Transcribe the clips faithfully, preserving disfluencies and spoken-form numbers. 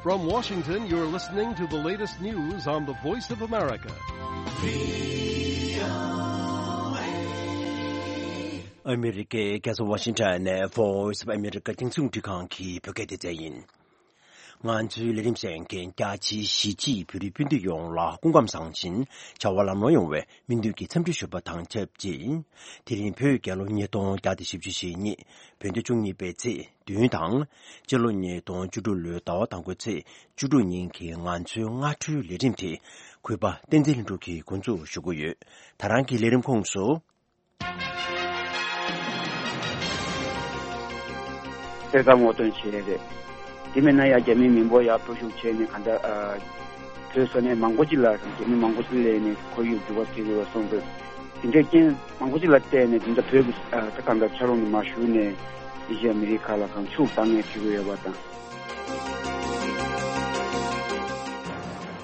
From Washington, you're listening to the latest news on the Voice of America. ཨ་མི་རི་ཀའི་རྒྱལ་ས་ཝ་ཤིང་ཊོན་ནས་Voice of America་རྒྱང་སྲིང་འཕྲིན་ཁང་གི་བོད་སྐད་སྡེ་ཚན་ཡིན། ང་ཚོའི་ལས་རིམ་གསན་མཁན་རྒྱ་ཆེའི་གཞིས་བྱེས་བོད་རིགས་སྤུན་ཟླ་ཡོངས་ལ་སྐུ་ཁམས་བཟང་ཞིང་བྱ་བ་ལམ་ལྷོང་ཡོང་བའི་སྨོན་འདུན་གྱི་འཚམས་འདྲི་ཞུ་བ་དང་ཆབས་ཅིག་དེ་རིང་བོད་རྒྱལ་ལོ་ཉིས་སྟོང་བརྒྱ་དང་བཞི་བཅུ་ཞེ་གཉིས་བོད་ཟླ་བཅུ་གཉིས་པའི་ཚེས་བདུན་དང་། སྤྱི་ལོ་ཉིས་སྟོང་བཅུ་དྲུག་ལོའི་ཟླ་བ་དང་པོའི་ཚེས་བཅུ་དྲུག་ཉིན་གྱི་ང་ཚོའི་སྔ་དྲོའི་ལས་རིམ་དེ་གུས་པ་བསྟན་འཛིན་ལྷུན་གྲུབ་ཀྱིས་འགོ་འཛུགས་ཞུ་གི་ཡོད། ད་རང་གི་ལས་རིམ་ཁོངས་སུ། གསེར་དཀར་ངོ་སྟོན་བྱས་རེད། དེ་མིན་ན་ཡང་རྒྱ་མིའི་མི་འབོར་ཡར་འགྲོ་ཤུགས་བྱས་ནས་གང་ལྟར་ཨ། བོད་ས་གནས་མང་པོ་ཅིག་ལ་རྒྱ་མི་མང་པོ་ཅིག་སླེབས་ནས་ཁོར་ཡུག་འགྱུར་བ་ཕྱིན་ཡོད་པ་སོང་ཙང་། དེ་འདྲའི་རྐྱེན་མང་པོ་ཅིག་ལ་བརྟེན་ནས་དེ་འདྲ་བོད་ཀྱི་ཨ། ད་གང་ལྟར་ཆབ་རོམ་དུ་མ་ཞུགས་ནས་ཨེ་ཤི་ཡ་ཨ་མི་རི་ཁ་ལ་གང་ཤུགས་བཏང་ནས་ཕྱིན་ཡོད་པ་དང་།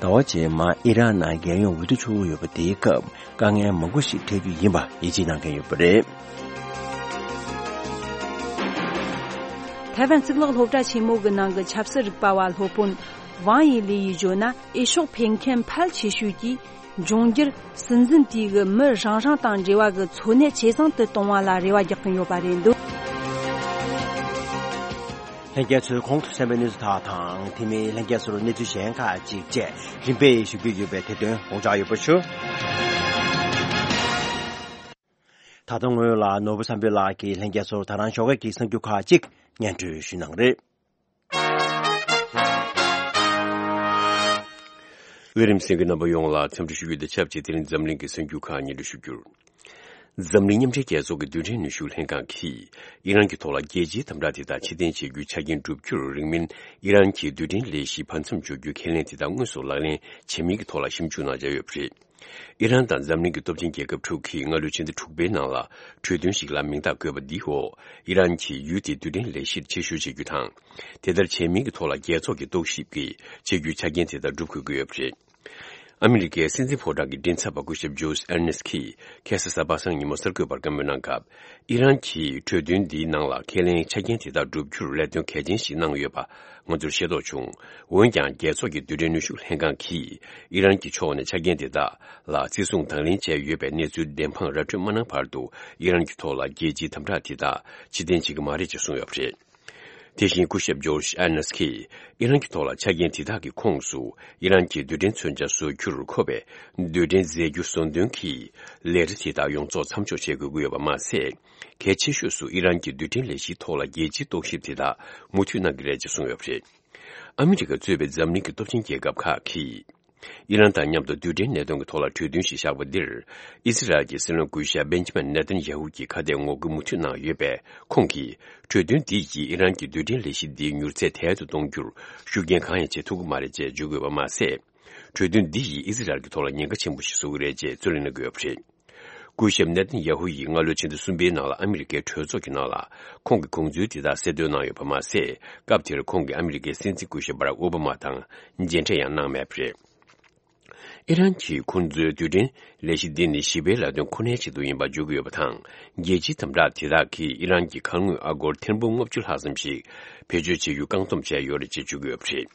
ཟླ་བ་རྗེས་མ་ཨི་རན་ནང་རྒྱལ་ཡོངས་འོས་བསྡུ་འཚོགས་ཀྱི་ཡོད་པ་དེའི་སྐབས་དཀའ་ངལ་མང་པོ་ཞིག་འཕྲད་རྒྱུ་ཡིན་པ་ཡིད་ཆེས་གནང་མཁན་ཡོད་པ་རེད། ཐའེ་ཝན་གཙུག་ལག་སློབ་གྲྭ་ཆེན་མོ་གི་ནང་གི་ཆབ་སྲིད་རིག་པ་བ་སློབ་དཔོན་ཝང་ཡི་ལི་ཡིས་བརྗོད་ན། འོས་ཤོག་འཕེན་མཁན་ཕལ་ཆེ་ཤོས་ཀྱིས་འབྱུང་འགྱུར་སྲིད་འཛིན་དེ་གི་མི་རང་རང་དང་འབྲེལ་བ་གི་འཚོ་གནས་ཇེ་བཟང་དུ་གཏོང་བ་ལ་རེ་བ་རྒྱག་གིན་ཡོད་པ་རེད་འདུག་ལྷན་རྒྱས་ཚོས་གོང་དུ་གསན་པའི་གནས་ཚུལ་དག་དང་། དེ་མིན་ལྷན་རྒྱས་ཚོར་གནས་ཚུལ་གཞན་ཁག་ཅིག་བཅས་རིམ་པས་ཞུ་རྒྱུ་ཡོད་པས་དེ་དོན་དགོངས་འཇགས་ཡོད་པ་ཞུ། ད་ལྟ་སྔོན་ལ་ནོར་བུ་བསམ་འཕེལ་ལགས་ཀྱིས་ལྷན་རྒྱས་ཚོར་ད་རང་ཞོགས་ཀས་ཀྱི་གསར་འགྱུར་ཁག་ཅིག་སྙན་སྒྲོན་ཞུས་གནང་རེད། ལས་རིམ་གསན་མཁན་རྣམ་པ་ཡོངས་ལ་འཚམས་འདྲི་ཞུ་རྒྱུ་དང་ཆབས་ཅིག་དེ་རིང་འཛམ་གླིང་གི་གསར་འགྱུར་ཁག་སྙན་སྒྲོན་ཞུ་རྒྱུར། འཛམ་གླིང་མཉམ་འབྲེལ་རྒྱལ་ཚོགས་ཀྱི་རྡུལ་ཕྲན་ནུས་ཤུགས་ལྷན་ཁང་གིས་ཨི་རན་གྱི་ཐོག་ལ་རྒྱལ་སྤྱིའི་དམ་དྲག་དེ་དག་ཕྱིར་འཐེན་བྱེད་རྒྱུའི་ཆ་རྐྱེན་བསྒྲུབ་རྒྱུར་རིང་མིན་ཨི་རན་གྱི་རྡུལ་ཕྲན་ལས་གཞི་བར་མཚམས་འཇོག་རྒྱུའི་ཁས་ལེན་དེ་དག་དངོས་སུ་ལག་ལེན་བྱེད་མིན་གྱི་ཐོག་ལ་ཞིབ་འཇུག་གནང་འཆར་ཡོད་པ་རེད། ཨི་རན་དང་འཛམ་གླིང་གི་སྟོབས་ཆེན་རྒྱལ་ཁབ་དྲུག་གིས་སྔ་ལོའི་ཕྱི་ཟླ་དྲུག་པའི་ནང་ལ་གྲོས་མཐུན་ཞིག་ལ་མིང་རྟགས་བཀོད་པ་འདིས་འོ་ཨི་རན་གྱིས་ཡུལ་དེའི་རྡུལ་ཕྲན་ལས་གཞིར་ཕྱིར་བཤོལ་བྱེད་རྒྱུ་དང་། དེ་ལྟར་བྱེད་མིན་གྱི་ཐོག་ལ་རྒྱལ་ཚོགས་ཀྱི་རྟོག་ཞིབ་ཀྱིས་བྱེད་རྒྱུའི་ཆ་རྐྱེན་དེ་དག་སྒྲུབ་དགོས་ཀྱི་ཡོད་པ་རེད། ཨ་མི་རི་ཀའི་སྲིད་འཛིན་ཕོ་བྲང་གི་མགྲིན་ཚབ་པ་སྐུ་ཞབས་ཇོརྗ་ཨེར་ནེ་སི་ཁིས་ཁ་སང་གཟའ་པ་སངས་ཉིན་མོ་གསར་འགོད་པར་བཀའ་མོལ་གནང་སྐབས། ཨི་རན་གྱིས་གྲོས་མཐུན་འདིའི་ནང་ལ་ཁས་ལེན་ཆ་རྐྱེན་དེ་དག་བསྒྲུབ་རྒྱུར་ལས་དོན་གལ་ཆེན་ཞིག་གནང་ཡོད་པ་ང་ཚོར་ཤེས་རྟོགས་བྱུང་། འོན་ཀྱང་རྒྱལ་ཚོགས་ཀྱི་རྡུལ་ཕྲན་ནུས་ཤུགས་ལྷན་ཁང་གིས་ཨི་རན་གྱི་ཕྱོགས་ནས་ཆ་རྐྱེན་དེ་དག་ལ་བརྩི་སྲུང་དང་ལེན་བྱས་ཡོད་པའི་གནས་ཚུལ་བདེན་དཔང་ར་སྤྲོད་མ་གནང་བར་དུ་ཨི་རན་གྱི་ཐོག་ལ་རྒྱལ་སྤྱིའི་དམ་དྲག་དེ་དག་ཕྱིར་འཐེན་བྱེད་ཀྱི་མ་རེད་ཅེས་གསུངས་ཡོད་པ་རེད། དེ་བཞིན་སྐུ་ཞབས་ཇོརྗ་ཨེར་ནེ་སི་ཁིས་ཨི་རན་གྱི་ཐོག་ལ་ཆ་རྐྱེན་དེ་དག་གི་ཁོངས་སུ་ཨི་རན་གྱི་རྡུལ་ཕྲན་མཚོན་ཆ་བཟོ་རྒྱུར་མཁོ་བའི་རྡུལ་ཕྲན་རྫས་འགྱུར་བཟོ་འདོན་གྱི་ལས་གྲྭ་དེ་དག་ཡོངས་རྫོགས་མཚམས་འཇོག་བྱེད་དགོས་ཀྱི་ཡོད་པ་མ་ཟད། གལ་ཆེ་ཤོས་སུ་ཨི་རན་གྱི་རྡུལ་ཕྲན་ལས་གཞིའི་ཐོག་ལ་རྒྱལ་སྤྱིའི་རྟོག་ཞིབ་དེ་དག་མུ་མཐུད་གནང་གི་རེད་ཅེས་གསུངས་ཡོད་པ་རེད། ཨ་མི་རི་ཀ་གཙོས་པའི་འཛམ་གླིང་གི་སྟོབས་ཆེན་རྒྱལ་ཁབ་ཁག་གིས། ཨི་རན་དང་མཉམ་དུ་རྡུལ་ཕྲན་གནད་དོན་གྱི་ཐོག་ལ་གྲོས་མཐུན་ཞིག་བཞག་པ་འདིར། ཨི་སི་རལ་གྱི་སྲིད་བློན་སྐུ་ཞབས་བེན་ཇི་མིན་ནེ་ཐན་ཡ་ཧུ་གྱིས་ཁ་གཏད་ངོ་རྒོལ་མུ་མཐུད་གནང་ཡོད་པས། ཁོང་གིས་གྲོས་མཐུན་འདི་ཡིས་ཨི་རན་གྱི་རྡུལ་ཕྲན་ལས་གཞི་འདིའི་མྱུར་ཚད་དལ་དུ་གཏོང་རྒྱུར་ཤུགས་རྐྱེན་གང་ཡང་བྱེད་ཐུབ་ཀྱི་མ་རེད་ཅེས་བརྗོད་དགོས་པ་མ་ཟད། གྲོས་མཐུན་འདི་ཡིས་ཨི་སི་རལ་གྱི་ཐོག་ལ་ཉེན་ཁ་ཆེན་པོ་ཞིག་བཟོ་གི་རེད་ཅེས་རྩོད་གླེང་གནང་གི་ཡོད་པ་རེད། སྐུ་ཞབས་ནེ་ཐན་ཡ་ཧུ་ཡིས་སྔ་ལོའི་ཕྱི་ཟླ་གསུམ་པའི་ནང་ལ་ཨ་མི་རི་ཀའི་གྲོས་ཚོགས་ཀྱི་ནང་ལ་ཁོང་གི་དགོངས་ཚུལ་དེ་དག་གསལ་སྟོན་གནང་ཡོད་པ་མ་ཟད། སྐབས་དེར་ཁོང་གིས་ཨ་མི་རི་ཀའི་སྲིད་འཛིན་སྐུ་ཞབས་བྷ་རག་ཨོ་བྷ་མ་དང་མཇལ་འཕྲད་ཡང་གནང་མེད་པ་རེད། ཨི་རན་གྱིས་ཁོང་ཚོའི་རྡུལ་ཕྲན་ལས་གཞི་འདི་ནི་ཞི་བའི་ལས་དོན་ཁོ་ནའི་ཆེད་དུ་ཡིན་པ་བརྗོད་ཀྱི་ཡོད་པ་དང་། རྒྱལ་སྤྱིའི་དམ་དྲག་དེ་དག་གིས་ཨི་རན་གྱི་ཁ་དངོས་ཨ་སྒོར་ཐེར་འབུམ་ལྔ་བཅུ་ལྷག་ཙམ་ཞིག་བེད་སྤྱོད་བྱེད་རྒྱུ་བཀག་སྡོམ་བྱས་ཡོད་རེད་ཅེས་བརྗོད་ཀྱི་ཡོད་པ་རེད།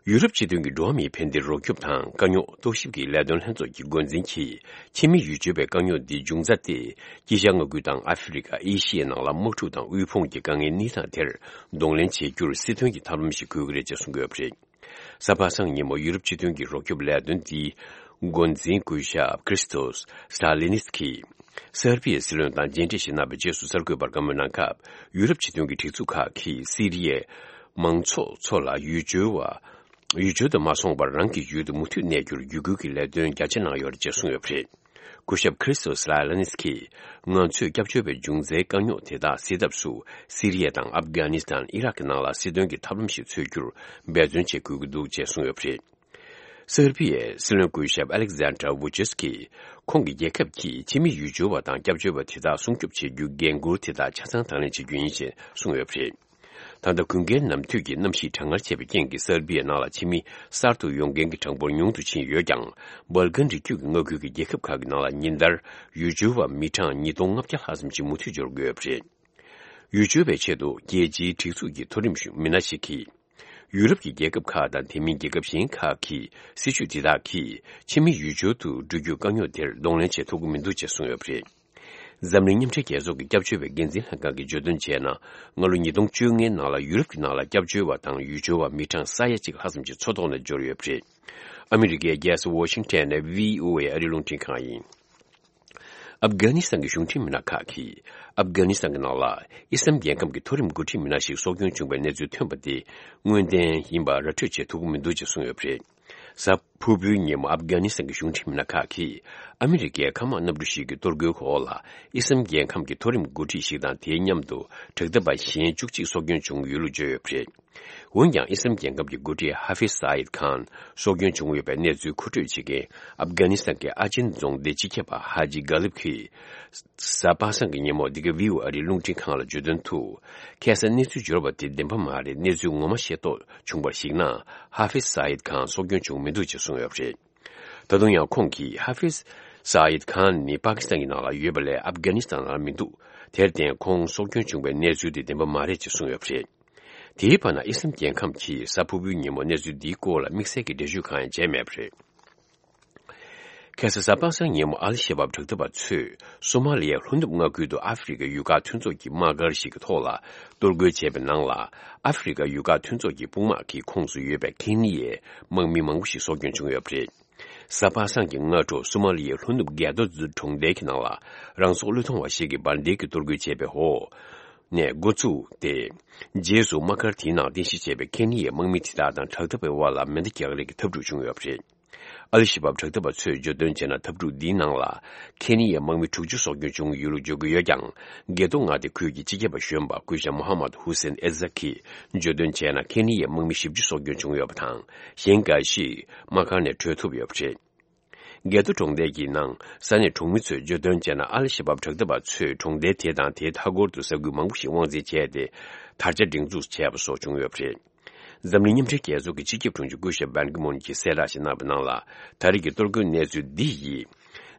ཡུ་རོབ་སྤྱི་མཐུན་གྱི་འགྲོ་བ་མིའི་ཕན་བདེར་རོགས་སྐྱོབ་དང་དཀའ་རྙོག་རྟོག་ཞིབ་ཀྱི་ལས་དོན་ལྷན་ཚོགས་ཀྱི་འགོ་འཛིན་གྱིས། ཕྱི་མི་ཡུལ་སྐྱོར་བའི་དཀའ་རྙོག་འདིའི་འབྱུང་རྩ་སྟེ། དཀྱིལ་ཤར་མངའ་ཁུལ་དང་ཨ་ཧྥེ་རི་ཁ། ཨེ་ཤི་ཡའི་ནང་ལ་དམག་འཁྲུག་དང་དབུལ་ཕོངས་ཀྱི་དཀའ་ངལ་གནས་སྟངས་དེར་གདོང་ལེན་བྱེད་རྒྱུར་སྲིད་དོན་གྱི་ཐབས་ལམ་ཞིག་དགོས་ཀྱི་རེད་ཅེས་གསུངས་ཡོད་པ་རེད། གཟའ་པ་སངས་ཉིན་མོ་ཡུ་རོབ་སྤྱི་མཐུན་གྱི་རོགས་སྐྱོབ་ལས་དོན་འདིའི་འགོ་འཛིན་སྐུ་ཞབས་ཁྲིས་ཏོས་སི་ལ་ལི་ནི་སི་ཀིས་སེར་པི་ཡའི་སྲིད་བློན་དང་མཇལ་འཕྲད་ཞིག་གནང་བའི་རྗེས་སུ་གསར་འགོད་པར་བཀའ་མོལ་གནང་སྐབས། ཡུ་རོབ་སྤྱི་མཐུན་གྱི་སྒྲིག་འཛུགས་ཁག་གིས་སི་རི་ཡའི་མང་ཚོགས་ཚོ་ལ་ཡུལ་སྐྱོར་བ། ཡུལ་སྐྱོར་དུ་མ་སོང་བར་རང་གི་ཡུལ་དུ་མུ་མཐུད་གནས་རྒྱུར་བརྒྱུད་སྐུལ་གྱི་ལས་དོན་རྒྱ་ཆེ་གནང་ཡོད་རེད་ཅེས་གསུངས་ཡོད་པ་རེད། སྐུ་ཞབས་ཁྲིས་ཏོས་ལ་ལ་ནིས་ཀྱིས། ང་ཚོས་སྐྱབས་བཅོལ་བའི་འབྱུང་རྩའི་དཀའ་རྙོག་དེ་དག་སེལ་ཐབས་སུ། སི་རི་ཡ་དང་ཨབ་གྷ་ནི་སི་ཐན། ཨི་རག་གི་ནང་ལ་སྲིད་དོན་གྱི་ཐབས་ལམ་ཞིག་འཚོལ་རྒྱུར་འབད་བརྩོན་བྱེད་དགོས་ཀྱི་འདུག་ཅེས་གསུངས་ཡོད་པ་རེད། སེར་པི་ཡའི་སྲིད་བློན་སྐུ་ཞབས་ཨ་ལེག་ཛན་ཏྲ་ཝུ་ཆེས་ཀྱིས། ཁོང་གི་རྒྱལ་ཁབ་ཀྱིས་ཕྱི་མི་ཡུལ་སྐྱོར་བ་དང་སྐྱབས་བཅོལ་བ་དེ་དག་སྲུང་སྐྱོབ་བྱེད་རྒྱུའི་འགན་འཁུར་དེ་དག་ཆ་ཚང་དང་ལེན་བྱེད་རྒྱུ་ཡིན་ཞེས་གསུངས་ཡོད་པ་རེད། ད་ལྟ་དགུན་ཁའི་ནམ་དུས་ཀྱི་གནམ་གཤིས་གྲང་ངར་ཆེ་བའི་རྐྱེན་གྱིས་སེར་པི་ཡའི་ནང་ལ་ཕྱི་མི་གསར་དུ་ཡོང་མཁན་གྱི་གྲངས་འབོར་ཉུང་དུ་ཕྱིན་ཡོད་ཀྱང་། སྦལ་ཀན་རི་རྒྱུད་ཀྱི་མངའ་ཁུལ་གྱི་རྒྱལ་ཁབ་ཁག་གི་ནང་ལ་ཉིན་ལྟར་ཡུལ་སྐྱོར་བ་མི་གྲངས་ཉིས་སྟོང་ལྔ་བརྒྱ་ལྷག་ཙམ་ཞིག་མུ་མཐུད་འབྱོར་དགོས་ཡོད་པ་རེད། ཡུལ་སྐྱོར་བའི་ཆེད་དུ་རྒྱལ་སྤྱིའི་སྒྲིག་འཛུགས་ཀྱི་མཐོ་རིམ་གཞུང་མི་སྣ་ཞིག་གིས། ཡུ་རོབ་ཀྱི་རྒྱལ་ཁབ་ཁག་དང་དེ་མིན་རྒྱལ་ཁབ་གཞན་ཁག་གི་སྲིད་བྱུས་དེ་དག་གིས་ཕྱི་མི་ཡུལ་སྐྱོར་དུ་འགྲོ་རྒྱུའི་དཀའ་རྙོག་དེར་གདོང་ལེན་བྱེད་ཐུབ་ཀྱི་མི་འདུག་ཅེས་གསུངས་ཡོད་པ་རེད། འཛམ་གླིང་མཉམ་འབྲེལ་རྒྱལ་ཚོགས་ཀྱི་སྐྱབས་བཅོལ་བའི་འགན་འཛིན་ལྷན་ཁང་གིས་བརྗོད་དོན་བྱས་ན། སྔ་ལོ་ཉིས་སྟོང་བཅོ་ལྔའི་ནང་ལ་ཡུ་རོབ་ཀྱི་ནང་ལ་སྐྱབས་བཅོལ་བ་དང་ཡུལ་སྐྱོར་བ་མི་གྲངས་ས་ཡ་གཅིག་ལྷག་ཙམ་ཞིག་མཚོ་ཐོག་ནས་འབྱོར་ཡོད་པ་རེད། ཨ་མི་རི་ཀའི་རྒྱལ་ས་ཝ་ཤིང་ཊོན་ནས་བྷི་ཨོ་ཨེ་ཨ་རིའི་རླུང་འཕྲིན་ཁང་ཡིན། ཨབ་གྷ་ནི་སི་ཐན་གྱི་གཞུང་འབྲེལ་མི་སྣ་ཁག་གིས། ཨབ་གྷ་ནི་སི་ཐན་གྱི་ནང་ལ། ཨི་སམ་རྒྱལ་ཁམས་ཀྱི་མཐོ་རིམ་འགོ་ཁྲིད་མི་སྣ་ཞིག་སྲོག་སྐྱོན་བྱུང་བའི་གནས་ཚུལ་ཐོན་པ་དེ། དངོས་བདེན་ཡིན་པ་ར་སྤྲོད་བྱེད་ཐུབ་ཀྱི་མི་འདུག་ཅེས་གསུངས་ཡོད་པ་རེད། གཟའ་ཕུར་བུའི་ཉིན་མོ་ཨབ་གྷ་ནི་སི་ཐན་གྱི་གཞུང་འབྲེལ་མི་སྣ་ཁག་གིས། ཨ་མི་རི་ཀའི་མཁའ་དམག་གནམ་གྲུ་ཞིག་གི་གཏོར་རྒོལ་འོག་ལ། ཨི་སམ་རྒྱལ་ཁམས་ཀྱི་མཐོ་རིམ་འགོ་ཁྲིད་ཞིག་དང་དེའི་མཉམ་དུ། དྲག་འཐབ་པ་གཞན་བཅུ་གཅིག་སྲོག་སྐྱོན་བྱུང་ཡོད་ལུགས་བརྗོད་ཡོད་པ་རེད། འོན་ཀྱང་ཨི་སམ་རྒྱལ་ཁབ་ཀྱི་འགོ་ཁྲིད་ཧ་ཧྥིཛ་སཱ་ཡིད་ཁཱན་སྲོག་སྐྱོན་བྱུང་ཡོད་པའི་གནས་ཚུལ་མཁོ་སྤྲོད་བྱེད་མཁན་ཨབ་གྷ་ནི་སི་ཐན་གྱི་ཨ་ཅིན་རྫོང་སྡེའི་སྤྱི་ཁྱབ་པ་ཧ་ཇི་གྷ་ལིབ་ཀྱིས། གཟའ་པ་སངས་ཀྱི་ཉིན་མོ་འདི་ག་བྷི་ཨོ་ཨེ་ཨ་རིའི་རླུང་འཕྲིན་ཁང་ལ་བརྗོད་དོན་དུ། ཁ་སང་གནས་ཚུལ་འབྱོར་བ་དེ་བདེན་པ་མ་རེད། གནས་ཚུལ་ངོ་མ་ཤེས་རྟོགས་བྱུང་བར་གཞིགས་ན། ཧ་ཧྥིཛ་སཱ་ཡིད་ཁཱན་སྲོག་སྐྱོན་བྱུང་མི་འདུག་ཅེས་གསུངས་ཡོད་པ་རེད། ད་དུང་ཡང་ཁོང་གིས་ཧ་ཧྥིཛ་སཱ་ཡིད་ཁཱན་ནི་པ་ཀི་སི་ཐན་གྱི་ནང་ལ་ཡོད་པ་ལས་ཨབ་གྷ་ནི་སི་ཐན་ནང་ལ་མི་འདུག་དེར་བརྟེན་ཁོང་སྲོག་སྐྱོན་བྱུང་བའི་གནས་ཚུལ་དེ་བདེན་པ་མ་རེད་ཅེས་གསུངས་ཡོད་པ་རེད། དེའི་བར་ན་ཨི་སམ་རྒྱལ་ཁམས་ཀྱིས་གཟའ་ཕུར་བུའི་ཉིན་མོ་གནས་ཚུལ་འདིའི་སྐོར་ལ་དམིགས་བསལ་གྱི་འགྲེལ་བརྗོད་གང་ཡང་བྱས་མེད་པ་རེད། ཁ་སང་གཟའ་པ་སངས་ཉིན་མོ་ཨལ་ཤ་བབ་དྲག་འཐབ་པ་ཚོས་སོ་མ་ལི་ཡའི་ལྷོ་ནུབ་མངའ་ཁུལ་དུ་ཨ་ཧྥེ་རི་ཁའི་ཡུལ་ཁག་མཐུན་ཚོགས་ཀྱི་དམག་སྒར་ཞིག་གི་ཐོག་ལ་གཏོར་རྒོལ་བྱས་པའི་ནང་ལ། ཨ་ཧྥེ་རི་ཁའི་ཡུལ་ཁག་མཐུན་ཚོགས་ཀྱི་དཔུང་དམག་གི་ཁོངས་སུ་ཡོད་པའི་ཁེ་ནི་ཡའི་དམག་མི་མང་པོ་ཞིག་སྲོག་སྐྱོན་བྱུང་ཡོད་པ་རེད། གཟའ་པ་སངས་ཀྱི་སྔ་དྲོ་སོ་མ་ལི་ཡའི་ལྷོ་ནུབ་གེ་ཏོ་ཛུ་གྲོང་རྡལ་གྱི་ནང་ལ། རང་སྲོག་བློས་གཏོང་བ་ཞིག་གིས་འབར་མདེལ་གྱིས་གཏོར་རྒོལ་བྱས་པའི་འོག་ནས་འགོ་བཙུགས་ཏེ། རྗེས་སུ་དམག་སྒར་དེའི་ནང་རྟེན་གཞི་བྱས་པའི་ཁེ་ནི་ཡའི་དམག་མི་དེ་དག་དང་དྲག་འཐབ་པའི་དབར་ལ་མེ་མདའ་རྒྱག་རེས་ཀྱི་འཐབ་འཁྲུག་བྱུང་ཡོད་པ་རེད། ཨལ་ཤ་བབ་དྲག་འཐབ་པ་ཚོས་བརྗོད་དོན་བྱས་ན། འཐབ་འཁྲུག་འདིའི་ནང་ལ་ཁེ་ནི་ཡའི་དམག་མི་དྲུག་ཅུ་སྲོག་སྐྱོན་བྱུང་ཡོད་ལུགས་བརྗོད་ཀྱི་ཡོད་ཀྱང་། གེ་ཏོ་མངའ་སྡེ་ཁུལ་གྱི་སྤྱི་ཁྱབ་པ་གཞོན་པ་སྐུ་ཞབས་མོ་ཧ་མད་ཧུ་སེན་ཨེ་ཛག་གིས་བརྗོད་དོན་བྱས་ན། ཁེ་ནི་ཡའི་དམག་མི་བཞི་བཅུ་སྲོག་སྐྱོན་བྱུང་ཡོད་པ་དང་། གཞན་འགའ་ཞིག་དམག་སྒར་ནས་བྲོས་ཐུབ་ཡོད་པ་རེད། གེ་ཏོ་གྲོང་རྡལ་གྱི་ནང་ས་གནས་གྲོང་མི་ཚོས་བརྗོད་དོན་བྱས་ན། ཨལ་ཤ་བབ་དྲག་འཐབ་པ་ཚོས་གྲོང་རྡལ་དེ་དང་དེའི་མཐའ་འཁོར་དུ་ས་ཁུལ་མང་པོ་ཞིག་དབང་འཛིན་བྱས་ཏེ། དར་ཆ་སྒྲེང་འཛུགས་བྱས་པ་སོགས་བྱུང་ཡོད་པ་རེད། འཛམ་གླིང་མཉམ་འབྲེལ་རྒྱལ་ཚོགས་ཀྱི་སྤྱི་ཁྱབ་དྲུང་ཆེ་སྐུ་ཞབས་བན་ཀི་མུན་གྱིས་གསལ་བསྒྲགས་ཤིག་གནང་བའི་ནང་ལ། ད་རེས་ཀྱི་གཏོར་རྒོལ་གནས་ཚུལ་འདི་ཡིས།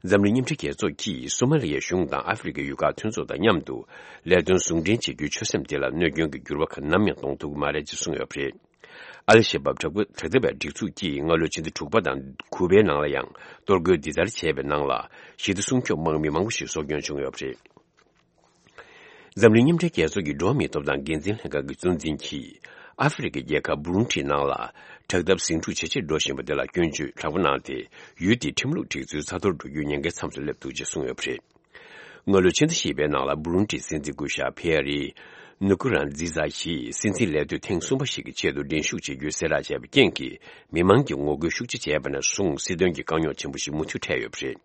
འཛམ་གླིང་མཉམ་འབྲེལ་རྒྱལ་ཚོགས་ཀྱིས་སོ་མ་ལི་ཡའི་གཞུང་དང་ཨ་ཧྥེ་རི་ཁའི་ཡུལ་ཁག་མཐུན་ཚོགས་དང་མཉམ་དུ་ལས་དོན་ཟུང་འབྲེལ་བྱེད་རྒྱུའི་ཆོད་སེམས་དེ་ལ་གནོད་སྐྱོན་གྱི་འགྱུར་བ་གང་ནམ་ཡང་གཏོང་ཐུབ་ཀྱི་མ་རེད་ཅེས་གསུངས་ཡོད་པ་རེད། ཨལ་ཤ་བབ་དྲག་པོ་དྲག་འཐབ་པའི་སྒྲིག་འཛུགས་ཀྱིས་སྔ་ལོའི་ཕྱི་ཟླ་དྲུག་པ་དང་དགུ་པའི་ནང་ལ་ཡང་གཏོར་རྒོལ་འདི་ལྟར་བྱས་པའི་ནང་ལ། ཞི་བདེ་སྲུང་སྐྱོབ་དམག་མི་མང་པོ་ཞིག་སྲོག་སྐྱོན་བྱུང་ཡོད་པ་རེད། འཛམ་གླིང་མཉམ་འབྲེལ་རྒྱལ་ཚོགས་ཀྱི་འགྲོ་བ་མིའི་ཐོབ་ཐང་འགན་འཛིན་ལྷན་ཁང་གི་གཙོ་འཛིན་གྱིས། ཨ་ཧྥེ་རི་ཁའི་རྒྱལ་ཁབ་བུ་རུན་ཁྲི་ནང་ལ། དྲག་འཐབ་ཟིང་འཁྲུག་ཇེ་ཆེར་འགྲོ་བཞིན་པ་དེ་ལ་སྐྱོན་བརྗོད་དྲག་པོ་གནང་སྟེ། ཡུལ་དེའི་ཁྲིམས་ལུགས་སྒྲིག་འཛུགས་ཚ་ཐོར་འགྲོ་རྒྱུའི་ཉེན་ཁའི་མཚམས་སུ་སླེབས་འདུག་ཅེས་གསུངས་ཡོད་པ་རེད། སྔ་ལོའི་ཕྱི་ཟླ་བཞི་པའི་ནང་ལ། བུ་རུན་ཁྲིའི་སྲིད་འཛིན་སྐུ་ཞབས་ཕི་ཡ་རི་ནུ་ཀུ་རན་ཛི་ཛ་ཡིས་སྲིད་འཛིན་ལས་དུས་ཐེངས་གསུམ་པ་ཞིག་གི་ཆེད་དུ་འགྲན་ཞུགས་བྱེད་རྒྱུའི་གསལ་བསྒྲགས་བྱས་པའི་རྐྱེན་གྱིས། མི་མང་གིས་ངོ་རྒོལ་ཤུགས་ཆེ་བྱས་པ་ནས་བཟུང་། སྲིད་དོན་གྱི་དཀའ་རྙོག་ཆེན་པོ་ཞིག་མུ་མཐུད་འཕྲད་ཡོད་པ་རེད།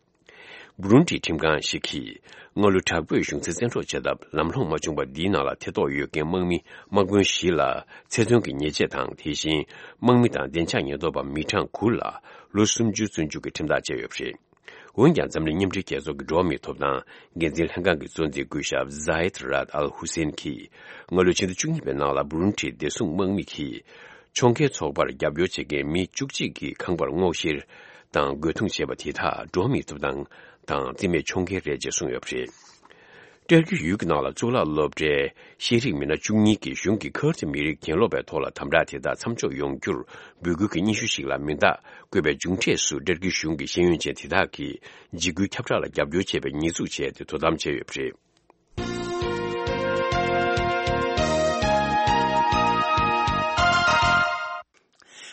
བུ་རུན་ཁྲིའི་ཁྲིམས་ཁང་ཞིག་གིས། སྔ་ལོའི་དྲག་པོས་གཞུང་འཛིན་བཙན་འཕྲོག་བྱེད་ཐབས་ལམ་ལྷོང་མ་བྱུང་བར། འདིའི་ནང་ལ་ཐེ་གཏོགས་ཡོད་མཁན་དམག་མི་དམག་དཔོན་བཞི་ལ་ཚེ་བཙོན་གྱི་ཉེས་ཆད་དང་། དེ་བཞིན་དམག་མི་དང་བདེ་འཇགས་ཉེན་རྟོག་པ་མི་གྲངས་དགུ་ལ་ལོ་སུམ་ཅུའི་བཙོན་འཇུག་གི་ཁྲིམས་ཐག་བཅད་ཡོད་པ་རེད། འོན་ཀྱང་། འཛམ་གླིང་མཉམ་འབྲེལ་རྒྱལ་ཚོགས་ཀྱི་འགྲོ་བ་མིའི་ཐོབ་ཐང་འགན་འཛིན་ལྷན་ཁང་གི་གཙོ་འཛིན་སྐུ་ཞབས་ཛ་ཡེད་རཱད་ཨལ་ཧུ་སེན་གྱིས། སྔ་ལོའི་ཕྱི་ཟླ་བཅུ་གཉིས་པའི་ནང་ལ། བུ་རུན་ཁྲིའི་བདེ་སྲུང་དམག་མི་གིས། ཁྱོང་མཁན་ཚོགས་པར་རྒྱབ་སྐྱོར་བྱེད་མཁན་མི་བཅུ་གཅིག་གི་ཁང་པར་སྔོག་བཤེར་དང་རྒོལ་རྡུང་བྱས་པ་དེ་དག་འགྲོ་བ་མིའི་ཐོབ་ཐང་དང་རྩིས་མེད་ཁྱོང་མཁན་རེད་ཅེས་གསུངས་ཡོད་པ་རེད། ཏུར་ཀི་ཡུལ་གྱི་ནང་ལ་གཙུག་ལག་སློབ་གྲྭའི་ཤེས་རིག་མི་སྣ་བཅུ་གཉིས་ཀྱིས་གཞུང་གིས་ཁུར་ཌི་མི་རིགས་གྱེན་ལོག་པའི་ཐོག་ལ་དམ་དྲག་དེ་དག་མཚམས་འཇོག་ཡོང་རྒྱུར་འབོད་སྐུལ་གྱི་སྙན་ཞུ་ཞིག་ལ་མིང་རྟགས་བཀོད་པའི་མཇུག་འབྲས་སུ། ཏུར་ཀི་གཞུང་གི་ཤེས་ཡོན་ཅན་དེ་དག་གིས་འཇིགས་སྐུལ་ཁྱབ་བསྒྲགས་ལ་རྒྱབ་སྐྱོར་བྱས་པའི་ཉེས་འཛུགས་བྱས་ཏེ་དོ་དམ་བྱས་ཡོད་པ་རེད།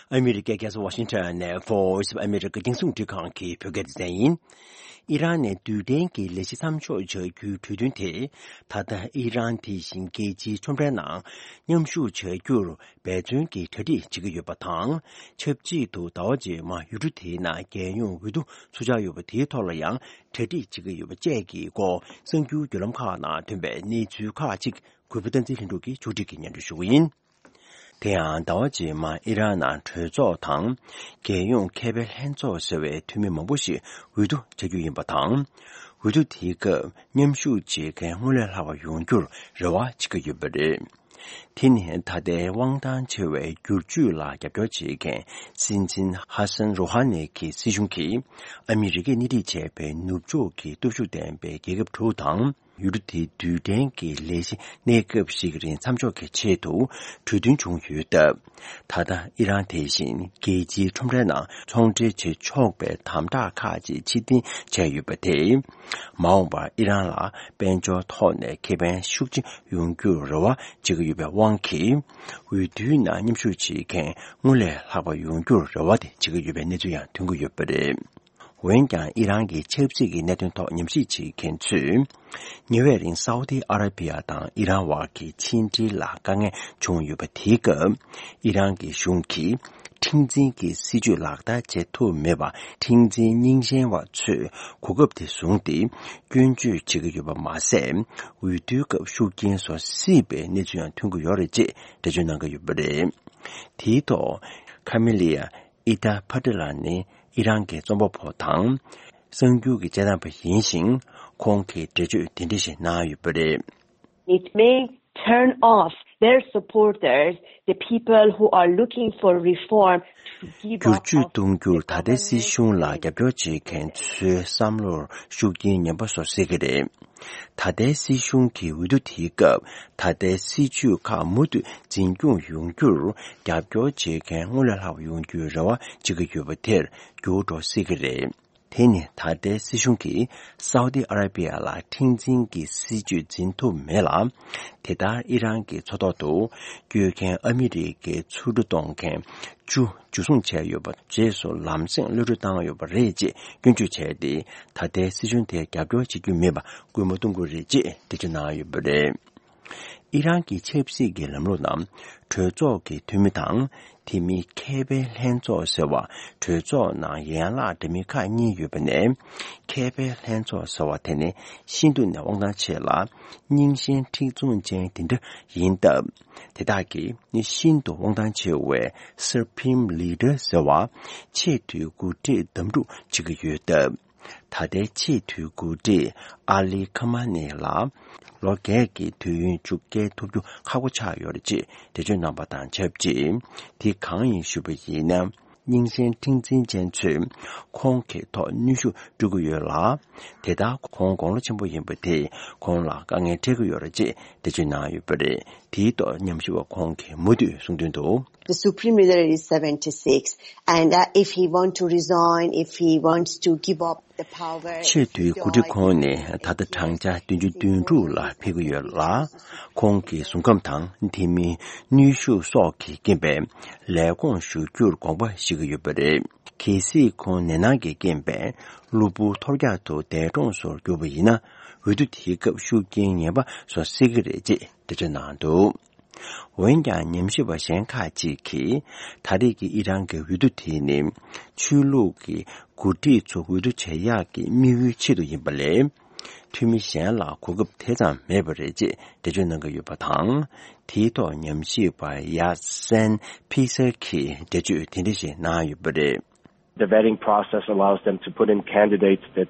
ཨ་མི་རི་ཀའི་རྒྱལ་ས་ཝ་ཤིང་ཊོན་ནས་Voice of America་རྒྱང་སྲིང་རླུང་འཕྲིན་ཁང་གི་བོད་སྐད་སྡེ་ཚན་ཡིན། ཨི་རན་ནས་རྡུལ་ཕྲན་གྱི་ལས་གཞི་མཚམས་འཇོག་བྱ་རྒྱུའི་གྲོས་མཐུན་དེ། ད་ལྟ་ཨི་རན་དེ་བཞིན་རྒྱལ་སྤྱིའི་ཁྲོམ་རའི་ནང་མཉམ་ཞུགས་བྱ་རྒྱུར་འབད་བརྩོན་གྱི་གྲ་སྒྲིག་བྱེད་ཀྱི་ཡོད་པ་དང་། ཆབས་ཅིག་ཏུ་ཟླ་བ་རྗེས་མ་ཡུལ་གྲུ་དེའི་ནང་རྒྱལ་ཡོངས་འོས་བསྡུ་ཚུགས་འཆར་ཡོད་པ་དེའི་ཐོག་ལ་ཡང་གྲ་སྒྲིག་བྱེད་ཀྱི་ཡོད་པ་བཅས་ཀྱི་སྐོར། གསར་འགྱུར་བརྒྱུད་ལམ་ཁག་ནང་ཐོན་པའི་གནས་ཚུལ་ཁག་ཅིག་གུས་པ་བསྟན་འཛིན་ལྷུན་གྲུབ་ཀྱིས་ཕྱོགས་སྒྲིག་གིས་སྙན་སྒྲོན་ཞུ་གི་ཡིན། དེ་ཡང་ཟླ་བ་རྗེས་མར་ཨི་རན་ནང་གྲོས་ཚོགས་དང་། རྒྱལ་ཡོངས་མཁས་པའི་ལྷན་ཚོགས་ཟེར་བའི་འཐུས་མི་མང་པོ་ཞིག་འོས་བསྡུ་བྱ་རྒྱུ་ཡིན་པ་དང་། འོས་བསྡུ་དེའི་སྐབས་མཉམ་ཞུགས་བྱེད་མཁན་སྔོན་ལས་ལྷག་པ་ཡོང་རྒྱུར་རེ་བ་བྱེད་ཀྱི་ཡོད་པ་རེད། དེ་ནི་ད་ལྟའི་དབང་ཐང་ཆེ་བའི་བསྒྱུར་བཅོས་ལ་རྒྱབ་སྐྱོར་བྱེད་མཁན་སྲིད་འཛིན་ཧ་སན་རོ་ཧ་ནེ་གི་སྲིད་གཞུང་གིས་ཨ་མི་རི་ཀས་སྣེ་ཁྲིད་བྱས་པའི་ནུབ་ཕྱོགས་ཀྱི་སྟོབས་ཤུགས་ལྡན་པའི་རྒྱལ་ཁབ་དྲུག་དང་། ཡུལ་གྲུ་དེའི་རྡུལ་ཕྲན་གྱི་ལས་གཞི་གནས་སྐབས་ཤིག་རིང་མཚམས་འཇོག་གི་ཆེད་དུ་གྲོས་མཐུན་བྱུང་ཡོད་སྟབས། ད་ལྟ་ཨི་རན་དེ་བཞིན་རྒྱལ་སྤྱིའི་ཁྲོམ་རའི་ནང་ཚོང་འབྲེལ་བྱེད་ཆོག་པའི་དམ་དྲག་ཁག་ཅིག་ཕྱིར་འཐེན་བྱས་ཡོད་པ་དེས། མ་འོངས་པར་ཨི་རན་ལ་དཔལ་འབྱོར་ཐོག་ནས་ཁེ་ཕན་ཤུགས་ཆེ་ཡོང་རྒྱུར་རེ་བ་བྱེད་ཀྱི་ཡོད་པའི་དབང་གིས། འོས་བསྡུའི་ནང་མཉམ་ཞུགས་བྱེད་མཁན་སྔར་ལས་ལྷག་པ་ཡོང་རྒྱུར་རེ་བ་དེ་བྱེད་ཀྱི་ཡོད་པའི་གནས་ཚུལ་ཡང་ཐོན་གྱི་ཡོད་པ་རེད། འོན་ཀྱང་ཨི་རན་གྱི་ཆབ་སྲིད་ཀྱི་གནད་དོན་ཐོག་ཉམས་ཞིབ་བྱེད་མཁན་ཚོས། ཉེ་བའི་རིང་སའུ་ཏི་ཨ་ར་པི་ཡ་དང་ཨི་རན་བར་གྱི་ཕྱི་འབྲེལ་ལ་དཀའ་ངལ་བྱུང་ཡོད་པ་དེའི་སྐབས། ཨི་རན་གྱི་གཞུང་གིས་ཁྲིམས་འཛིན་གྱི་སྲིད་ཇུས་ལག་བསྟར་བྱེད་ཐུབ་མེད་པར། ཁྲིམས་འཛིན་རྙིང་ཞེན་བ་ཚོས་གོ་སྐབས་དེ་བཟུང་སྟེ་སྐྱོན་བརྗོད་བྱེད་ཀྱི་ཡོད་པ་མ་ཟད། འོས་བསྡུའི་སྐབས་ཤུགས་རྐྱེན་བཟོ་སྲིད་པའི་གནས་ཚུལ་ཡང་ཐོན་གྱི་ཡོད་རེད་ཅེས་འགྲེལ་བརྗོད་གནང་གི་ཡོད་པ་རེད། དེའི་ཐོག་ཁ་མི་ལི་ཡ། ཨི་ཏཱ་ཕ་ཏི་ལ་ནི་ཨི་རན་གྱི་རྩོམ་པ་པོ་དང་། གསར་འགྱུར་གྱི་དཔྱད་བཏང་པ་ཡིན་ཞིང་། ཁོང་གིས་འགྲེལ་བརྗོད་དེ་འདྲ་ཞིག་གནང་ཡོད་པ་རེད། It may turn off their supporters, the people who are looking for reform, to give up བསྒྱུར་བཅོས་གཏོང་རྒྱུར་ད་ལྟའི་སྲིད་གཞུང་ལ་རྒྱབ་སྐྱོར་བྱེད་མཁན་ཚོའི་བསམ་བློར་ཤུགས་རྐྱེན་ངན་པ་བཟོ་སྲིད་ཀྱི་རེད། ད་ལྟའི་སྲིད་གཞུང་གི་འོས་བསྡུ་དེའི་སྐབས་ད་ལྟའི་སྲིད་ཇུས་ཁག་མུ་མཐུད་འཛིན་སྐྱོང་ཡོང་རྒྱུར་རྒྱབ་སྐྱོར་བྱེད་མཁན་སྔར་ལས་ལྷག་པ་ཡོང་རྒྱུའི་རེ་བ་བྱེད་ཀྱི་ཡོད་པ་དེར་འགྱུར་འགྲོ་སྲིད་ཀྱི་རེད། དེ་ནི་ད་ལྟའི་སྲིད་གཞུང་གིས་སའུ་ཏི་ཨ་ར་པི་ཡ་ལ་ཁྲིམས་འཛིན་གྱི་སྲིད་ཇུས་འཛིན་ཐུབ་མེད་ལ། དེ་ལྟར་ཨི་རན་གྱི་མཚོ་ཐོག་ཏུ་སྐྱོད་མཁན་ཨ་མི་རི་ཀའི་མཚོ་གྲུ་གཏོང་མཁན་བཅུ་འཇུ་བཟུང་བྱས་ཡོད་པ་རྗེས་སུ་ལམ་སེང་གློད་གྲོལ་བཏང་ཡོད་པ་རེད་ཅེས་སྐྱོན་བརྗོད་བྱས་ཏེ། ད་ལྟའི་སྲིད་གཞུང་དེར་རྒྱབ་སྐྱོར་བྱེད་རྒྱུ་མེད་པ་སྐུལ་མ་གཏོང་དགོས་རེད་ཅེས་འགྲེལ་བརྗོད་གནང་ཡོད་པ་རེད། ཨི་རན་གྱི་ཆབ་སྲིད་ཀྱི་ལམ་ལུགས་ནང་གྲོས་ཚོགས་ཀྱི་འཐུས་མི་དང་། དེ་མིན་མཁས་པའི་ལྷན་ཚོགས་ཟེར་བ། གྲོས་ཚོགས་ནང་ཡན་ལག་འདྲ་མིན་ཁག་གཉིས་ཡོད་པ་ནས། མཁས་པའི་ལྷན་ཚོགས་ཟེར་བ་དེ་ནི་ཤིན་ཏུ་ནས་དབང་ཐང་ཆེ་ལ། རྙིང་ཞེན་མཁྲེགས་བཟུང་ཅན་དེ་འདྲ་ཡིན་སྟབས། དེ་དག་གིས་ནི་ཤིན་ཏུ་དབང་ཐང་ཆེ་བའི་Supreme Leader ཟེར་བ། ཆེས་མཐོའི་འགོ་ཁྲིད་བདམས་སྒྲུག་བྱེད་ཀྱི་ཡོད་སྟབས། ད་ལྟའི་ཆེས་མཐོའི་འགོ་ཁྲིད་ཨ་ལི་ཁ་མ་ནི་ལ་ལོ་བརྒྱད་ཀྱི་དུས་ཡུན་བཅུ་བསྐྱལ་ཐུབ་རྒྱུ་ཁག་པོ་ཆགས་ཡོད་རེད་ཅེས་འགྲེལ་བརྗོད་གནང་པ་དང་ཆབས་ཅིག་དེ་གང་ཡིན་ཞུས་པ་ཡིན་ན། རྙིང་ཞེན་མཁྲེགས་འཛིན་ཅན་ཚོས་ཁོང་གི་ཐོག་གནོན་ཤུགས་སྤྲོད་ཀྱི་ཡོད་ལ། དེ་ལྟར་ཁོང་དགུང་ལོ་ཆེན་པོ་ཡིན་པ་དེས་ཁོང་ལ་དཀའ་ངལ་འཕྲད་ཀྱི་ཡོད་རེད་ཅེས་འགྲེལ་བརྗོད་གནང་ཡོད་པ་རེད། དེའི་ཐོག་ཉམས་ཞིབ་པ་ཁོང་གིས་མུ་མཐུད་གསུངས་དོན་དུ། The Supreme Leader is seventy-six, and uh, if he want to resign, if he wants to give up the power, ཆེས་མཐོའི་འགོ་ཁྲིད་ཁོང་ནི་ད་ལྟ་བགྲང་བྱ་བདུན་ཅུ་དོན་དྲུག་ལ་ཕེབས་ཀྱི་ཡོད་ལ། ཁོང་གི་གཟུགས་ཁམས་དང་དེ་མིན་གནོན་ཤུགས་སོགས་ཀྱི་རྐྱེན་པས་ལས་ཁུངས་བཞུགས་རྒྱུར་དགོངས་པ་བཞེས་ཀྱི་ཡོད་པ་རེད། གལ་སྲིད་ཁོང་ནད་མནར་གྱི་རྐྱེན་པས་གློ་བུར་ཐོལ་རྒྱག་ཏུ་འདས་གྲོངས་སུ་གྱུར་པ་ཡིན་ན། འོས་བསྡུ་དེའི་སྐབས་ཤུགས་རྐྱེན་ངན་པ་བཟོ་སྲིད་ཀྱི་རེད་ཅེས་འགྲེལ་བརྗོད་གནང་འདུག་འོན་ཀྱང་ཉམས་ཞིབ་པ་གཞན་ཁག་ཅིག་གིས་ད་རེས་ཀྱི་ཨི་རན་གྱི་འོས་བསྡུ་དེ་ནི་ཆོས་ལུགས་ཀྱི་འགོ་ཁྲིད་ཚོ་འོས་བསྡུ་བྱེད་ཡག་གི་དམིགས་ཡུལ་ཆེད་དུ་ཡིན་པ་ལས། འཐུས་མི་གཞན་ལ་གོ་སྐབས་དེ་ཙམ་མེད་པ་རེད་ཅེས་འགྲེལ་བརྗོད་གནང་གི་ཡོད་པ་དང་། དེའི་ཐོག་ཉམས་ཞིབ་པ་ཡ་སན་ཕི་སར་གྱིས་འགྲེལ་བརྗོད་དེ་འདྲ་ཞིག་གནང་ཡོད་པ་རེད། The vetting process allows them to put in candidates that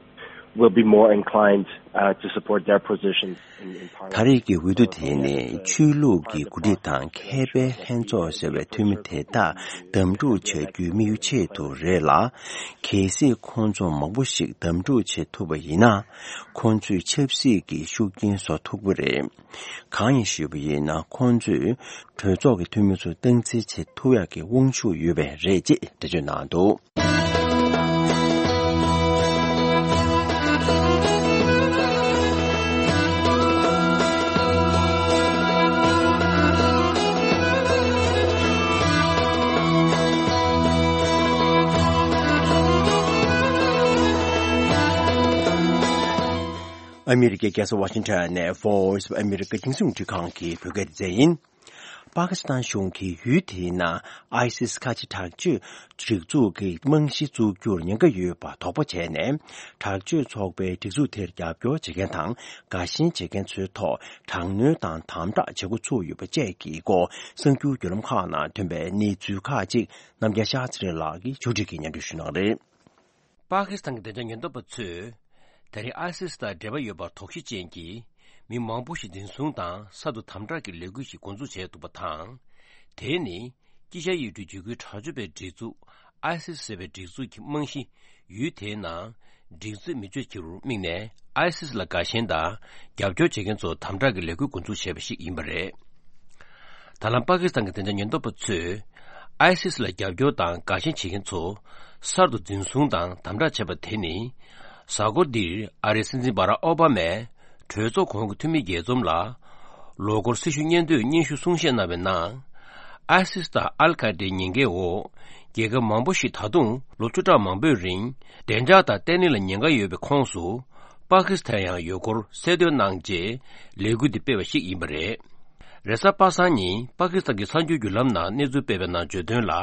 will be more inclined, uh, to support their positions in, in parliament. ད་རེས་ཀྱི་འོས་བསྡུ་དེ་ནི་ཆོས་ལུགས་ཀྱི་འགོ་ཁྲིད་དང་མཁས་པའི་ལྷན་ཚོགས་ཟེར་བའི་འཐུས་མི་དེ་དག་གདམ་འཁྲུག་བྱ་རྒྱུའི་དམིགས་ཡུལ་ཆེད་དུ་རེད་ལ། གལ་སྲིད་ཁོང་ཚོ་མང་པོ་ཞིག་གདམ་འཁྲུག་བྱེད་ཐུབ་པ་ཡིན་ན། ཁོང་ཚོས་ཆབ་སྲིད་ཀྱི་ཤུགས་རྐྱེན་བཟོ་ཐུབ་ཀྱི་རེད། གང་ཡིན་ཞུས་པ་ཡིན་ན། ཁོང་ཚོས་གྲོས་ཚོགས་ཀྱི་འཐུས་མི་ཚོ་སྟངས་འཛིན་བྱེད་ཐུབ་ཡག་གི་དབང་ཤུགས་ཡོད་པས་རེད་ཅེས་འགྲེལ་བརྗོད་གནང་འདུག་ཨ་མི་རི་ཀའི་རྒྱལ་ས་ཝ་ཤིང་ཊོན་ནས་Voice of America རྒྱང་སྲིང་རླུང་འཕྲིན་ཁང་གི་བོད་སྐད་སྡེ་ཚན་ཡིན། པ་ཀི་སི་ཐན་གཞུང་གིས་ཡུལ་དེའི་ནང་ཨའི་སིས་ཁ་ཆེ་དྲག་སྤྱོད་སྒྲིག་འཛུགས་ཀྱི་རྨང་གཞི་བཙུགས་རྒྱུར་ཉེན་ཁ་ཡོད་པ་དོགས་པ་བྱས་ནས། དྲག་སྤྱོད་ཚོགས་པའི་སྒྲིག་འཛུགས་དེར་རྒྱབ་སྐྱོར་བྱེད་མཁན་དང་དགའ་ཞེན་བྱེད་མཁན་ཚོའི་ཐོག་དྲག་གནོན་དང་དམ་དྲག་བྱེད་འགོ་ཚུགས་ཡོད་པ་བཅས་ཀྱི་སྐོར་གསར་འགྱུར་བརྒྱུད་ལམ་ཁག་ནང་ཐོན་པའི་གནས་ཚུལ་ཁག་ཅིག་རྣམ་རྒྱལ་ཤཱ་ཚེ་རིང་ལགས་ཀྱིས་ཕྱོགས་སྒྲིག་གིས་སྙན་སྒྲོན་ཞུ་གནང་རེད། པ་ཀི་སི་ཐན་གྱི་བདེ་འཇགས་ཉེན་རྟོག་པ་ཚོས་ད་རེས་ཨའི་སིས་དང་འབྲེལ་བ་ཡོད་པར་དོགས་གཞི་ཅན་གྱི་མི་མང་པོ་ཞིག་འཛིན་བཟུང་དང་གསར་དུ་དམ་དྲག་གི་ལས་འགུལ་ཞིག་འགོ་འཛུགས་བྱས་འདུག་པ་དང་། དེ་ནི་དཀྱིལ་ཤར་ཡུལ་གྲུའི་འཇིགས་སྐུལ་དྲག་སྤྱོད་པའི་སྒྲིག་འཛུགས་ཨའི་སིས་ཟེར་བའི་སྒྲིག་འཛུགས་ཀྱི་རྨང་གཞི་ཡུལ་དེའི་ནང་ སྒྲིག་འཛུགས་མི་སྤྱོད་རྒྱུར་དམིགས་ནས་ཨའི་སིས་ལ་དགའ་ཞེན་དང་རྒྱབ་སྐྱོར་བྱེད་མཁན་ཚོ་དམ་དྲག་གི་ལས་འགུལ་འགོ་འཛུགས་བྱས་པ་ཞིག་ཡིན་པ་རེད། ད་ལམ་པ་ཀི་སི་ཐན་གྱི་བདེ་འཇགས་ཉེན་རྟོག་པ་ཚོས་ཨའི་སིས་ལ་རྒྱབ་སྐྱོར་དང་དགའ་ཞེན་བྱེད་མཁན་ཚོ་གསར་དུ་འཛིན་བཟུང་དང་དམ་དྲག་བྱས་པ་དེ་ནི། གཟའ་འཁོར་འདིར་ཨ་རིའི་སྲིད་འཛིན་བྷ་རག་ཨོ་བྷ་མས་གྲོས་ཚོགས་གོང་གི་འཐུས་མི་རྒྱས་འཛོམས་ལ། ལོ་འཁོར་སྲི་ཞུ་སྙན་ཐོའི་སྙན་ཞུ་གསུང་བཤད་གནང་བའི་ནང་། ཨའི་སིས་དང་ཨལ་ཁ་ཏའི་ཉེན་ཁའི་འོག་རྒྱལ་ཁབ་མང་པོ་ཞིག་ད་དུང་ལོ་བཅུ་ཕྲག་མང་པོའི་རིང་བདེ་འཇགས་དང་བརྟན་ལྷིང་ལ་ཉེན་ཁ་ཡོད་པའི་ཁོངས་སུ། པ་ཀི་སི་ཐན་ཡང་ཡོད་སྐོར་གསལ་སྟོན་གནང་རྗེས་ལས་འགུལ་འདི་སྤེལ་བ་ཞིག་ཡིན་པ་རེད། རེས་གཟའ་པ་སངས་ཉིན་པ་ཀི་སི་ཐན་གྱི་གསར་འགྱུར་བརྒྱུད་ལམ་ནང་གནས་ཚུལ་སྤེལ་བའི་ནང་བརྗོད་དོན་ལ།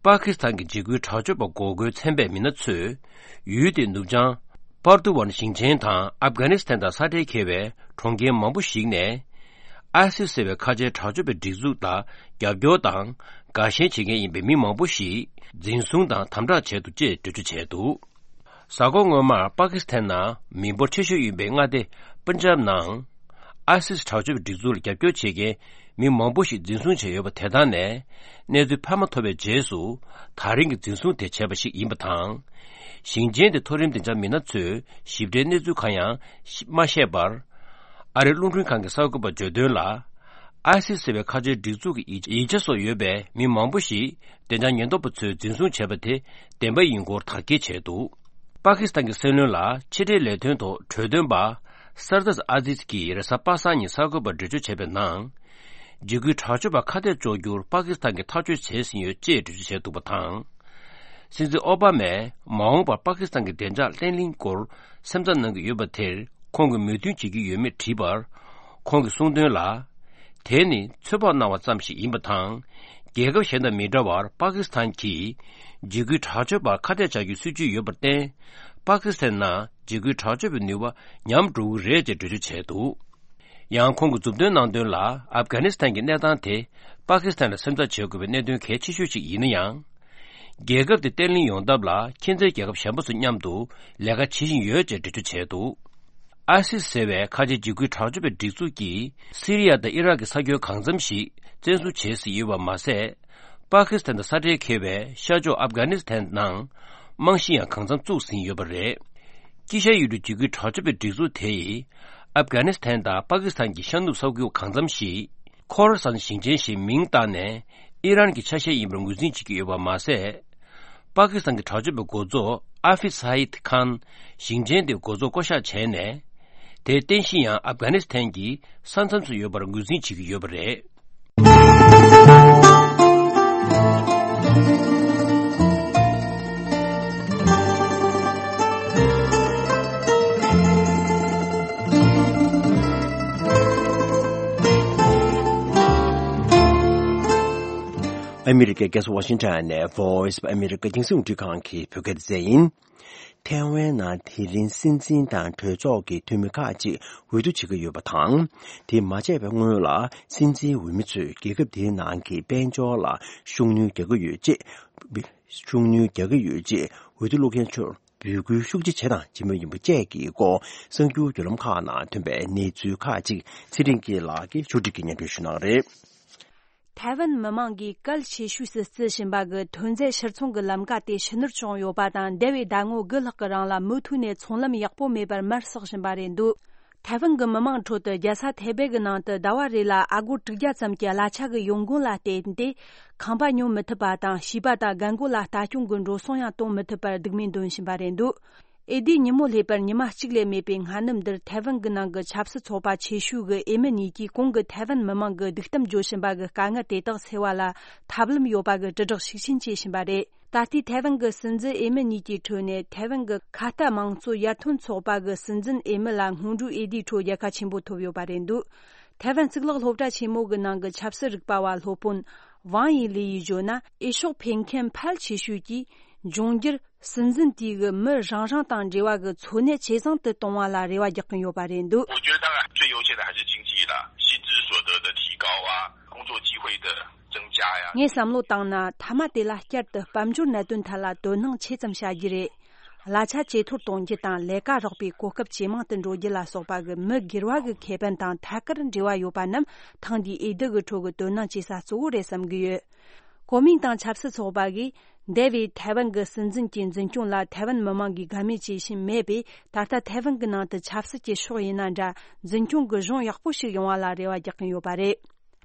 པ་ཀི་སི་ཐན་གྱི་འཇིགས་སྐུལ་དྲག་སྤྱོད་པ་འགོག་རྒོལ་ཚན་པའི་མི་སྣ་ཚོས་ཡུལ་དེའི་ནུབ་བྱང་པར་ཏུ་ཝན་ཞིང་ཆེན་དང་ཨབ་གྷ་ནི་སི་ཐན་དང་ས་ཁྲལ་འཁེལ་བའི་གྲོང་ཁྱེར་མང་པོ་ཞིག་ནས། ཨའི་སིས་ཟེར་བའི་ཁ་ཆེའི་དྲག་སྤྱོད་པའི་སྒྲིག་འཛུགས་ལ་རྒྱབ་སྐྱོར་དང་དགའ་ཞེན་བྱེད་མཁན་ཡིན་པའི་མི་མང་པོ་ཞིག་འཛིན་བཟུང་དང་དམ་དྲག་བྱས་འདུག་ཅེས་འགྲེལ་བརྗོད་བྱས་འདུག་གཟའ་འཁོར་སྔོན་མར་པ་ཀི་སི་ཐན་ནང་མི་འབོར་ཆེ་ཤོས་ཡིན་པའི་མངའ་སྡེ་པན་ཇབ་ནང་། ཨའི་སིས་དྲག་སྤྱོད་པའི་སྒྲིག་འཛུགས་ལ་རྒྱབ་སྐྱོར་བྱེད་མཁན་མི་མང་པོ་ཞིག་འཛིན་བཟུང་བྱས་ཡོད་པ་དེ་དག་ནས་གནས་ཚུལ་འཕར་མ་ཐོབ་པའི་རྗེས་སུ་ད་རིང་གི་འཛིན་བཟུང་དེ་བྱས་པ་ཞིག་ཡིན་པ་དང་། ཞིང་ཆེན་དེའི་མཐོ་རིམ་བདེ་འཇགས་མི་སྣ་ཚོས་ཞིབ་ཕྲའི་གནས་ཚུལ་གང་ཡང་མ་བཤད་པར། ཨ་རིའི་རླུང་འཕྲིན་ཁང་གི་གསར་འགོད་པར་བརྗོད་དོན་ལ། ཨའི་སིས་ཟེར་བའི་ཁ་ཆེའི་སྒྲིག་འཛུགས་ཀྱི་ཡིག་ཡིག་ཆ་སོགས་ཡོད་པའི་མི་མང་པོ་ཞིག་བདེ་འཇགས་ཉེན་རྟོག་པ་ཚོས་འཛིན་བཟུང་བྱས་པ་དེ་བདེན་པ་ཡིན་སྐོར་དག་སྐྱེལ་བྱས་འདུག་པ་ཀི་སི་ཐན་གྱི་སྲིད་བློན་ལ་ཕྱི་འབྲེལ་ལས་དོན་ཐོག་གྲོས་འདོན་པ་སར་དཱས་ཨ་ཛིས་ཀྱིས་རེས་གཟའ་པ་སངས་ཉིན་གསར་འགོད་པར་འགྲེལ་བརྗོད་བྱས་པའི་ནང་། འཇིགས་སྐུལ་དྲག་སྤྱོད་པ་ཁ་གཏད་གཅོག་རྒྱུར་པ་ཀི་སི་ཐན་གྱིས་ཐག་གཅོད་བྱས་ཟིན་ཡོད་ཅེས་འགྲེལ་བརྗོད་བྱས་འདུག་པ་དང་། སྲིད་འཛིན་ཨོ་བྷ་མས་མ་འོངས་པར་པ་ཀི་སི་ཐན་གྱི་བདེ་འཇགས་བརྟན་ལྷིང་སྐོར་སེམས་འཚབ་གནང་གི་ཡོད་པ་དེར་ཁོང་གིས་མོས་མཐུན་བྱེད་ཀྱི་ཡོད་མེད་དྲིས་པར། ཁོང་གིས་གསུངས་དོན་ལ། དེ་ནི་ཚོད་དཔག་གནང་བ་ཙམ་ཞིག་ཡིན་པ་དང་། རྒྱལ་ཁབ་གཞན་དང་མི་འདྲ་བར་པ་ཀི་སི་ཐན་གྱིས་འཇིགས་སྐུལ་དྲག་སྤྱོད་པར་ཁ་གཏད་བཅག་རྒྱུའི་སྲིད་ཇུས་ཡོད་པར་བརྟེན། པ་ཀི་སི་ཐན་ནང་འཇིགས་སྐུལ་དྲག་སྤྱོད་པའི་ནུས་པ་ཉམས་འགྲོ་གི་རེད་ཅེས་འགྲེལ་བརྗོད་བྱས་འདུག་ཡང་ཁོང་གིས་མཛུབ་སྟོན་གནང་དོན་ལ། ཨབ་གྷ་ནི་སི་ཐན་གྱི་གནས་སྟངས་དེ་པ་ཀི་སི་ཐན་ལ་སེམས་འཚབ་བྱེད་དགོས་པའི་གནད་དོན་གལ་ཆེ་ཤོས་ཤིག་ཡིན་ན་ཡང་། རྒྱལ་ཁབ་དེ་བརྟན་ལྷིང་ཡོང་ཐབས་ལ་ཁྱིམ་མཚེས་རྒྱལ་ཁབ་གཞན་པ་ཚོ་མཉམ་དུ་ལས་ཀ་བྱེད་བཞིན་ཡོད་ཅེས་འགྲེལ་བརྗོད་བྱས་འདུག་ཨའི་སིས་ཟེར་བའི་ཁ་ཆེའི་འཇིགས་སྐུལ་དྲག་སྤྱོད་པའི་སྒྲིག་འཛུགས་ཀྱིས་སི་རི་ཡ་དང་ཨི་རག་གི་ས་ཁྱོན་གང་འཚམ་ཞིག་བཙན་བཟུང་བྱས་ཟིན་ཡོད་པ་མ་ཟད། པ་ཀི་སི་ཐན་དང་ས་ཁྲལ་འཁེལ་བའི་ཤར་ཕྱོགས་ཨབ་གྷ་ནི་སི་ཐན་ནང་རྨང་གཞི་ཡང་གང་འཚམ་བཙུགས་ཟིན་ཡོད་པ་རེད། དཀྱིལ་ཤར་ཡུལ་གྲུའི་འཇིགས་སྐུལ་དྲག་སྤྱོད་པའི་སྒྲིག་འཛུགས་དེ་ཡིས་ཨབ་གྷ་ནི་སི་ཐན་དང་པ་ཀི་སི་ཐན་གྱི་ཤར་ནུབ་ས་ཁུལ་གང་འཚམ་ཞིག་ཁོ་ར་སན་ཞིང་ཆེན་ཞེས་མིང་བཏགས་ནས་ཨི་རན་གྱི་ཆ་ཤས་ཡིན་པར་ངོས་འཛིན་བྱེད་ཀྱི་ཡོད་པ་མ་ཟད། པ་ཀི་སི་ཐན་གྱི་དྲག་སྤྱོད་པའི་འགོ་གཙོ་ཨ་ཧྥིད་ས་ཧིད་ཁཱན་ཞིང་ཆེན་དེའི་འགོ་གཙོ་བསྐོ་གཞག་བྱས་ནས། དེའི་རྟེན་གཞི་ཡང་ཨབ་གྷ་ནི་སི་ཐན་གྱི་ས་མཚམས་སུ་ཡོད་པར་ངོས་འཛིན་བྱེད་ཀྱི་ཡོད་པ་རེད། ཨ་མི་རི་ཀའི་རྒྱལ་ས་ཝ་ཤིང་ཊོན་ནས་Voice of America རྒྱང་སྲིང་རླུང་འཕྲིན་ཁང་གི་བོད་སྐད་སྡེ་ཚན་ཡིན། ཐའེ་ཝན་ནང་དེ་རིང་སྲིད་འཛིན་དང་གྲོས་ཚོགས་ཀྱི་འཐུས་མི་ཁག་ཅིག་འོས་བསྡུ་བྱེད་ཀྱི་ཡོད་པ་དང་། དེ་མ་བྱས་པའི་སྔོན་ལ་སྲིད་འཛིན་འོས་མི་ཚོས་རྒྱལ་ཁབ་དེའི་ནང་གི་དཔལ་འབྱོར་ལ་ཤུགས་སྣོན་རྒྱག་གི་ཡོད་ཅེས། ཤུགས་སྣོན་རྒྱག་གི་ཡོད་ཅེས་འོས་བསྡུ་བླུག་མཁན་ཚོར་འབོད་སྐུལ་ཤུགས་ཆེ་བྱས་དང་བྱེད་མུས་ཡིན་པ་བཅས་ཀྱི་སྐོར་གསར་འགྱུར་བརྒྱུད་ལམ་ཁག་ནང་ཐོན་པའི་གནས་ཚུལ་ཁག་ཅིག་ཚེ་རིང་སྐྱིད་ལགས་ཀྱིས་ཕྱོགས་སྒྲིག་གིས་སྙན་སྒྲོན་ཞུ་གནང་གི་རེད། ཐའེ་ཝན་མི་མང་གིས་གལ་ཆེ་ཤོས་སུ་བརྩི་བཞིན་པ་གི་ཐོན་རྫས་ཕྱིར་ཚོང་གི་ལམ་ཀ་དེ་ཕྱི་ནུར་བྱུང་ཡོད་པ་དང་། འདས་པའི་ཟླ་ངོ་དགུ་ལྷག་གི་རིང་ལ་མུ་མཐུད་ནས་ཚོང་ལམ་ཡག་པོ་མེད་པར་མར་ཟག་བཞིན་པ་རེད་འདུག་ཐའེ་ཝན་གྱི་མི་མང་ཁྲོད་དུ་རྒྱལ་ས་ཐའེ་པེ་གི་ནང་དུ་ཟླ་བ་རེ་ལ་ཨ་སྒོར་དྲུག་བརྒྱ་ཙམ་གྱི་གླ་ཆ་གི་ཡོང་སྒོ་ལ་བརྟེན་ཏེ། ཁང་པ་ཉོ་མི་ཐུབ་པ་དང་། བྱིས་པ་དང་རྒན་རྒོན་ལ་ལྟ་སྐྱོང་གི་འགྲོ་སོང་ཡང་གཏོང་མི་ཐུབ་པར་སྡུག་བསྔལ་འདོན་བཞིན་པ་རེད་འདུག་ཨེ་ཟླའི་ཉིན་མོ་སླེབས་པར་ཉི་མ་གཅིག་ལས་མེད་པའི་སྔ་ནུབ་འདིར། ཐའེ་ཝན་གྱི་ནང་གི་ཆབ་སྲིད་ཚོགས་པ་ཆེ་ཤོས་ཀྱི་འོས་མི་གཉིས་ཀྱིས་གོང་གི་ཐའེ་ཝན་མི་མང་གི་སྡིག་གཏམ་བརྗོད་བཞིན་པ་གི་དཀའ་ངལ་དེ་དག་སེལ་བ་ལ་ཐབས་ལམ་ཡོད་པ་གི་དྲིལ་བསྒྲགས་ཤུགས་ཆེན་བྱེད་བཞིན་པ་རེད། ད་ལྟའི་ཐའེ་ཝན་གྱི་སྲིད་འཛིན་འོས་མི་གཉིས་ཀྱི་ཁྲོད་ནས། ཐའེ་ཝན་གྱི་ཁ་གཏད་དམངས་གཙོ་ཡར་ཐོན་ཚོགས་པ་གི་སྲིད་འཛིན་འོས་མི་ལ་སྔོན་འགྲོའི་འོས་བསྡུའི་ཁྲོད་རྒྱལ་ཁ་ཆེན་པོ་ཐོབ་ཡོད་པ་རེད་འདུག་ཐའེ་ཝན་གཙུག་ལག་སློབ་གྲྭ་ཆེན་མོ་གི་ནང་གི་ཆབ་སྲིད་རིག་པ་བ་སློབ་དཔོན་ཝང་ཡི་ལི་ཡིས་བརྗོད་ན། འོས་ཤོག་འཕེན་མཁན་ཕལ་ཆེ་ཤོས་ཀྱིས་འབྱུང་འགྱུར་སྲིད་འཛིན་དེ་གི་མི་རང་རང་དང་འབྲེལ་བ་གི་འཚོ་གནས་ཇེ་བཟང་དུ་གཏོང་བ་ལ་རེ་བ་རྒྱག་གིན་ཡོད་པ་རེད་འདུག 我觉得当然最优先的还是经济啦，薪资所得的提高啊，工作机会的增加呀。 ངས་བསམ་བློ་བཏང་ན། མཐའ་མ་དེ་ལ་བསྐྱར་དུ་དཔལ་འབྱོར་གནད་དོན་ཐད་ལ་དོ་སྣང་ཆེ་ཙམ་བྱ་རྒྱུ་རེད། གླ་ཆ་ཇེ་མཐོར་གཏོང་རྒྱུ་དང་། ལས་ཀ་རག་པའི་གོ་སྐབས་ཇེ་མང་དུ་འགྲོ་རྒྱུ་ལ་སོགས་པ་གི་མི་སྒེར་བ་གི་ཁེ་ཕན་དང་ཐད་ཀར་འབྲེལ་བ་ཡོད་པ་རྣམས་ཐེངས་འདིའི་འོས་བསྡུ་གི་ཁྲོད་ཀྱི་དོ་སྣང་བྱེད་ས་གཙོ་བོ་རེད་བསམ་གྱི་ཡོད། གོ་མིན་ཏང་ཆབ་སྲིད་ཚོགས་པ་གིས་ འདས་པའི་ཐའེ་ཝན་གྱི་སྲིད་འཛིན་གྱི་འཛིན་སྐྱོང་ལ་ཐའེ་ཝན་མི་མང་གིས་དགའ་མོས་བྱེད་བཞིན་མེད་པས། ད་ལྟ་ཐའེ་ཝན་གྱི་ནང་དུ་ཆབ་སྲིད་ཀྱི་ཕྱོགས་ཡིན་ན་འདྲ། འཛིན་སྐྱོང་གི་གཞུང་ཡག་པོ་ཞིག་ཡོང་བ་ལ་རེ་བ་རྒྱག་གིན་ཡོད་པ་རེད།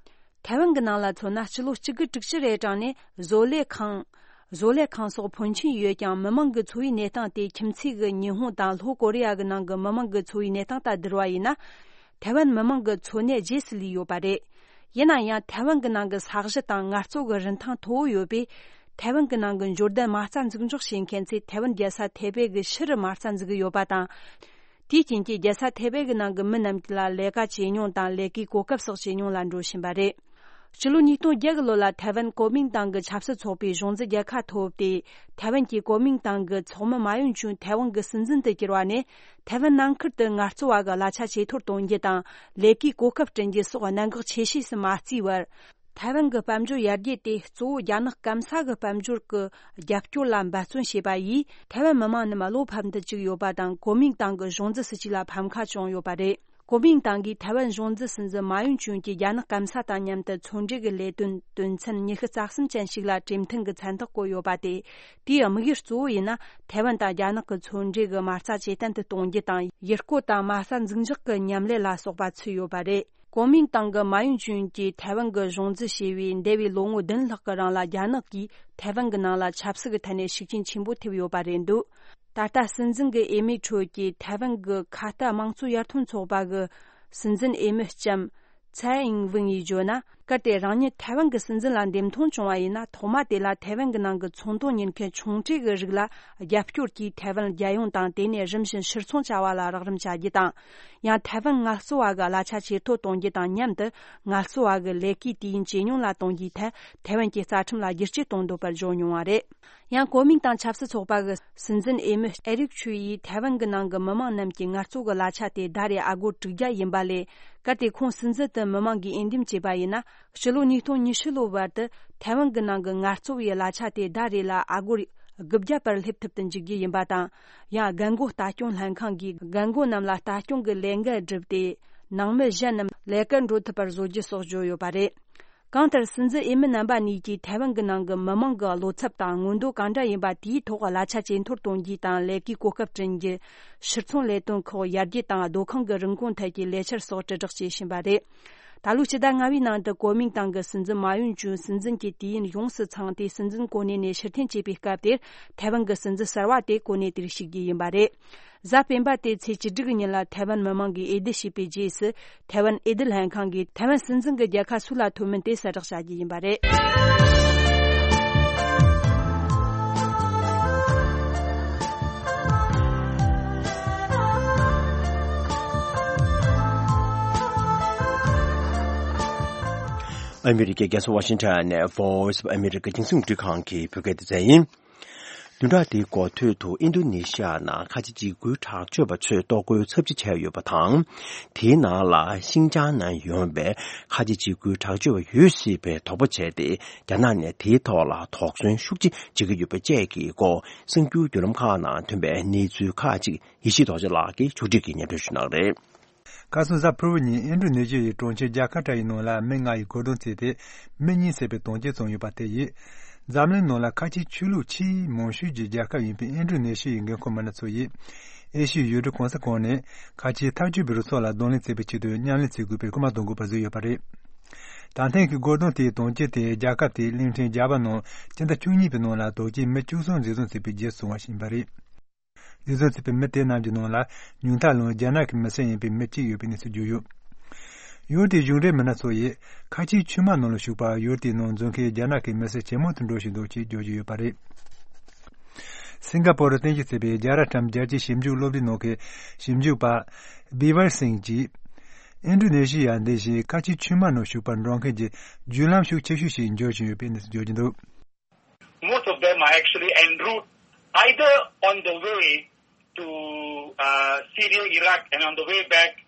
ཐའེ་ཝན་གྱི་ནང་ལ་མཚོན་ན། སྤྱི་ལོ་གཅིག་དགུ་དྲུག་ཅུ་རེ་གྲངས་ནས་བཟོ་ལས་ཁང་། བཟོ་ལས་ཁང་སོགས་ཕོན་ཆེན་ཡོད་ཀྱང་། མི་མང་གི་འཚོ་བའི་གནས་སྟངས་དེ་ཁྱིམ་མཚེས་ཀྱི་ཉི་ཧོང་དང་ལྷོ་ཀོ་རི་ཡ་གི་ནང་གི་མི་མང་གི་འཚོ་བའི་གནས་སྟངས་དང་བསྡུར་བ་ཡིན་ན། ཐའེ་ཝན་མི་མང་གི་འཚོ་གནས་རྗེས་སུ་ལུས་ཡོད་པ་རེད། ཡིན་ན་ཡང་། ཐའེ་ཝན་གྱི་ནང་གི་ས་གཞི་དང་ངལ་རྩོལ་གྱི་རིན་ཐང་མཐོ་བོ་ཡོད་པས། ཐའེ་ཝན་གྱི་ནང་གི་འབྱོར་ལྡན་མ་རྩ་འཛུགས་འཇོག་བྱེད་མཁན་ཚོས་ཐའེ་ཝན་རྒྱལ་ས་ཐའེ་པེ་གི་ཕྱི་རུ་མ་རྩ་འཛུགས་ཀྱི་ཡོད་པ་དང་། དེའི་རྐྱེན་གྱིས་རྒྱལ་ས་ཐའེ་པེ་གི་ནང་གི་མི་རྣམས་ལ་ལས་ཀ་བྱེད་མྱོང་དང་། ལས་ཀའི་གོ་སྐབས་སོགས་བྱེད་མྱོང་ལ་འགྲོ་བཞིན་པ་རེད། སྤྱི་ལོ་ཉིས་སྟོང་བརྒྱད་གི་ལོ་ལ་ཐའེ་ཝན་གོ་མིང་ཏང་གི་ཆབ་སྲིད་ཚོགས་པའི་གཞུང་འཛིན་རྒྱལ་ཁ་ཐོབ་སྟེ། ཐའེ་ཝན་གྱི་གོ་མིང་ཏང་གི་ཚོགས་མི་མཱ་ཡུན་ཅུན་ཐའེ་ཝན་གྱི་སྲིད་འཛིན་དུ་གྱུར་བ་ནས། ཐའེ་ཝན་ནང་ཁུལ་དུ་ངལ་རྩོལ་བ་གི་གླ་ཆ་ཇེ་མཐོར་གཏོང་རྒྱུ་དང་། ལས་ཀའི་གོ་སྐབས་བསྐྲུན་རྒྱུ་སོགས་གནད་འགག་ཆེ་ཤོས་སུ་མ་བརྩིས་བར། ཐའེ་ཝན་གྱི་དཔལ་འབྱོར་ཡར་རྒྱས་དེ་གཙོ་བོ་རྒྱ་ནག་སྐམ་ས་གི་དཔལ་འབྱོར་གྱི་རྒྱབ་སྐྱོར་ལ་འབད་བརྩོན་བྱས་པ་ཡིས། ཐའེ་ཝན་མི་མང་རྣམས་བློ་ཕམ་དུ་བཅུག་ཡོད་པ་དང་། གོ་མིང་ཏང་གི་གཞུང་འཛིན་སྲིད་བྱུས་ལ་ཕམ་ཁ་བྱུང་ཡོད་པ་རེད། གོ་མིང་ཏང་གིས་ཐའེ་ཝན་གཞུང་འཛིན་སྲིད་འཛིན་མཱ་ཡུན་ཅུན་གྱིས་རྒྱ་ནག་སྐམ་ས་དང་མཉམ་དུ་མཚོ་འབྲེལ་གྱི་ལས་དོན་དོན་ཚན་ཉི་ཤུ་རྩ་གསུམ་ཅན་ཞིག་ལ་གྲོས་མཐུན་གྱི་མཚན་རྟགས་བཀོད་ཡོད་པ་དེ། དེའི་དམིགས་ཡུལ་གཙོ་བོ་ཡིན་ན། ཐའེ་ཝན་དང་རྒྱ་ནག་གི་མཚོ་འབྲེལ་གྱི་མ་རྩ་ཇེ་བརྟན་དུ་གཏོང་རྒྱུ་དང་། ཡུལ་སྐོར་དང་མ་རྩ་འཛུགས་འཇོག་གི་མཉམ་ལས་ལ་སོགས་པ་ཚུད་ཡོད་པ་རེད། གོ་མིང་ཏང་གི་མཱ་ཡུན་ཅུན་གྱིས་ཐའེ་ཝན་གྱི་གཞུང་འཛིན་བྱས་པའི་འདས་པའི་ལོ་ངོ་བདུན་ལྷག་གི་རིང་ལ། རྒྱ་ནག་གིས་ཐའེ་ཝན་གྱི་ནང་ལ་ཆབ་སྲིད་ཀྱི་ཐད་ནས་ཤུགས་རྐྱེན་ཆེན་པོ་ཐེབས་ཡོད་པ་རེད་འདུག་ད་ལྟ་སྲིད་འཛིན་གྱི་འོས་མིའི་ཁྲོད་ཀྱི་ཐའེ་ཝན་གྱི་ཁ་གཏད་དམངས་གཙོ་ཡར་ཐོན་ཚོགས་པ་གི་སྲིད་འཛིན་འོས་མི་ལྕམ་ཚའེ་ཨིང་ཝུན་ཡིས་བརྗོད་ན། གལ་ཏེ་རང་ཉིད་ཐའེ་ཝན་གྱི་སྲིད་འཛིན་ལ་འདེམས་ཐོན་བྱུང་བ་ཡིན་ན། ཐོག་མ་དེ་ལ་ཐའེ་ཝན་གྱི་ནང་གི་ཚོང་དོན་གཉེར་མཁན་ཆུང་གྲས་ཀྱི་རིགས་ལ་རྒྱབ་སྐྱོར་གྱིས། ཐའེ་ཝན་རྒྱལ་ཡོངས་དང་དེ་ནས་རིམ་བཞིན་ཕྱིར་ཚོང་བྱ་བ་ལ་རོགས་རམ་བྱ་རྒྱུ་དང་། ཡང་ཐའེ་ཝན་ངལ་རྩོལ་བ་གི་གླ་ཆ་ཇེ་མཐོར་གཏོང་རྒྱུ་དང་མཉམ་དུ། ངལ་རྩོལ་བ་གི་ལས་ཀའི་དུས་ཡུན་ཇེ་ཉུང་ལ་གཏོང་རྒྱུའི་ཐད། ཐའེ་ཝན་གྱི་རྩ་ཁྲིམས་ལ་བསྒྱུར་བཅོས་གཏོང་འདོད་པར་བརྗོད་མྱོང་བ་རེད། ཡང་གོ་མིང་ཏང་ཆབ་སྲིད་ཚོགས་པ་གི་སྲིད་འཛིན་འོས་མི་ཨེ་རིག་ཆུ་ཡིས། ཐའེ་ཝན་གྱི་ནང་གི་མི་མང་རྣམས་ཀྱི་ངལ་རྩོལ་གྱི་གླ་ཆ་དེ་ཟླ་རེར་ཨ་སྒོར་དྲུག་བརྒྱ་ཡིན་པ་ལས། གལ་ཏེ་ཁོང་སྲིད་འཛིན་དུ་མི་མང་གིས་འོས་འདེམས་བྱས་པ་ཡིན་ན། ཕྱི་ལོ་ཉིས་སྟོང་ཉི་ཤུ་ལོའི་བར་དུ་ཐའེ་ཝན་གྱི་ནང་གི་ངལ་རྩོལ་བའི་གླ་ཆ་དེ་ཟླ་རེ་ལ་ཨ་སྒོར་དགུ་བརྒྱ་བར་སླེབས་ཐུབ་ཏུ་འཇུག་རྒྱུ་ཡིན་པ་དང་། ཡང་རྒན་རྒོན་ལྟ་སྐྱོང་ལྷན་ཁང་གིས་རྒན་རྒོན་རྣམས་ལ་ལྟ་སྐྱོང་གི་ལས་འགན་བསྒྲུབས་ཏེ། ནང་མི་གཞན་རྣམས་ལས་ཀར་འགྲོ་ཐུབ་པར་བཟོ་རྒྱུ་སོགས་བརྗོད་ཡོད་པ་རེད། གང་ལྟར། སྲིད་འཛིན་འོས་མི་རྣམ་པ་གཉིས་ཀྱིས་ཐའེ་ཝན་གྱི་ནང་གི་མི་མང་གི་བློ་འཚབ་དང་མངོན་འདོད་གང་འདྲ་ཡིན་པ་དེའི་ཐོག་གླ་ཆ་ཇེ་མཐོར་གཏོང་རྒྱུ་དང་། ལས་ཀའི་གོ་སྐབས་བསྐྲུན་རྒྱུ། ཕྱིར་ཚོང་ལས་དོན་ཁག་ཡར་རྒྱས་དང་། སྡོད་ཁང་གི་རིན་གོང་ཐད་ཀྱི་ལས་འཆར་སོགས་དྲིལ་བསྒྲགས་བྱེད་བཞིན་པ་རེད། ད་ལོའི་ཕྱི་ཟླ་ལྔ་པའི་ནང་དུ་གོ་མིང་ཏང་གི་སྲིད་འཛིན་མཱ་ཡུན་ཅུན་སྲིད་འཛིན་གྱི་དུས་ཡུན་ཡོངས་སུ་ཚང་སྟེ། སྲིད་འཛིན་གོ་གནས་ནས་ཕྱིར་འཐེན་བྱས་པའི་སྐབས་དེར། ཐའེ་ཝན་གྱི་སྲིད་འཛིན་གསར་བ་དེ་གོ་གནས་དེར་ཞུགས་རྒྱུ་ཡིན་པ་རེད། གཟའ་སྤེན་པ་སྟེ་ཚེས་བཅུ་དྲུག་གི་ཉིན་ལ་ཐའེ་ཝན་མི་མང་གིས་འོས་བསྡུ་བྱས་པའི་རྗེས་སུ། ཐའེ་ཝན་འོས་བསྡུ་ལྷན་ཁང་གིས་ཐའེ་ཝན་སྲིད་འཛིན་གྱི་རྒྱལ་ཁ་སུ་ལ་ཐོབ་མིན་དེ་གསལ་བསྒྲགས་བྱ་རྒྱུ་ཡིན་པ་རེད། ཨ་མི་རི་ཀའི་རྒྱལ་ས་ཝ་ཤིང་ཊོན་ནས་Voice of America་རྒྱང་སྲིང་རླུང་འཕྲིན་ཁང་གི་བོད་སྐད་སྡེ་ཚན་ཡིན། བདུན་ཕྲག་འདིའི་འགོ་སྟོད་དུ་ཨིན་རྡུ་ནེ་ཤི་ཡ་ནང་ཁ་ཆེ་འཇིགས་སྐུལ་དྲག་སྤྱོད་པ་ཚོས་གཏོར་རྒོལ་ཚབས་ཆེ་བྱས་ཡོད་པ་དང་། དེའི་ནང་ལ་ཤིན་ཅང་ནང་ཡོད་པའི་ཁ་ཆེ་འཇིགས་སྐུལ་དྲག་སྤྱོད་པ་ཡོད་སྲིད་པའི་དོགས་པ་བྱས་ཏེ། རྒྱ་ནག་ནས་དེའི་ཐོག་ལ་དོགས་ཟོན་ཤུགས་ཆེ་བྱེད་ཀྱི་ཡོད་པ་བཅས་ཀྱི་སྐོར། གསར་འགྱུར་བརྒྱུད་ལམ་ཁག་ནང་ཐོན་པའི་གནས་ཚུལ་ཁག་ཅིག་ཡེ་ཤེས་རྡོ་རྗེ་ལགས་ཀྱིས་ཕྱོགས་སྒྲིག་གིས་སྙན་སྒྲོན་ཞུ་གནང་གི་རེད། ཁ་སང་གཟའ་ཕུར་བུ་ཉིན་ཨིན་རྡུ་ནེ་ཤི་ཡའི་གྲོང་ཁྱེར་ཇ་ཀར་ཏའི་ནང་ལ་མི་ལྔ་ཡིས་གོ་རྡུང་བརྩིས་ཏེ། མི་གཉིས་བསད་པའི་དོན་རྐྱེན་བྱུང་ཡོད་པ་དེ་ཡིས། འཛམ་གླིང་ནང་ལ་ཁ་ཆེའི་ཆོས་ལུགས་ཆེས་མང་ཤོས་ཀྱི་རྒྱལ་ཁབ་ཡིན་པའི་ཨིན་རྡུ་ནེ་ཤི་ཡའི་འགན་ཁུར་མི་སྣ་ཚོ་ཡིས། ཨེ་ཤི་ཡའི་ཡུལ་གྲུ་གང་ས་གང་ནས་ཁ་ཆེའི་ཐག་གཅོད་པའི་རུ་ཚོགས་ལ་གདོང་ལེན་བྱེད་པའི་ཆེད་དུ་མཉམ་ལས་བྱེད་དགོས་པའི་སྐུལ་མ་གཏོང་དགོས་པ་བཟོས་ཡོད་པ་རེད། ད་ཐེངས་ཀྱི་གོ་རྡུང་དེའི་དོན་རྐྱེན་དེ་རྒྱལ་ཁབ་དེའི་གླིང་ཕྲན་ཇཱ་ཝ་ནང་སྤྱི་ཟླ་བཅུ་གཉིས་པའི་ནང་ལ་དོགས་ཅན་མི་བཅུ་གསུམ་འཛིན་བཟུང་བྱས་པའི་རྗེས་བྱུང་བ་ཞིག་ཡིན་པ་རེད། འཛིན་བཟུང་བྱས་པའི་མི་དེ་རྣམས་ཀྱི་ནང་ལ་ཉུང་མཐའ་ལོན་རྒྱ་ནག་གི་མི་སེར་ཡིན་པའི་མི་གཅིག་ཡོད་པའི་གནས་ཚུལ་བརྗོད་ཡོད། ཡུལ་དེའི་གཞུང་འབྲེལ་མི་སྣ་ཚོ་ཡིས་ཁ་ཆེའི་ཆུ་དམག་ནང་ལ་ཞུགས་པར་ཡུལ་དེའི་ནང་འཛུལ་མཁན་རྒྱ་ནག་གི་མི་སེར་ཇེ་མང་དུ་འགྲོ་བཞིན་འདུག་ཅེས་བརྗོད་ཀྱི་ཡོད་པ་རེད། སིང་ག་པོར་རྟེན་གཞི་བྱས་པའི་རྒྱལ་རབས་ཊམ་རྒྱལ་སྤྱིའི་ཞིབ་འཇུག་སློབ་གྲྭའི་ནང་གི་ཞིབ་འཇུག་པ་བི་བར་སིང་གྱིས། ཨིན་ཌོ་ནེ་ཤི་ཡ་འདི་བཞིན་ཁ་ཆེའི་ཆུ་དམག་ནང་ཞུགས་པར་འགྲོ་མཁན་གྱི་བརྒྱུད་ལམ་ཤུགས་ཆེ་ཤོས་ཤིག་འགྱུར་བཞིན་ཡོད་པའི་གནས་ཚུལ་བརྗོད་ཀྱི་འདུག། Most of them are actually en route, either on the way to uh, Syria, Iraq, and on the way back,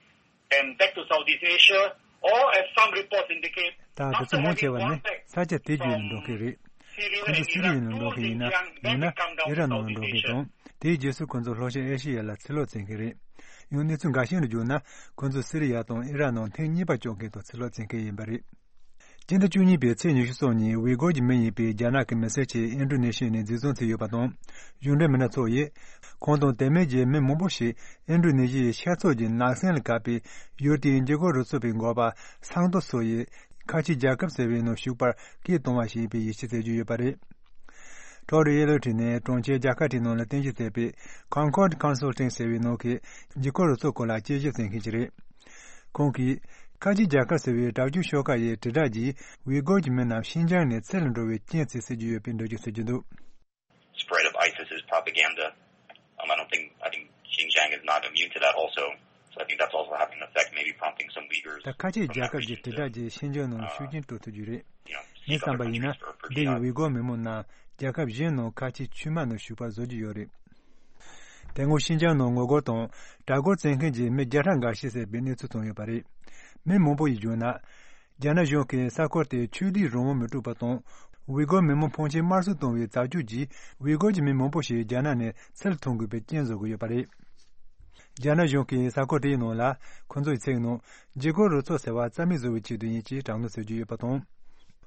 and back to Southeast Asia, or as some reports indicate, ད་དེ་ཚོ་མང་ཆེ་བ་ནི་ས་ཆ་དེ་བརྒྱུད་ནས་འགྲོ་མཁན་རེད། ཁོང་ཚོ་སི་རི་ཡ་ནས་འགྲོ་མཁན་ཡིན་ན། ཡང་ན་ཨི་རག་ནང་ལ་འགྲོ་མཁན་དང་། དེའི་རྗེས་སུ་ཁོང་ཚོ་ལྷོ་ཤར་ཨེ་ཤི་ཡ་ལ་ཚུར་ལོག་བྱེད་མཁན་རེད། ཡང་གནས་ཚུལ་འགའ་ཤས་ལ་བརྗོད་ན། ཁོང་ཚོ་སི་རི་ཡ་དང་ཨི་རག་ནང་ཐེངས་གཉིས་པ་བཅར་མཁན་དང་ཚུར་ལོག་བྱེད་མཁན་ཡིན་པ་རེད། སྤྱི་ཟླ་བཅུ་གཉིས་པའི་ཚེས་ཉི་ཤུ་རྩ་གཉིས། ཝི་གོར་གྱི་མི་ཡིན་པའི་རྒྱ་ནག་གི་མི་སེར་ཆེད་ཨིན་ཌོ་ནེ་ཤི་ཡ་ནས་འཛིན་བཟུང་བྱས་ཡོད་པ་དང་། གཞུང་འབྲེལ་མི་སྣ་ཚོ་ཡིས། ཁོང་དང་དེ་མིན་གྱི་མི་མང་པོ་ཞིག་ཨིན་ཌོ་ནེ་ཤི་ཡའི་ཤར་ཕྱོགས་ཀྱི་ནགས་གསེང་ལ་བཀག་པའི་ཡུལ་དེའི་འཇིགས་སྐུལ་རུ་ཚོགས་པའི་འགོ་པ་སང་ཏོ་སོ་ཡིས། ཁ་ཆེའི་རྒྱལ་ཁབ་ཟེར་བའི་ནང་ཞུགས་པར་སྐད་གཏོང་བ་ཞིག་ཡིན་པའི་ཡིད་ཆེས་བྱེད་ཀྱི་ཡོད་པ་རེད། ཁྲོ་རུ་ཨེ་ལོ་ཁྲི་ནས་གྲོང་ཁྱེར་རྒྱལ་ཁབ་ཁྲི་ནང་ལ་རྟེན་གཞི་བྱས་པའི་Concord Consulting ཟེར་བའི་ནང་གི་འཇིགས་སྐུལ་རུ་ཚོགས་སྐོར་ལ་དཔྱད་ཞིབ་བྱེད་མཁན་ཞིག་རེད། ཁོང་གིས། ཁ་ཆེའི་རྒྱལ་ཁབ་ཟེར་བའི་དྲག་སྤྱོད་ཤོག་ཁག་ཡི་དྲིལ་བསྒྲགས་ཀྱིས་ཝི་གོར་གྱི་མི་རྣམས་ཤིན་ཅང་ནས་ཚུར་ལ་འགྲོ་བའི་རྐྱེན་བྱེད་སྲིད་ཀྱི་ཡོད་པའི་འགྲེལ་བརྗོད་བྱེད་ཀྱི་འདུག Spread of ISIS's propaganda. Um, I don't think, I think Xinjiang is not immune to that also. So I think that's also having an effect, maybe prompting some Uyghurs ད་ཁ་ཆེའི་རྒྱལ་ཁབ་ཀྱི་དྲིལ་བསྒྲགས་ཀྱིས་ཤིན་ཅང་ནང་ཤུགས་རྐྱེན་སྤྲོད་ཐུབ་རྒྱུ་རེད། You know, འདི་བསམ་པ་ཡིན་ན། འདི་ཡི་ཝི་གོར་མི་མང་རྣམས་རྒྱལ་ཁབ་གཞན་ནང་ཁ་ཆེའི་ཆུས་མ་ནང་ཞུགས་པར་བཟོ་རྒྱུ་ཡོད་རེད། དེ་སྔོན་ཤིན་ཅང་ནང་ངོ་རྒོལ་དང་དྲག་རྒོལ་བྱེད་མཁན་གྱི་མི་བརྒྱ་ཕྲག་འགའ་ཤས་བསད་པའི་གནས་ཚུལ་བྱུང་ཡོད་པ་རེད། མི་མང་པོ་ཡིས་བརྗོད་ན། རྒྱ་ནག་གཞུང་གིས་ས་ཁུལ་དེར་ཆོས་དད་རང་དབང་མི་སྤྲོད་པ་དང་། ཝི་གོར་མི་མང་ཕོན་ཆེ་དམར་གསོད་གཏོང་བའི་བྱ་སྤྱོད་ཀྱིས་ཝི་གོར་གྱི་མི་མང་པོ་ཞིག་རྒྱ་ནག་ནས་ཚུར་ཐོན་དགོས་པའི་རྐྱེན་བཟོ་གི་ཡོད་པ་རེད། རྒྱ་ནག་གཞུང་གིས་ས་ཁུལ་དེའི་ནང་ལ་ཁོ་ཚོའི་ཚིག་ནང་འཇིགས་སྐུལ་རུ་ཚོགས་ཟེར་བ་རྩ་མེད་བཟོ་བའི་ཆེད་དུ་ཡིན་ཅེས་དྲག་གནོན་བྱེད་ཀྱི་ཡོད་པ་དང་།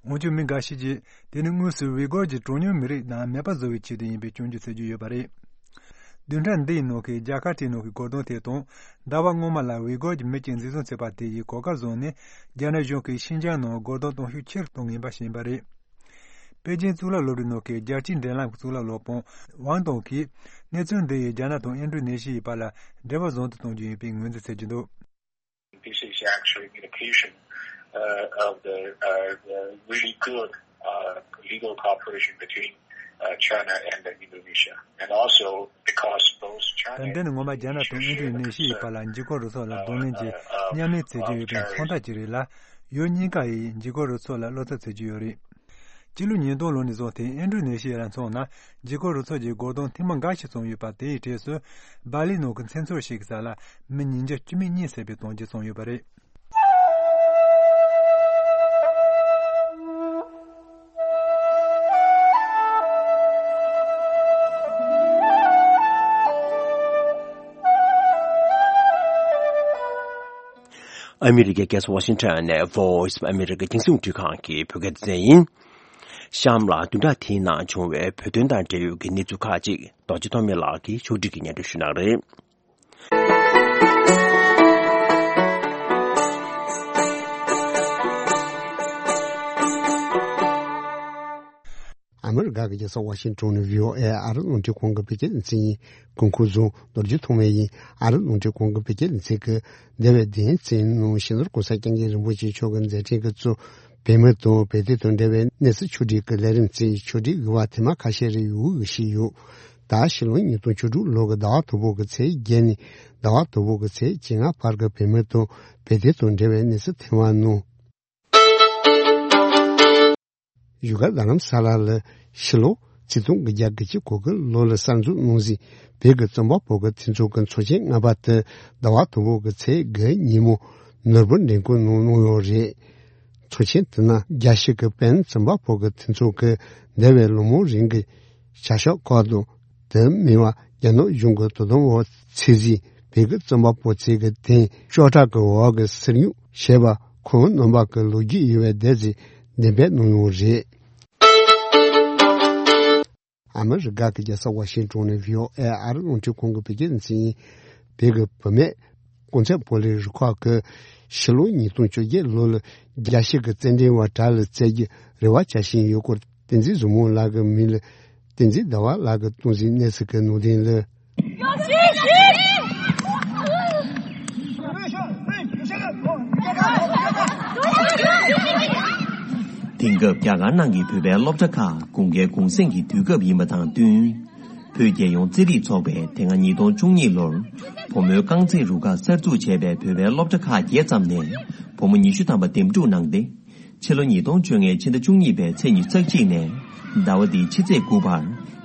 འོན་ཀྱང་མི་འགའ་ཞིག་གིས་དེ་ནི་དངོས་སུ་ཝི་གོར་གྱི་གྲངས་ཉུང་མི་རིགས་རྣམས་མེད་པ་བཟོ་བའི་ཆེད་དུ་ཡིན་པའི་སྐྱོན་བརྗོད་བྱེད་ཀྱི་ཡོད་པ་རེད། བདུན་ཕྲག་འདིའི་ནང་གི་རྒྱལ་ཁབ་དེའི་ནང་གི་སྒོ་རྡུང་དེ་དང་། ཟླ་བ་སྔོན་མ་ལ་ཝི་གོར་གྱི་མི་གཅིག་འཛིན་བཟུང་བྱས་པ་དེ་ཡིས་གོ་སྐབས་བཟུང་ནས་རྒྱ་ནག་གཞུང་གིས་ཤིན་ཅང་ནང་སྒོ་རྡུང་གཏོང་ཤུགས་ཆེ་རུ་གཏོང་ངེས་པ་ཞིག་ཡིན་པ་རེད། པེ་ཅིན་གཙུག་ལག་སློབ་གྲྭའི་ནང་གི་རྒྱལ་སྤྱིའི་འབྲེལ་ལམ་གྱི་གཙུག་ལག་སློབ་དཔོན་ཝང་ཏོང་གིས་གནས་ཚུལ་འདི་ཡིས་རྒྱ་ནག་དང་ཨིན་ཌོ་ནེ་ཤི་ཡའི་བར་ལ་འབྲེལ་བ་བཟང་དུ་གཏོང་རྒྱུ་ཡིན་པའི་ངོས་འཛིན་བྱེད་ཀྱི་འདུག This is actually an indication uh, of the, uh, the really good uh, legal cooperation between uh, China and uh, Indonesia. And also because both China ད་འདི་ནི་ངོ་མ་རྒྱ་ནག་དང་ཨིན་ཌོ་ནེ་ཤི་ཡའི་བར་ལ་འཇིགས་སྐུལ་རུ་ཚོགས་ལ་གདོང་ལེན་གྱིས་མཉམ་ལས་བྱེད་ཀྱི་ཡོད་པའི་མཚོན་རྟགས་ཅིག་རེད་ལ། ཡུལ་གཉིས་ཀ་ཡིས་འཇིགས་སྐུལ་རུ་ཚོགས་ལ་བློ་འཚབ་བྱེད་ཀྱི་ཡོད་རེད། སྤྱི་ལོ་ཉིས་སྟོང་ལོ་ནས་བཟུང་སྟེ་ཨིན་ཌོ་ནེ་ཤི་ཡ་ལ་མཚོན་ན་འཇིགས་སྐུལ་རུ་ཚོགས་ཀྱི་སྒོ་རྡུང་ཐེངས་མ་འགའ་ཞིག་བྱུང་ཡོད་པ། དེའི་གྲས་སུ་སྦ་ལི་ནང་གི་མཚན་ཚོད་ཞིག་གི་ས་ལ་མི་ཉིས་བརྒྱ་བཅུ་མེད་གཉིས་བསད་པའི་དོན་རྐྱེན་བྱུང་ཡོད་པ་རེད། ཨ་མི་རི་ཀའི་རྒྱལ་ས་ཝ་ཤིང་ཊོན་ནས་Voice of America རྒྱང་སྲིང་འཕྲིན་ཁང་གི་བོད་སྐད་སྡེ་ཚན་ཡིན། གཤམ་ལ་བདུན་ཕྲག་དེའི་ནང་བྱུང་བའི་བོད་དོན་དང་འབྲེལ་ཡོད་ཀྱི་གནས་ཚུལ་ཁག་ཅིག་རྡོ་རྗེ་ཐོགས་མེད་ལགས་ཀྱིས་ཕྱོགས་སྒྲིག་གིས་སྙན་སྒྲོན་ཞུ་གནང་རེད། ཨ་མི་རི་ཀ་གི་རྒྱལ་ས་ཝ་ཤིང་ཊོན་ནས་བྷི་ཨོ་ཨེ་ཨ་རི་རླུང་འཕྲིན་ཁང་གི་བོད་སྐད་སྡེ་ཚན་ཡིན། གོང་འཁོད་བཟུང་རྡོ་རྗེ་ཐོགས་མེད་ཡིན། ཨ་རི་རླུང་འཕྲིན་ཁང་གི་བོད་སྐད་སྡེ་ཚན་གྱིས་འདས་པའི་བདུན་ཕྲག་ནང་སྤྱི་ནོར་༸གོང་ས་༸སྐྱབས་མགོན་རིན་པོ་ཆེ་མཆོག་གི་མཛད་འཕྲིན་གྱིས་གཙོས་བོད་མི་དང་བོད་དོན་དང་འབྲེལ་བའི་གནས་ཚུལ་ཕྱོགས་སྒྲིག་གི་ལས་རིམ་བཅས་ཕྱོགས་སྒྲིག་གི་བར་ཐེངས་མ་ཁ་ཤས་རེ་ཡོང་གི་བཞིན་ཡོད། ད་ཕྱི་ལོ་ཉིས་སྟོང་བཅུ་དྲུག་ལོ་གི་ཟླ་བ་དང་པོ་གི་ཚེས་བརྒྱད་ནས་ཟླ་བ་དང་པོ་གི་ཚེས་བཅོ་ལྔ་བར་གྱི་བོད་མི་དང་བོད་དོན་དང་འབྲེལ་བའི་གནས་ཚུལ་ཐེངས་མ་ནང་། བཞུགས་སྒར་རྡ་རམ་ས་ལ་ལ་ཕྱི་ལོ་ཆིག་སྟོང་དགུ་བརྒྱ་དགུ་བཅུ་གོ་དགུ་ལོ་ལ་གསར་འཛུགས་གནང་ཟིན་བོད་ཀྱི་རྩོམ་པ་པོ་གི་མཐུན་ཚོགས་ཀྱི་ཚོགས་ཆེན་ལྔ་པ་དེ་ཟླ་བ་དང་པོ་གི་ཚེས་དགུ་ཉིན་མོ་ནོར་བུ་འགྲེམས་སྐུལ་གནང་གནང་ཡོད་རེད། ཚོགས་ཆེན་དེ་ནང་རྒྱལ་སྤྱི་གི་བོད་རྩོམ་པ་པོ་གི་མཐུན་ཚོགས་ཀྱིས་འདས་པའི་ལོ་མང་རིང་གི་བྱ་གཞག་སྐོར་དང་། དེ་མིན་པ་རྒྱ་ནག་གཞུང་གི་དོ་དམ་འོག་ཚུད་ཟིན་བོད་ཀྱི་རྩོམ་པ་པོ་ཚོས་ཀྱི་དེང་ཤོག་ཁྲག་གི་འོག་གི་སིལ་སྙུག་བྱས་པ་ཁོང་རྣམ་པ་གི་ལོ་རྒྱུས་ཡོད་པའི་སྡེ་ཚན་འགྲེམས་སྤེལ་གནང་ཡོད་རེད། ཨ་མི་རི་ཀ་གི་རྒྱལ་ས་ཝ་ཤིང་ཊོན་ནས་བྷི་ཨོ་ཨེ་ཨ་རི་རླུང་འཕྲིན་ཁང་གི་བོད་སྐད་སྡེ་ཚན་ཡིན། བོད་ཀྱི་བུད་མེད་གོང་ཚད་བོད་རིགས་རུ་ཁག་གིས་ཕྱི་ལོ་ཉིས་སྟོང་བཅོ་བརྒྱད་ལོ་ལ་རྒྱལ་སྤྱི་གི་རྩེད་འགྲན་པ་གྲས་ལ་རྩེད་རྒྱུའི་རེ་བ་བྱ་བཞིན་ཡོད་སྐོར་བསྟན་འཛིན་བཟང་མོ་ལགས་ཀྱི་མིང་ལ་བསྟན་འཛིན་ཟླ་བ་ལགས་ཀྱིས་གཏོང་ཟིན་གནས་ཚུལ་གྱི་ནང་དོན་ལ། དེང་སྐབས་རྒྱ་གར་ནང་གི་བོད་པའི་སློབ་གྲྭ་ཁག་དགུན་ཁའི་གུང་གསེང་གི་དུས་སྐབས་ཡིན་པ་དང་བསྟུན། བོད་རྒྱལ་ཡོངས་རྩེད་རིགས་ཚོགས་པས་དེ་སྔ་ཉིས་སྟོང་བཅུ་གཉིས་ལོར་བུ་མོའི་རྐང་རྩེད་རུ་ཁག་གསར་འཛུགས་བྱས་པའི་བོད་པའི་སློབ་གྲྭ་ཁག་བརྒྱད་ཙམ་ནས་བུ་མོ་ཉི་ཤུ་ཐམ་པ་འདེམས་སྒྲུག་གནང་སྟེ། ཕྱི་ལོ་ཉིས་སྟོང་བཅོ་ལྔའི་ཕྱི་ཟླ་བཅུ་གཉིས་པའི་ཚེས་ཉི་ཤུ་རྩ་གཅིག་ནས་ཟླ་བ་འདིའི་ཕྱི་ཚེས་དགུ་བར་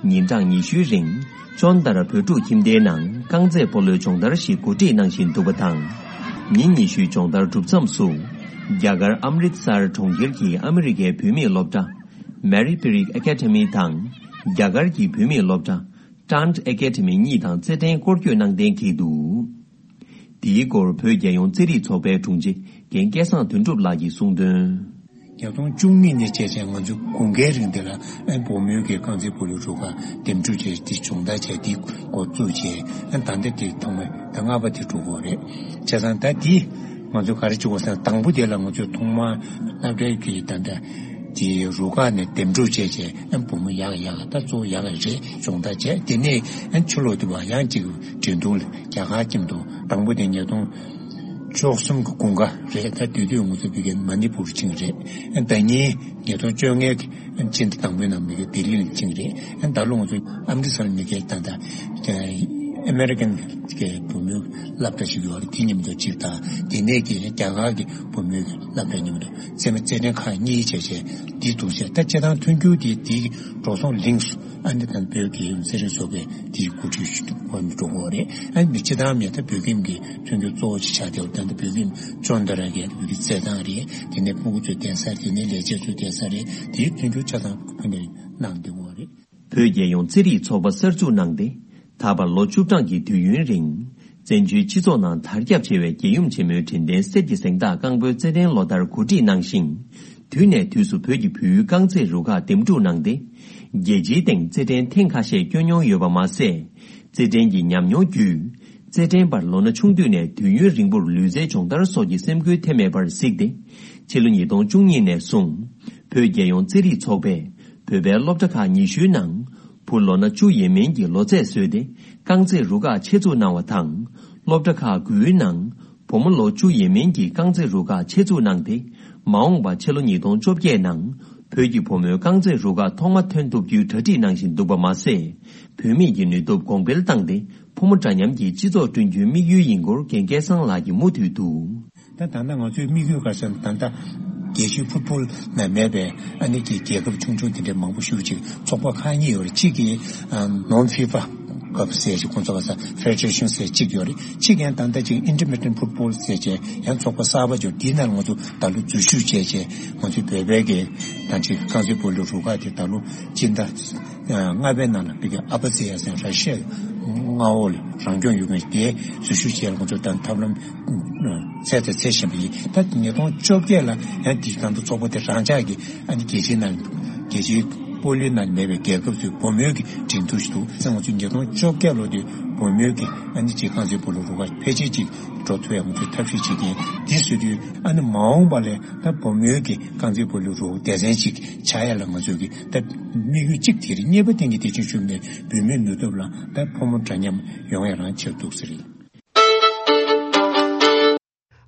ཉིན་གྲངས་ཉི་ཤུའི་རིང་ཅོན་ཏར་བོད་ཕྲུག་ཁྱིམ་སྡེའི་ནང་རྐང་རྩེད་སྤོ་ལོའི་སྦྱོང་བརྡར་ཞིག་གོ་སྒྲིག་གནང་བཞིན་འདུག་པ་དང་། ཉིན་ཉི་ཤུའི་སྦྱོང་བརྡར་གྲུབ་མཚམས་སུ། རྒྱ་གར་ཨམ་རིད་སར་གྲོང་ཁྱེར་གྱི་ཨ་མི་རི་ཀའི་བུད་མེད་སློབ་གྲྭ་Mary Berry Academy དང་། རྒྱ་གར་གྱི་བུད་མེད་སློབ་གྲྭ་Tant Academy གཉིས་དང་རྩེད་འགྲན་སྐོར་སྐྱོད་གནང་གཏན་འཁེལ་འདུག་དེའི་སྐོར་བོད་རྒྱལ་ཡོངས་རྩེད་རིགས་ཚོགས་པའི་དྲུང་ཆེ་རྒན་སྐལ་བཟང་དོན་གྲུབ་ལགས་ཀྱིས་གསུངས་དོན། ཉིས་སྟོང་བཅུ་གཉིས་ནས་བྱས་བྱས་ང་ཚོ་དགུན་ཁའི་རིང་འདི་ལ་ཨ་བུ་མོའི་གི་རྐང་རྩེད་སྤོ་ལོའི་རུ་ཁག་འདེམས་སྒྲུག་བྱས་ཏེ་སྦྱོང་བརྡར་བྱས་ཏེ་འགོ་བཙུགས་བྱས། ཨ་ད་ལྟ་དེ་ཐོག་མ་ད་ལྔ་པ་དེ་འགྲོ་གི་རེད། བྱས་ཙང་ད་དེ་ང་ཚོ་ག་རེ་བྱེད་དགོས་ཟེར་ན། དང་པོ་དེ་ལ་ང་ཚོས་ཐོག་མར་སློབ་གྲྭའི་གི་ད་ལྟ་དེ་རུ་ཁག་ནས་འདེམས་སྒྲུག་བྱས་བྱས། ཨ་བུ་མོ་ཡག་ཡག་ད་གཙོ་བོ་ཡག་རེད། སྦྱོང་བརྡར་བྱས། དེ་ནས་ཨ་ཕྱི་ལོགས་དེ་བ་ཡང་ཅིག་འགྲན་བསྡུར་ལ་རྒྱ་གར་ཁྱིམ་དུ་དང་པོ་དེ་ཉིས་སྟོང་བཅུ་གསུམ་གྱི་དགུན་ཁ་རེད། ད་དེ་དུས་ང་ཚོ་ཕ་གིར་མ་ནི་པུར་ཕྱིན་རེད། ཨ་ཟླ་ཉིན་ཉིས་སྟོང་བཅོ་ལྔའི་ཕྱི་ཟླ་དང་པོའི་ནང་ཕ་གིར་ལྡི་ལི་ལ་ཕྱིན་རེད། ཨ་ད་ལོ་ང་ཚོ་ཨམ་རི་སར་ཕ་གིར་ད་ལྟ་ཨ་མེ་རི་ཀན་གྱི་བུ་མོའི་སློབ་གྲྭ་ཞིག་ཡོད་རེད། དེ་མཉམ་དུ་གཅིག་དང་། དེ་ནས་ཀྱི་རྒྱ་གར་གྱི་བུ་མོའི་སློབ་གྲྭ་མཉམ་དུ་རྩེད་མོ་རྩེད་འགྲན་ཁག་གཉིས་བྱས་བྱས་དེ་འདུག་ཟེར། ད་སྤྱིར་བཏང་མཐུན་འགྱུར་དེ་དེའི་འགྲོ་སོང་ལིངས་སུ། ཨ་ནི་ད་བོད་ཀྱི་རྩེད་རིགས་ཚོགས་པས་དེའི་འགོ་ཁྲིད་ཞུ་འགོ་འགྲོ་གི་རེད། ཨ་ནི་སྤྱིར་བཏང་མི་ད་བོད་ཁྱིམ་གྱི་མཐུན་འགྱུར་གཙོ་བོ་ཅིག་ཆགས་བསྡད་པ། ད་ལྟ་བོད་ཁྱིམ་ཅོ་འདི་ར་གའི་བོད་ཀྱི་རྩེད་ཐང་རེད། དེ་ནས་སྤུ་གུ་ཚོའི་གདན་ས་རེད། དེ་ནས་ལས་བྱེད་ཚོའི་གདན་ས་རེད། དེའི་མཐུན་འགྱུར་ཆ་ཚང་ཕུལ་ནས་གནང་བསྡད་ཡོད་རེད། བོད་རྒྱལ་ཡོངས་རྩེད་རིགས་ཚོགས་པ་གསར་འཛུགས་གནང་སྟེ། ད་བར་ལོ་བཅུ་གྲངས་ཀྱི་དུས་ཡུན་རིང་། བཙན་བྱོལ་སྤྱི་ཚོགས་ནང་དར་ཁྱབ་ཆེ་བའི་རྒྱལ་ཡུམ་ཆེན་མོའི་དྲན་རྟེན་གསེར་གྱི་གཟེངས་རྟགས་རྐང་སྤོལ་རྩེད་འགྲན་ལོ་ལྟར་གོ་སྒྲིག་གནང་ཞིང་། དུས་ནས་དུས་སུ་བོད་ཀྱི་བོད་ཡུལ་རྐང་རྩེད་རུ་ཁག་འདེམས་སྒྲུག་གནང་སྟེ། རྒྱལ་སྤྱིའི་སྟེང་རྩེད་འགྲན་ཐེངས་ཁ་ཤས་བསྐྱོན་མྱོང་ཡོད་པ་མ་ཟད། རྩེད་འགྲན་གྱི་ཉམས་མྱོང་བརྒྱུད། རྩེད་འགྲན་པར་ལོ་ན་ཆུང་དུས་ནས་དུས་ཡུན་རིང་པོར་ལུས་རྩལ་སྦྱོང་བརྡར་སོགས་ཀྱི་སེམས་ཁུར་ཐེབས་མེད་པར་གཟིགས་ཏེ། ཕྱི་ལོ་ཉིས་སྟོང་བཅུ་གཉིས་ནས་བཟུང་། བོད་རྒྱལ་ཡོངས་རྩེད་རིགས་ཚོགས་པས་བོད་པའི་སློབ་གྲྭ་ཁག་ཉི་ཤུའི་ནང་བུ་ལོ་ན་བཅུ་ཡས་མིན་གྱི་ལོ་ཚད་བཟོས་ཏེ། རྐང་རྩེད་རུ་ཁག་ཆེད་འཛུགས་གནང་བ་དང་། སློབ་གྲྭ་ཁག་དགུའི་ནང་བུ་མོ་ལོ་བཅུ་ཡས་མིན་གྱི་རྐང་རྩེད་རུ་ཁག་ཆེད་འཛུགས་གནང་སྟེ། མ་འོངས་པ་ཕྱི་ལོ་ཉིས་སྟོང་བཅོ་བརྒྱད་ནང་བོད་ཀྱི་བུ་མོའི་རྐང་རྩེད་རུ་ཁག་ཐོག་མ་ཐོན་ཐུབ་རྒྱུའི་གྲ་སྒྲིག་གནང་བཞིན་འདུག་པ་མ་ཟད། བུད་མེད་ཀྱི་ནུས་སྟོབས་གོང་སྤེལ་བཏང་སྟེ། ཕོ་མོ་འདྲ་མཉམ་གྱི་སྤྱི་ཚོགས་བསྐྲུན་རྒྱུའི་དམིགས་ཡུལ་ཡིན་སྐོར་རྒན་སྐལ་བཟང་ལགས་ཀྱིས་མུ་མཐུད་དུ། ད་ད་ལྟ་ང་ཚོའི་དམིགས་ཡུལ་ག་རེ་ཟེར་ན། ད་ལྟ་རྒྱལ་སྤྱིའི་ཕུཊ་བོལ་ནང་མེད་པའི་ཨ་ནི་གི་རྒྱལ་ཁབ་ཆུང་ཆུང་དེ་འདྲའི་མང་པོ་ཞེ་པོ་ཅིག་ཚོགས་པ་ཁག་གཉིས་ཡོད་རེད། གཅིག་གིས་ཨ་ནོན་ཧྥི་ཕ་ཁབ་ཟེར་ཅིག་ཁོང་ཚོ་ག་ས་ཕེ་ཌེ་རེ་ཤན་ཟེར་གཅིག་ཡོད་རེད། གཅིག་ཡང་ད་ལྟ་ཅིག་ཨིན་ཊར་མི་ཌི་ཡན་ཕུཊ་བོལ་ཟེར་བྱས་ཡང་ཚོགས་པ་གསར་པ་ཅིག་ཡོད། དེའི་ནང་ལ་ང་ཚོ་ད་ལོ་འཛུལ་ཞུགས་བྱས་བྱས་ང་ཚོའི་བོད་པའི་གི་ད་ཅིག་རྐང་རྩེད་སྤོ་ལོའི་རུ་ཁག་དེ་ད་ལོ་སྤྱི་ཟླ་ལྔ་པའི་ནང་ལ་ཕ་གི་ཨ་བྷ་ཛི་ཡ་ཟེར་ར་ཤི་ཡའི་མངའ་འོག་ལ་རང་སྐྱོང་ཡོད་མཁན་དེ་འཛུལ་ཞུགས་བྱས་ལ་ང་ཚོ་ད་ཐབས་ལམ་འཚོལ་དང་འཚོལ་བཞིན་པ་ཡིན། ད་ཉིས་སྟོང་བཅོ་བརྒྱད་ལ་ཡང་དེ་ད་ལྟ་ཚོགས་པ་དེ་རང་འཇགས་ཀྱི་ཨ་ནི་རྒྱལ་སྤྱིའི་ནང་རྒྱལ་སྤྱིའི་སྤོ་ལོའི་ནང་མེད་པའི་རྒྱལ་ཁབ་ཚོའི་བུ་མོའི་གི་འགྲན་བསྡུར་ཞིག་འདུག་ཟེར། ང་ཚོ་ཉིས་སྟོང་བཅོ་བརྒྱད་ལོ་དེ་བུ་མོའི་གི་ཨ་ནི་ཅིག་རྐང་རྩེད་སྤོ་ལོ་རུ་ཁག་ཕལ་ཆེར་ཅིག་འགྲོ་ཐུབ་ཡག་ང་ཚོས་ཐབས་ཤེས་བྱེད་ཀྱི་ཡིན། དེ་བཟོ་དུས་ཨ་ནི་མ་འོངས་པ་ལ་ད་བུ་མོའི་གི་རྐང་རྩེད་སྤོ་ལོའི་རུ་སྡེ་ཚན་ཅིག་ཆགས་ཡ་ལ་ང་ཚོས་གི་ད་དམིགས་ཡུལ་གཅིག་དེ་རེད། གཉིས་པ་དེ་ནི་དེ་བཞིན་ཞུས་ནས་བུད་མེད་ནུས་སྟོབས་ལ་ད་ཕོ་མོ་འདྲ་མཉམ་ཡོང་ཡ་རང་ཆེར་འདུག་ཟེར།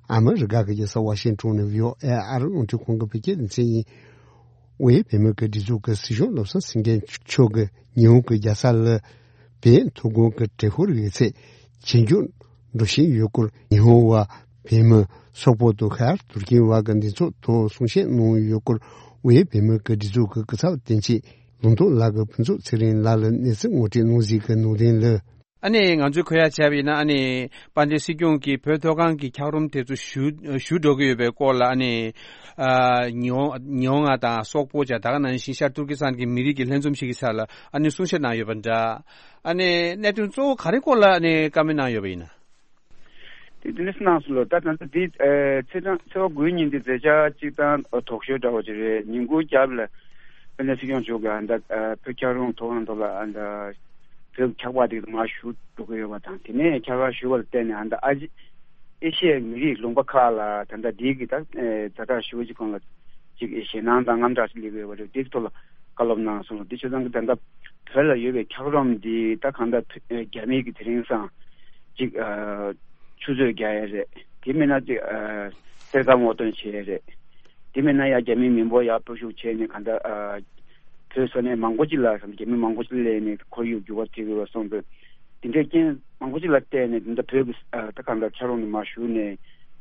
ཨ་མི་རི་ཀ་གི་རྒྱལ་ས་ཝ་ཤིང་ཊོན་ནས་བྷི་ཨོ་ཨེ་ཨ་རི་རླུང་འཕྲིན་ཁང་གི་བོད་སྐད་སྡེ་ཚན་ཡིན། དབུས་བོད་མིའི་སྒྲིག་འཛུགས་ཀྱི་སྲིད་སྐྱོང་བློ་བཟང་སེང་གེ་མཆོག་གིས་ཉི་ཧོང་གི་རྒྱལ་ས་ལ་བོད་ཐུགས་དགོངས་ཀྱི་དྲན་འཁོར་ཡོད་ཚད་ཇེ་མགྱོགས་འགྲོ་བཞིན་ཡོད་སྐོར། ཉི་ཧོང་བ་བོད་མི་སོག་པོ་དང་ཤར་ཏུར་ཀི་བར་གྱི་འདི་ཚོགས་ཐོག་གསུང་བཤད་གནང་ཡོད་སྐོར། དབུས་བོད་མིའི་སྒྲིག་འཛུགས་ཀྱི་སྐུ་ཚབ་དོན་གཅོད་ལུང་རྟོགས་ལགས་ཀྱིས་ཕུན་ཚོགས་ཚེ་རིང་ལགས་ལ་གནས་ཚུལ་ངོ་སྤྲོད་གནང་གཟིགས་ཀྱི་ནང་དོན་ལ། ཨ་ནི་ང་ཚོས་གོ་ཡ་བྱས་པ་ཡིན་ན། ཨ་ནི་དཔལ་ལྡན་སྲིད་སྐྱོང་གིས་བོད་མཐོ་སྒང་གི་འཁྱགས་རོམ་དེ་ཚོ་ཞུ་ཞུ་འགྲོ་གི་ཡོད་པའི་སྐོར་ལ། ཨ་ནི་ཨ་ཉི་ཧོང་ཉི་ཧོང་ང་དང་སོག་པོ་བྱ་ད་ག་ནང་བཞིན་ཤར་ཏུར་ཀི་སི་ཐན་གྱི་མི་རིགས་ཀྱི་ལྷན་འཛོམས་ཤིག་གི་ས་ལ་ཨ་ནི་གསུང་བཤད་གནང་ཡོད་པ་འདྲ། ཨ་ནི་གནད་དོན་གཙོ་བོ་ག་རེ་སྐོར་ལ་ཨ་ནི་བཀའ་མོལ་གནང་ཡོད་པ་ཡིན་ན། དེ་དེ་ནས་གནང་སོང་ལོ། ད་ད་ལྟ་འདི་ཨ་ཚེས་གྲངས་ཚེས་པ་དགུའི་ཉིན་འདི་མཛད་འཆར་གཅིག་དང་ཨ་talk show འདྲ་བོ་ཅིག་རེད། ཉིན་གུང་རྒྱབ་ལ་དཔལ་ལྡན་སྲིད་སྐྱོང་མཆོག་གིས་ཨ་ད་ཨ་བོད་འཁྱགས་རོམ་མཐོ་སྒང་ཐོག་ལ་ཨ་ད་བོད་འཁྱགས་པ་དེ་མར་ཞུ་འགྲོ་གི་ཡོད་པ་དང་། དེ་ནས་འཁྱགས་པ་ཞུ་བ་ལ་བརྟེན་ནས་ཨ་ད་ཨ་ཨེ་ཤི་ཡའི་མི་རིགས་ལུང་པ་ཁག་ལ་ད་ལྟ་འདི་གི་ད་ཨ་ཛ་དྲག་ཞུ་བ་ཅིག་གང་ལ་ཅིག་ཞེད་སྣང་དང་དངངས་སྐྲག་ཅིག་སླེབས་ཡོད་པ་རེད། དེའི་ཐོག་ལ་བཀའ་སློབ་གནང་སོང་། དེ་ཆ་ཚང་གི་ད་ལྟ་བོད་ལ་ཡོད་པའི་འཁྱགས་རོམ་འདི་ད་གང་ལྟར་བོད་རྒྱ་མི་གི་དེ་རིང་སང་ཅིག་ཨ་ཆུ་ཚོད་རྒྱག་ཡ་རེད། དེ་མིན་ན་ཅིག་ཨ་གཏེར་ཁ་སྔོག་འདོན་བྱེད་ཡ་རེད། དེ་མིན་ན་ཡ་རྒྱ་མི་མི་འབོར་ཡར་སྤོ་བཤུག་བྱས་ནས་གང་ལྟར་ཨ་བོད་ས་གནས་མང་པོ་ཅིག་ལ་རྒྱ་མི་མང་པོ་ཅིག་སླེབས་ནས་ཁོར་ཡུག་འགྱུར་བ་ཐེབས་ཀྱི་ཡོད་པ་སོང་ཙང་། དེ་འདྲའི་རྐྱེན་མང་པོ་ཅིག་ལ་བརྟེན་ནས་ད་ལྟ་བོད་ཀྱི་ཨ་ད་གང་ལྟར་འཁྱགས་རོམ་ནས་མར་ཞུ་ནས་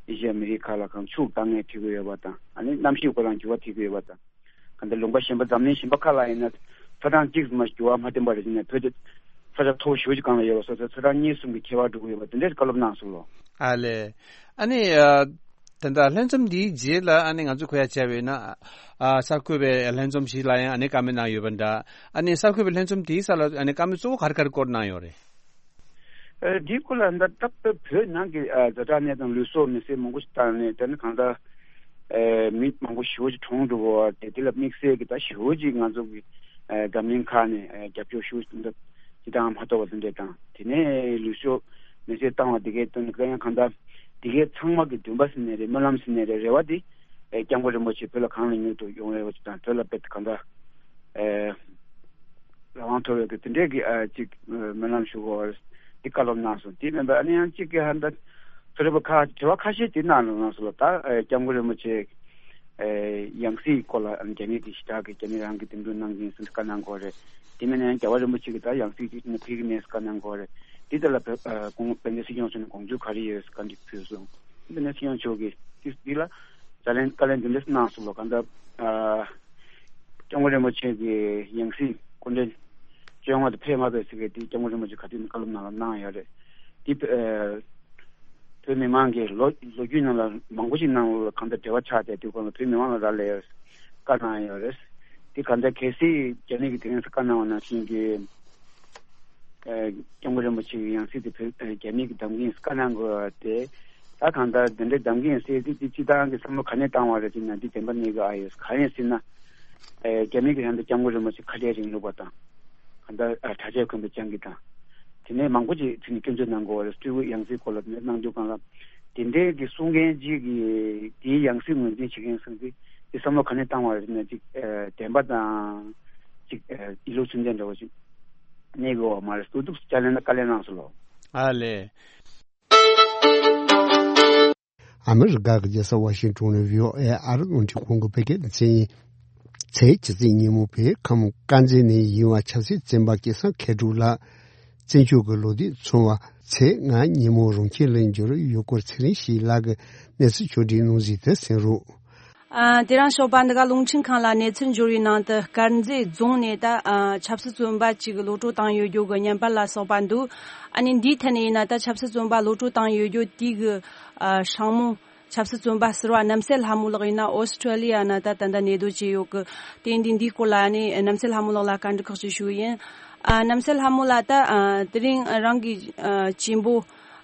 ཨེ་ཤི་ཡ་མི་རིགས་ཁག་ལ་གང་ཕྱུགས་འདང་ངེས་ཐེབས་ཀྱི་ཡོད་པ་དང་། ཨ་ནི་གནམ་གཤིས་ཁོ་རང་འགྱུར་བ་ཐེབས་ཀྱི་ཡོད་པ་དང་། གང་ལྟར་ལུང་པ་གཞན་པ་འཛམ་གླིང་གཞན་པ་ཁག་ལ་ཡིན་ན་ཚ་གྲང་གཅིག་མ་འགྱུར་བ་མ་བསྟན་པ་རེད། ཅེ་ནས་བོད་དེ་ས་ཆ་མཐོ་པོ་ཞེ་པོ་ཅིག་སྒང་ལ་ཡོད་པ་སོགས་ཚ་གྲང་གཉིས་གསུམ་གྱི་ཁྱད་པར་འགྲོ་གི་ཡོད་པ་དེ་འདྲའི་བཀའ་སློབ་གནང་སོང་ལོ། ཨ་ལས། ཨ་ནི་ཨ་ད་ལྟ་ལྷན་འཛོམས་འདིའི་རྗེས་ལ་ཨ་ནི་ང་ཚོས་གོ་ཡ་བྱས་པ་ཡིན་ན། ཨ་གསར་འགོད་པའི་ལྷན་འཛོམས་ཤིག་ལ་ཡང་ཨ་ནི་བཀའ་མོལ་གནང་ཡོད་པ་འདྲ། ཨ་ནི་གསར་འགོད་པའི་ལྷན་འཛོམས་དེའི་ས་ལ་ཨ་ནི་བཀའ་མོལ་གཙོ་བོ་ག་རེ་ག་རེ་སྐོར་གནང་ཡོད་རེད། ཨ་འདིའི་སྐོར་ལ་ད་ལྟ་བོད་ནང་གི་ཨ་ཛ་དྲག་གནས་སྟངས་ལུས་སྲོག་མེ་སྲེག་མང་པོ་ཞིག་བཏང་ནས། དེ་ནི་གང་ལྟར་ ཨེ་མི་མང་པོ་ཞེ་པོ་ཅིག་གྲོངས་འགྲོ་གི་ཡོད་རེད། དེ་ལ་དམིགས་བསལ་གྱི་ད་ཞེ་པོ་ཅིག་ང་ཚོ་གི་ཨེ་འཛམ་གླིང་ཁག་ནས་ཨེ་རྒྱབ་སྐྱོར་ཞེ་པོ་ཅིག་འདི་ཅི་དང་མ་གཏོགས་པ་དེ་འདྲས་དང་། དེ་ནས་ལུས་ཤོག་མེ་སྲེག་བཏང་བ་དེ་གའི་དོན་དུ་ཡང་གང་ལྟར་དེ་གའི་ཚང་མ་གི་འདུན་པ་ཟེར་ནའི་རེད། སྨོན་ལམ་ཟེར་ནའི་རེད། རེ་བ་དེ་ཨེ་སྐྱབས་མགོན་རིན་པོ་ཆེ་བོད་ལ་གང་ལ་མྱུར་དུ་ཡོང་རེ་བ་ཅིག་དང་། བོད་ལ་དཔེ་གང་ལྟར་ཨེ་རང་དབང་ཐོབ་ཡོད་དེ་དེ་འདྲས་ཀྱི་ཨ་ཅིག་ཨ་སྨོན་ལམ་ཞུ་དགོས་པ་རེད། འདི་བཀའ་སློབ་གནང་སོང་། དེ་མིན་པ་ཨ་ནི་ཡང་གཅིག་གི་ཧ་འདྲ་ཚོ་རེ་བ་ཁ་དྲི་བ་ཁ་ཤས་དེ་གནང་གནང་སོང་ལ། ད་ཨ་སྐྱབས་མགོན་རིན་པོ་ཆེ་ཨེ་ཡང་སྲིད་སྐོར་ལ་ཨ་ནི་རྒྱ་མི་གི་ཞི་དྲག་གི་རྒྱ་མི་རང་གི་འདེམས་སྒྲུག་གནང་གིན་ཟེར་བཀའ་གནང་དགོས་རེད། དེ་མིན་ན་ཡང་རྒྱལ་བ་རིན་པོ་ཆེ་གི་ད་ཡང་སྲིད་ཅིག་ནི་ཕུལ་གི་མེད་ཟེར་བཀའ་གནང་དགོས་རེད། དེ་ལྟ་ལ་བོད་ཨ་གོང་དཔལ་ལྡན་སྲིད་སྐྱོང་མཆོག་ནས་དགོངས་ཚུལ་ག་རེ་ཡོད་ཟེར་བཀའ་འདྲི་ཕུལ་སོང་། དཔལ་ལྡན་སྲིད་སྐྱོང་མཆོག་གིས་དེ་འདི་ལ་བརྡ་ལན་བཀའ་ལན་འདི་འདྲས་གནང་སོང་ལ། གང་ལྟར་ཨ་སྐྱབས་མགོན་རིན་པོ་ཆེ་གི་ཡང་སྲིད་སྐུ་ཕྲེང་བཅོ་ལྔ་དེ་ཕེབས་མ་ཕེབས་ཟེར་གི་དེ་སྐྱབས་མགོན་རིན་པོ་ཆེ་ག་དུས་ནས་བཀའ་སློབ་ནང་ལ་གནང་ཡོད་རེད། དེ་ཨ་བོད་མི་མང་གིས་ལོ་ལོ་རྒྱུས་ནང་ལ་མང་པོ་ཞིག་ནང་ལ་གང་ལྟར་འབྲེལ་བ་ཆགས་བསྡད་དུས་གང་ལ་བོད་མི་མང་ལ་རག་ལས་ཡོད་བཀའ་གནང་ཡོད་རེད། དེ་གང་ལྟར་གལ་སྲིད་རྒྱ་མི་གིས་དེ་རིང་བཀའ་གནང་བ་ནང་བཞིན་གྱི་ཨ་སྐྱབས་མགོན་རིན་པོ་ཆེ་གི་ཡང་སྲིད་དེ་བོད་ཨ་རྒྱ་མི་གིས་གདམ་གིན་བཀའ་གནང་དགོས་པ་དེ། ད་གང་ལྟར་དེ་འདྲའི་གདམ་གིན་ཟེར་དུས་དེ་སྤྱི་བཏང་གི་བསམ་བློ་ག་ནས་བཏང་བ་རེད་ཅེ་ན། འདི་བདེན་པ་གནས་ཀྱི་ཨ་ཡོད་གང་ཡིན་ཟེར་ན། ཨེ་རྒྱ་མི་གི་ཡང་དུ་སྐྱབས་མགོན་རིན་པོ་ཆེ་ཁ་བྲལ་རིང་ལུགས་པ་དང་། གང་ལྟར་ཨ་གྲྭ་ཆས་གོན་པའི་སྤྱང་ཀི་དང་། དེ་ནས་མང་པོ་ཅིག་དེ་ནས་སྐྱོན་བརྗོད་གནང་དགོས་པ་རེད། སྤྲུལ་སྐུ་ཡང་སྲིད་སྐོར་ལ་དེ་ནས་གནང་རྒྱུ་གང་ལ། དེ་འདྲའི་གི་གསུང་མཁན་ཅིག་གིས་དེའི་ཡང་སྲིད་ངོས་འཛིན་བྱེད་མཁན་ཚོ་གིས་དེ་བསམ་བློ་ག་ནས་བཏང་བ་རེད་ཟེར་ན། ཅིག་ཨེ་བདེན་པ་དང་ཅིག་ཨེ་ཡིད་ལུགས་མཚོན་ཅན་འདྲ་བོ་ཅིག་གནས་དགོས་པ་མ་རེད། སུ་འདུག་སེ་བཀའ་ལན་བཀའ་ལན་གནང་སོང་ལོ། ཨ་ལེ། ཨ་མི་རི་ཀ་གི་རྒྱལ་ས་ཝ་ཤིང་ཏོན་ནས་བྷི་ཨོ་ཨེ་ཨ་རི་རླུང་འཕྲིན་ཁང་གི་བོད་སྐད་སྡེ་ཚན་ཡིན། ཚེས་བཅུ་ཚེས་ཉིན་མོ་བོད་ཁམས་དཀར་མཛེས་ནས་ཡིན་པ་ཆབ་སྲིད་བཙོན་པ་སྐལ་བཟང་མཁས་གྲུབ་ལགས་བཙོན་འཇུག་གི་ལོ་དུས་ཚང་བ་ཚེས་ལྔ་ཉིན་མོ་རང་ཁྱིམ་ལ་འབྱོར་ཡུལ་སྐོར་ཚེ་རིང་སྐྱིད་ལགས་ཀྱིས་གནས་ཚུལ་ཕྱོགས་སྒྲིག་གནང་ཟིན་དེ་གསན་རོགས། ཨ། དེ་རིང་ཞོགས་པ་འདི་ག་རླུང་འཕྲིན་ཁང་ལ་གནས་ཚུལ་འབྱོར་བའི་ནང་དུ་དཀར་མཛེས་རྫོང་ནས་ད་ཨ་ཆབ་སྲིད་བཙོན་པ་གཅིག་གློད་གྲོལ་བཏང་ཡོད་རྒྱུ་གི་བརྙན་པར་ལ་སོགས་པ་འདུག་ཨ་ནི་འདིའི་ཐད་ནས་ཡིན་ན། ད་ཆབ་སྲིད་བཙོན་པ་གློད་གྲོལ་བཏང་ཡོད་རྒྱུ་དེའི་གི་ཨ་སྲིང་མོ་ཆབ་སྲིད་བཙོན་པ་ཟུར་པ་རྣམ་སྲས་ལྷ་མོ་ལགས་ཡིན་ན་ཨོ་སི་ཁྲུ་ལི་ཡ་ན་ད་ད་ལྟ་གནས་སྡོད་བྱས་ཡོད་གི། དེ་འདི་འདིའི་སྐོར་ལ་ཨ་ནི་རྣམ་སྲས་ལྷ་མོ་ལགས་ལ་བཀའ་འདྲི་ཁག་ཅིག་ཞུ་གི་ཡིན། ཨ། རྣམ་སྲས་ལྷ་མོ་ལགས། ད་ཨ་དེ་རིང་རང་གི་ཨ་གཅེན་པོ་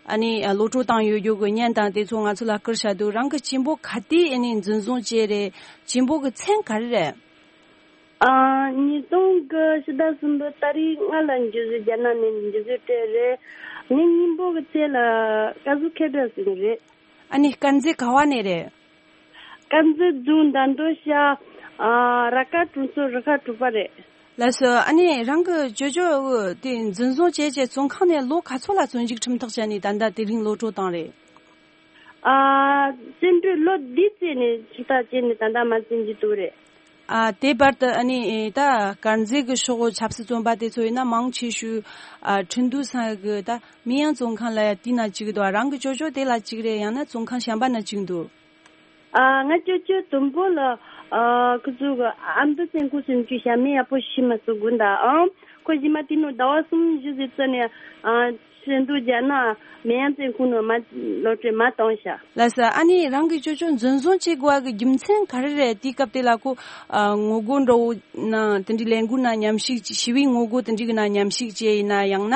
ཨ་ནི་ཨ་གློད་གྲོལ་བཏང་ཡོད་རྒྱུ་གི་བརྙན་དང་དེ་ཚོ་ང་ཚོ་ལ་བསྐུར་བྱ་འདུག་རང་གི་གཅེན་པོ་ག་དུས་ཨ་ནི་འཛིན་བཟུང་བྱས་རེད། གཅེན་པོ་གི་མཚན་ག་རེ་རེད། ཨ། ཉིས་སྟོང་གི་ཕྱི་ཟླ་གསུམ་པའི་ཏ་རིག་ལྔ་ལ་འཇུ་བཟུང་། རྒྱ་ནག་ནས་འཇུ་བཟུང་སྤྲད་རེད། ངའི་གཉེན་པོ་གི་མཚན་ལ་སྐལ་བཟང་མཁས་གྲུབ་ཟེར་གི་རེད། ཨ་ནི་དཀར་མཛེས་ག་བ་ནས་རེད། དཀར་མཛེས་རྫོང་མདའ་མདོ་ཤར། ཨ། ར་ཀ་གྲོང་ཚོ་རུ་ཁག་དྲུག་པ་རེད། ལགས་སོ། ཨ་ནི་རང་གི་ཅོ་ཅོ་དེ་འཛིན་བཟུང་བྱས་རྗེས་བཙོན་ཁང་ནས་ལོ་ག་ཚོད་ལ་བཙོན་འཇུག་ཁྲིམས་ཐག་བཅད་ནས་ད་ལྟ་དེ་རིང་གློད་གྲོལ་བཏང་རེད། ཨ། བཙོན་གྲོལ་ལོ་འདི་བཙོན་ནས་ཁྲིམས་ཐག་བཅད་ནས་ད་ལྟ་མ་བཙོན་གྱི་འདུག་རེད། ཨ། དེ་བར་དུ་ཨ་ནི་ད་དཀར་མཛེས་ཀྱི་ཕྱོགས་ཆབ་སྲིད་བཙོན་པ་དེ་ཚོ་ཡིན་ན་མང་ཆེ་ཤོས་ཨ་ཁྲིན་ཏུའུ་ས་གི་ད་མིན་ཡང་བཙོན་ཁང་ལ་ཡ་དེ་ན་གཅིག་འདུག་རང་གི་ཅོ་ཅོ་དེ་ལ་གཅིག་རེད། ཡང་ན་བཙོན་ཁང་གཞན་པ་ན་གཅིག་འདུག་ཨ། ང་ཅོ་ཅོ་དུམ་བུ་ལ། ཨ། ཁོ་ཚོ་གི་ཨ་མདོ་བཙོན་ཁང་སུམ་ཅུ་ཞབས་མི་ཡག་པོ་ཤི་མ་སུ་དགོན་ད་ཨང་། ཁོ་ཞི་མ་དེ་ནོ་ཟླ་བ་གསུམ་བཞི་ཟིག་ཙི་ནས་ཨ་ཤི་འདུག་རྒྱ་ནག་མེ་ཡང་བཙོན་ཁང་ནོ་མ་ལོ་ཏྲེ་མ་བཏང་ཤ། ལགས་སོ། ཨ་ནི་རང་གི་ཅོ་ཅོ་འཛིན་བཟུང་བྱེད་དགོས་གི་རྒྱུ་མཚན་ག་རེ་རེད། དེའི་སྐབས་དེ་ལ་ཁོ་ཨ་ངོ་རྒོལ་འདྲ་བོ་ན་དེ་འདྲའི་ལས་འགུལ་ན་མཉམ་ཞུགས་ཞི་བའི་ངོ་རྒོལ་དེ་འདྲའི་གི་ན་མཉམ་ཞུགས་བྱས་ཡིན་ན། ཡང་ན་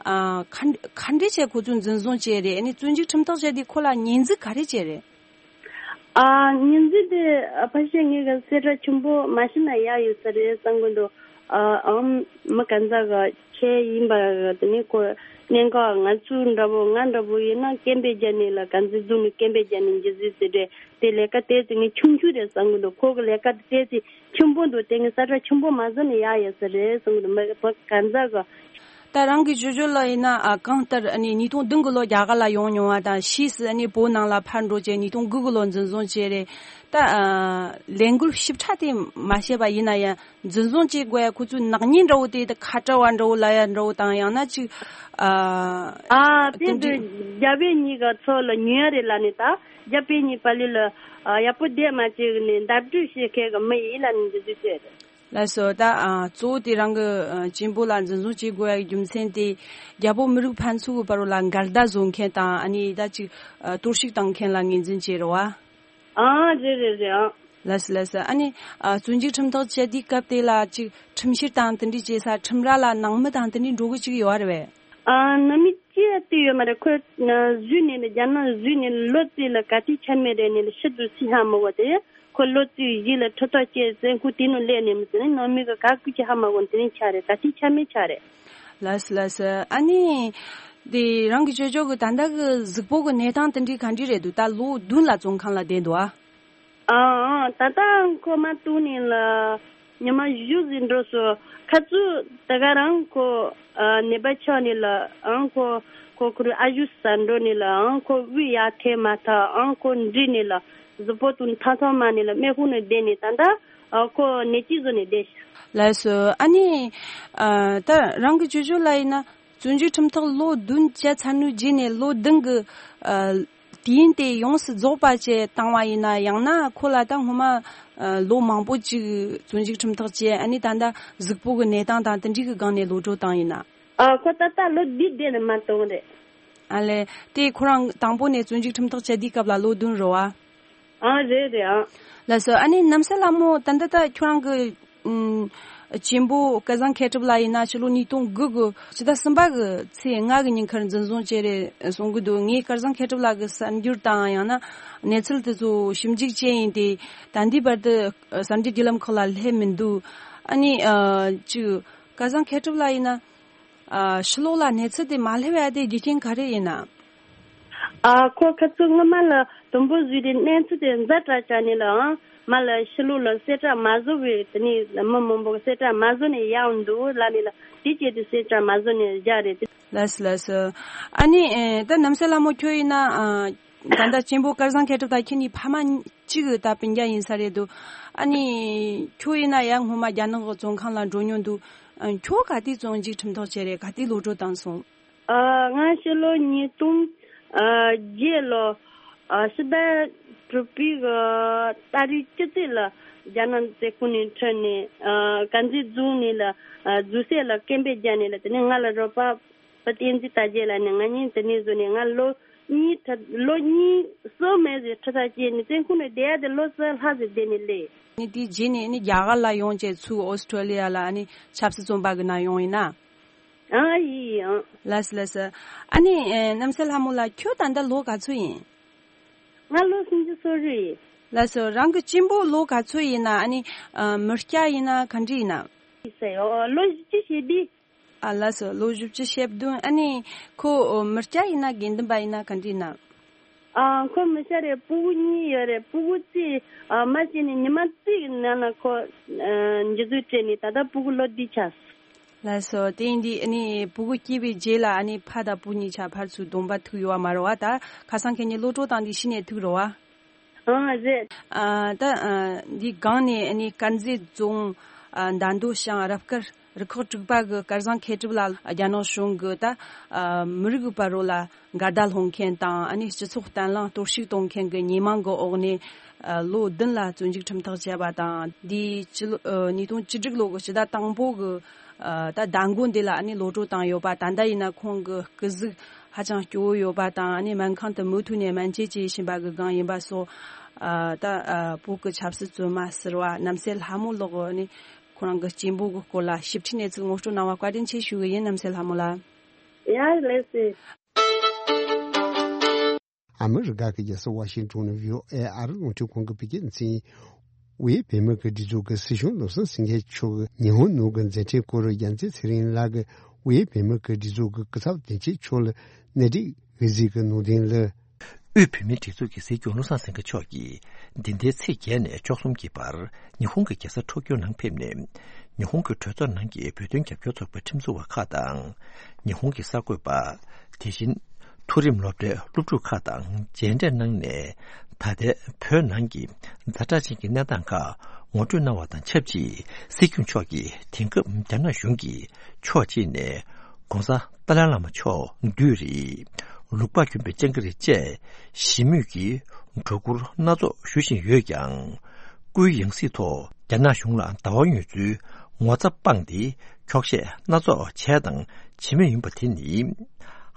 ཨ་ག་ག་འདྲས་བྱས་ཁོ་ཚོ་འཛིན་བཟུང་བྱས་རེད། ཨ་ནི་བཙོན་འཇུག་ཁྲིམས་ཐག་བཅད་དེ་ཁོ་ལ་ཉེས་འཛུགས་ག་རེ་བྱས་རེད། ཨ། ཉིན་འཛིན་དེ་ཕལ་ཆེར་ངེད་ཀྱི་གསལ་བསྒྲགས་ཆེན་པོ་མ་ཤེས་ན་ཡག་ཡོད་ས་རེད་བསམ་གི་འདུག་ཨ། ཨམ་མི་ག་ཚ་ག་ཁྱེད་ཡིན་པ་དེ་ནི་ཁོ་གནད་འགག་ང་ཚོ་འདྲ་པོ་ང་འདྲ་པོ་ཡིན་ན་སྐད་འབོད་རྒྱག་ནི་ལ་ག་འཛིན་བཟུང་ནི་སྐད་འབོད་རྒྱག་ནི་འཇི་ཟིག་ཟེར་རེད། དེ་ལས་ཀ་དེ་ཚོ་ངས་ཆུང་ཆུང་རེད་བསམ་གི་འདུག་ཁོ་གི་ལས་ཀ་དེ་ཚོ་ཆེན་པོ་འདུག་དེ་ངས་གསལ་བསྒྲགས་ཆེན་པོ་མ་བཟོ་ནི་ཡག་ཡོད་ས་རེད་བསམ་གི་འདུག་མི་ག་ཚ་ག་ད་རང་གི་ཅོ་ཅོ་ལ་ཡིན་ན་ཨ་གང་ལྟར་ཨ་ནི་ཉིས་སྟོང་བདུན་གི་ལོ་རྒྱ་གར་ལ་ཡོང་མྱོང་བ་དང་ཕྱིས་སུ་ཨ་ནི་བོད་ནང་ལ་ཕར་འགྲོ་བྱས་ཉིས་སྟོང་དགུ་གི་ལོ་འཛིན་བཟུང་བྱས་རེད། ད་ཨ་ལས་འགུལ་ཞིབ་ཕྲ་དེ་མ་བཤད་པ་ཡིན་ན་ཡང་འཛིན་བཟུང་བྱེད་དགོས་ཡ་ཁོ་ཚོའི་ནག་ཉེས་འདྲ་བོ་དེ་ད་ཁ་བྲལ་བ་འདྲ་བོ་ལབ་ཡ་འདྲ་བོ་དང་ཡང་ན་ཅིག་ཨ་ཨ་དེ་དུས་རྒྱ་བོད་གཉིས་ཀ་ཚོ་ལ་ཉོ་ཡ་རེད་ལ་ནི་ད་རྒྱ་བོད་གཉིས་པ་ལི་ལ་ཡག་པོ་བསྡད་མ་བྱེད་ནི་འདབ་འབྲུ་བཤད་མཁན་གི་མི་ཡིན་ལ་ནི་འདི་དུས་བཤད་རེད། ལགས་སོ། ད་ཨ་གཙོ་བོ་དེ་རང་གི་ཨ་གཅེན་པོ་ལ་འཛིན་བཟུང་བྱེད་དགོས་ཡ་རྒྱུ་མཚན་དེ་རྒྱལ་པོ་མི་རིགས་ཕན་ཚུན་གྱི་བར་ལ་འགལ་ཟླ་བཟོ་མཁན་དང་ཨ་ནི་ད་ཅིག་ཨ་གཏོར་བཤིག་བཏང་མཁན་ལ་ངོས་འཛིན་བྱས་རེད་བ། ཨ་རེད་རེད་རེད་ཨ། ལགས་སོ་ལགས་སོ། ཨ་ནི་ཨ་བཙོན་འཇུག་ཁྲིམས་ཐག་བཅད་དུས་སྐབས་དེ་ལ་ཅིག་ཁྲིམས་བཤེར་དང་དེ་འདྲའི་བྱེད་ས་ཁྲིམས་ར་ལ་ནང་མི་དང་དེ་འདྲའི་འགྲོ་གི་ཅིག་ཡོད་རེད་བས། ཨ་ནང་མི་གཅིག་དེ་ཡང་བལྟས་ཡོད་མ་རེད། ཁོས་ན་བཟོས་ནས་ལ་རྒྱ་ནག་བཟོས་ནས་ལོ་གཅིག་ལ་ག་དུས་ཆ་མེད་རེད་ནས་ལ་ཕྱི་དུ་སི་ཧ་མི་གོ་དེ། ཁོ་ལོ་གཅིག་བཞི་ལ་ཁྲི་ཐོག་བཅས་བཙན་ཁུལ་དེ་ནང་སླེབས་ནས་མི་ཚེ་ནི་ནང་མི་གི་ག་ཀུ་ཅི་ཧ་མ་གོ་དེ་ནས་ཆ་རེད། ག་དུས་ཆ་མེད་ཆ་རེད། ལགས་སོ་ལགས་སོ། ཨ་ནི། དེ་རང་གི་ཅོ་ཅོ་གི་ད་ལྟ་གི་གཟུགས་པོ་གི་གནས་སྟངས་དེ་འདྲའི་ག་འདྲ་རེད་འདུག་ད་ལོ་བདུན་ལ་བཙོན་ཁང་ལ་བསྡད་འདུག་ཨ། ཨང་ཨང་། ད་ལྟ་ཁོ་མ་བཏུང་ནས་ལ་ཉི་མ་བཞི་ཟིན་འགྲོ་སོང་། ཁ་ཚུ་ད་ག་རང་ཁོ་ཨ་ནད་པ་ཆགས་ནས་ལ་ཨང་ཁོ་ཁོ་ཁོ་རུ་ཨ་ཞུ་ཟ་འགྲོ་ནས་ལ་ཨང་ཁོ་དབུས་ཡར་ཐེ་མ་ཐག་ཨང་ཁོ་འདྲི་ནས་ལ་གཟུགས་པོ་དུ་ཐང་ཐང་མ་ནས་ལ་སྨན་ཁུང་ནས་བསྡད་ནས་ད་ལྟ་ཨ་ཁོ་ནད་ཅི་བཟོ་ནས་བསྡད་ཤག་ལགས་སོ། ཨ་ནི་ཨ་ད་རང་གི་ཅོ་ཅོ་ལ་ཡིན་ན། བཙོན་འཇུག་ཁྲིམས་ཐག་ལོ་བདུན་བཅད་ཚར་ནུས་རྗེས་ནས་ལོ་བདུན་གི་ཨ་དུས་ཡུན་དེ་ཡོངས་སུ་རྫོགས་པ་བཅས་བཏང་བ་ཡིན་ན། ཡང་ན་ཁོ་ལ་ད་སྔོན་མ་ཨ་ལོ་མང་པོ་ཅིག་བཙོན་འཇུག་ཁྲིམས་ཐག་བཅད། ཨ་ནི་ད་ལྟ་གཟུགས་པོ་གི་གནས་སྟངས་དང་དེ་འདྲའི་གི་སྒང་ནས་གློད་གྲོལ་བཏང་ཡིན་ན། ཨ་ཁོ་ད་ལྟ་ལོ་བདུན་བསྡད་ནས་མ་གཏོང་རེད། ཨ་ལས། དེ་ཁོ་རང་དང་པོ་ནས་བཙོན་འཇུག་ཁྲིམས་ཐག་བཅད་དུས་སྐབས་ལ་ལོ་བདུན་རེད་བ། ཨ་རེད་རེད་ཨ། ལགས་སོ། ཨ་ནི་རྣམ་སྲས་ལྷ་མོ་ད་ལྟ་ད་ཁྱོད་རང་གི་ཨུམ། གཅེན་པོ་སྐལ་བཟང་མཁས་གྲུབ་ལགས་ཡིན་ན་ཕྱི་ལོ་ཉིས་སྟོང་དགུ་གི་ཕྱི་ཟླ་གསུམ་པ་གི་ཚེས་ལྔ་གི་ཉིན་ཁར་འཛིན་བཟུང་བྱས་རེད་གསུང་གི་འདུག་ངས་སྐལ་བཟང་མཁས་གྲུབ་ལགས་ཀྱི་གསར་འགྱུར་དང་ཡང་ན་གནས་ཚུལ་དེ་ཚོ་ཞིབ་འཇུག་བྱས་ཡིན་ཏེ། ད་ལྟའི་བར་དུ་གསར་འགྱུར་བརྒྱུད་ལམ་ཁག་ལ་སླེབས་མི་འདུག་ཨ་ནི་ཨ་ཅིག་སྐལ་བཟང་མཁས་གྲུབ་ལགས་ཡིན་ན། ཨ་ཕྱི་ལོགས་ལ་གནས་ཚུལ་དེ་མ་སླེབས་ཡ་དེ་རྒྱུ་རྐྱེན་ག་རེ་ཡིན་ན། ཨ་ཁོ་ཁ་ཚུར་སྔ་མ་ལ་དུམ་བུ་བཟོས་ཏེ་གནས་ཚུལ་དེ་ཛ་དྲག་ཆགས་ནས་ལའང་མ་ལ་ཕྱི་ལོགས་ལ་གསལ་བསྒྲགས་མ་བཟོ་བའི་དེ་ནས་མི་མང་པོ་གི་གསལ་བསྒྲགས་མ་བཟོ་ནས་ཡང་འདུག་ལབ་ནས་ལ་དེ་བྱས་ཏེ་གསལ་བསྒྲགས་མ་བཟོ་ནས་བཞག་རེད། ལགས་སོ་ལགས་སོ། ཨ་ནི་ཨེ་ད་རྣམ་སྲས་ལྷ་མོ་ཁྱོད་ཡིན་ན་ཨ་ད་ལྟ་གཅེན་པོ་སྐལ་བཟང་མཁས་གྲུབ་དང་ཁྱེད་གཉིས་ཕ་མ་གཅིག་གི་ད་སྤུན་ཀྱག་ཡིན་ས་རེད་འདུག་ཨ་ནི་ཁྱོད་ཡིན་ན་ཡང་སྔོན་མ་རྒྱ་ནག་གི་བཙོན་ཁང་ལ་འགྲོ་མྱོང་འདུག་ཨ་ཁྱོད་ག་དུས་བཙོན་འཇུག་ཁྲིམས་ཐག་བཅད་རེད། ག་དུས་གློད་གྲོལ་བཏང་སོང་། ཨ་ང་ཕྱི་ལོ་ཉིས་སྟོང་ཨ་བརྒྱད་ལོ་ཨ་ཕྱི་ཟླ་དྲུག་པའི་གི་ཏ་རིག་བཅུ་བཞི་ལ་རྒྱ་ནག་བཙོན་ཁང་ནས་ཁྲིད་ནས་ཨ་དཀར་མཛེས་རྫོང་ནས་ལ་ཨ་རྫོང་སྲིད་ལ་སྐད་འབོད་བརྒྱབ་ནས་ལ་དེ་ནས་ང་ལ་རོགས་པ་བུ་བསྟན་འཛིན་དར་རྒྱས་ལ་ནས་ང་གཉིས་དེ་ནས་བཟུང་ནས་ང་ལོ་གཉིས་ཁྲི་ལོ་གཉིས་སོ་མེད་ཟེར་ཁྲི་ཐག་བཅད་ནས་བཙོན་ཁང་ནས་བསྡད་ཡ་དེ་ལོ་གསུམ་ལྷག་ཟིན་བསྡད་ནས་སླེབས། ནི་དེའི་རྗེས་ནས་ནི་རྒྱ་གར་ལ་ཡོང་བྱས་ཚུར་ཨོ་སི་ཁྲོ་ལི་ཡ་ལ་ནི་ཆབ་སྲིད་བཙོན་པ་གི་ནང་ཡོང་ཡིན་ན། ཨ་ཡིན་ཡིན། ལགས་སོ་ལགས་སོ། ཨ་ནི་ཨེ་རྣམ་སྲས་ལྷ་མོ་ལགས་ཁྱོད་ད་ལྟ་ལོ་ག་ཚོད་ཡིན། ང་ལོ་སུམ་ཅུ་སོ་དྲུག་ཡིན། ལགས་སོ། རང་གི་གཅེན་པོ་ལོ་ག་ཚོད་ཡིན་ན། ཨ་ནི་ཨ་མི་སྐྱ་ཡིན་ན་ག་འདྲ་ཡིན་ན། ཡིན་ཟེར་ཡོ། ལོ་བཞི་བཅུ་ཞེ་བདུན། ཨ་ལགས་སོ། ལོ་བཞི་བཅུ་ཞེ་བདུན། ཨ་ནི་ཁོ་མི་སྐྱ་ཡིན་ན་དགེ་འདུན་པ་ཡིན་ན་ག་འདྲ་ཡིན་ན། ཨ་ཁོ་མི་སྐྱ་རེད། སྤུ་གུ་གཉིས་ཡོད་རེད། སྤུ་གུ་གཅིག་ཨ་མ་སྐྱེས་ནས་ཉི་མ་གཅིག་གི་ནང་ལ་ཁོ་ཨ་འཇུ་བཟུང་སྤྲད་ནས་ད་ལྟ་སྤུ་གུ་ལོ་བདུན་ཆགས་སོང་། ལགས་སོ། དེ་ཡིན་དུས་ཨ་ནི་སྤུ་གུ་སྐྱེས་པའི་རྗེས་ལ་ཨ་ནི་ཕ་དང་བུ་གཉིས་ཆ་ཕར་ཚུར་གདོང་པ་ཐུག་ཡོད་པ་མ་རེད་བ། ད་ཁ་སང་ཁྱེད་གཉིས་གློད་གྲོལ་བཏང་དུས་གཞི་ནས་ཐུག་རེད་བ། ཨང་རེད། ཨ་ད་ཨ་འདི་སྒང་ནས་ཨ་ནི་དཀར་མཛེས་རྫོང་ཨ་མདའ་མདོ་ཤང་རབ་དཀར་རུ་ཁག་དྲུག་པ་གི་སྐལ་བཟང་མཁས་གྲུབ་ལགས་རྒྱ་ནག་གཞུང་གི་ད་ཨ་མི་རིགས་ཀྱི་བར་རོ་ལ་འགལ་ཟླ་སློང་མཁན་དང་ཨ་ནི་སྤྱི་ཚོགས་བརྟན་ལྷིང་གཏོར་བཤིག་གཏོང་མཁན་གྱི་ཉེས་མིང་གི་འོག་ནས་ཨ་ལོ་བདུན་ལ་བཙོན་འཇུག་ཁྲིམས་ཐག་བཅད་པ་དང་། འདིའི་སྤྱི་ལོ་ཨ་ཉིས་སྟོང་བཅུ་དྲུག་ལོ་གི་ཕྱི་ཟླ་དང་པོ་གི་ཨ་ད་ཟླ་མགོ་འདི་ལ་ཨ་ནི་གློད་གྲོལ་བཏང་ཡོད་པ། ད་ལྟ་ཡིན་ན་ཁོང་གི་སྐུ་གཟུགས་ཧ་ཅང་སྐྱོ་བོ་ཡོད་པ་དང་། ཨ་ནི་སྨན་ཁང་དུ་མུ་མཐུད་ནས་སྨན་བཅོས་བྱེད་བཞིན་པ་གི་སྒང་ཡིན་པ་སོགས། ཨ་ད་ཨ་བོད་ཀྱི་ཆབ་སྲིད་བཙོན་མ་ཟུར་པ་རྣམ་སྲས་ལྷ་མོ་ལགས་ཨ་ནི་ཁོ་རང་གི་གཅེན་པོ་གི་སྐོར་ལ་ཞིབ་ཕྲའི་གནས་ཚུལ་ངོ་སྤྲོད་གནང་བ་བཀའ་དྲིན་ཆེ་ཞུ་གི་ཡིན། རྣམ་སྲས་ལྷ་མོ་ལགས། ཡ་ལགས་སེ། ཨ་མི་རི་ཀ་གི་རྒྱལ་ས་ཝ་ཤིང་ཏོན་ནས་བྷི་ཨོ་ཨེ་ཨ་རི་རླུང་འཕྲིན་ཁང་གི་བོད་སྐད་སྡེ་ཚན་ཡིན། དབུས་བོད་མི་གི་སྒྲིག་འཛུགས་ཀྱི་སྲིད་སྐྱོང་བློ་བཟང་སེང་གེ་མཆོག་གི་ཉི་ཧོང་ནང་གི་མཛད་འཕྲིན་སྐོར་རྒྱལ་མཚན་ཚེ་རིང་ལགས་ཀྱིས་དབུས་བོད་མི་གི་སྒྲིག་འཛུགས་ཀྱི་སྐུ་ཚབ་དོན་གཅོད་མཆོག་ལ་གནད་སྒྲིག་འོས་གཟིགས་ཀྱི་ནང་དོན་ལ། དབུས་བོད་མིའི་སྒྲིག་འཛུགས་ཀྱི་སྲིད་སྐྱོང་བློ་བཟང་སེང་གེ་མཆོག་གིས་འདི་ཟླའི་ཚེས་བརྒྱད་ནས་བཅུ་གསུམ་གྱི་བར་ཉི་ཧོང་གི་རྒྱལ་ས་ཊོ་ཀྱོ་ནང་ཕེབས་ནས། ཉི་ཧོང་གི་གྲོས་ཚོགས་ནང་གི་བོད་དོན་རྒྱབ་སྐྱོར་ཚོགས་པའི་ཁྲིམས་བཟོ་བ་ཁག་དང་། ཉི་ཧོང་གི་གསར་འགོད་པ། དེ་བཞིན་མཐོ་རིམ་སློབ་གྲྭའི་སློབ་ཕྲུག་ཁག་དང་མཇལ་འཕྲད་གནང་ནས། ད་ལྟའི་བོད་ནང་གི་ཛ་དྲག་ཅན་གྱི་གནས་སྟངས་ཁག་ངོ་སྤྲོད་གནང་བ་དང་ཆབས་ཅིག་སྲིད་སྐྱོང་མཆོག་གིས་དེང་སྐབས་རྒྱ་ནག་གཞུང་གིས་ཕྱོགས་གཅིག་ནས་༸གོང་ས་ཏཱ་ལའི་བླ་མ་མཆོག་བདུད་རེད། ལུང་པ་གྱོན་པའི་ལྕང་སྐྱ་རེད་ཅེས་ཞི་མོལ་གྱི་སྒྲོ་སྐུར་སྣ་ཚོགས་ཞུ་བཞིན་ཡོད་ཀྱང་། སྐུའི་ཡང་སྲིད་ཐོག་རྒྱ་ནག་གཞུང་ལ་ཟླ་བ་དངོས་གཙོའི་ངོ་ཚ་སྤངས་ཏེ་འཁྱོག་བཤད་སྣ་ཚོགས་བྱས་དང་བྱེད་མུས་ཡིན་པ་དེ་ནི་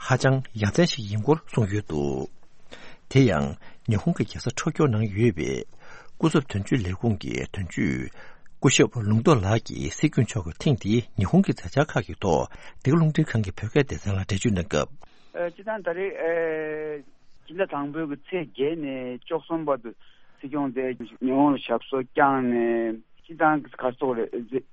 ཧ་ཅང་ཡ་མཚན་ཞིག་ཡིན་སྐོར་གསུངས་ཡོད་འདུག་དེ་ཡང་ཉི་ཧོང་གི་རྒྱལ་ས་ཊོ་ཀྱོ་ནང་ཡོད་པའི་སྐུ་ཚབ་དོན་གཅོད་ལས་ཁུངས་ཀྱི་དོན་གཅོད་སྐུ་ཞབས་ལུང་རྟོགས་ལགས་ཀྱིས་སྲིད་སྐྱོང་མཆོག་གིས་ཐེངས་འདིའི་ཉི་ཧོང་གི་མཛད་འཆར་ཁག་གི་ཐོག་འདི་ག་རླུང་འཕྲིན་ཁང་གི་བོད་སྐད་སྡེ་ཚན་ལ་འགྲེལ་བརྗོད་གནང་སྐབས། ཨ། སྤྱིར་བཏང་ད་རེས། ཨ། སྤྱི་ཟླ་དང་པོའི་གི་ཚེས་བརྒྱད་ནས་བཅུ་གསུམ་བར་དུ་སྲིད་སྐྱོང་དེ་ཉི་ཧོང་ལ་ཞབས་སོར་བསྐྱངས་ནས། སྤྱིར་བཏང་ག་རེ་ཟེར་དགོས་རེད། དུས་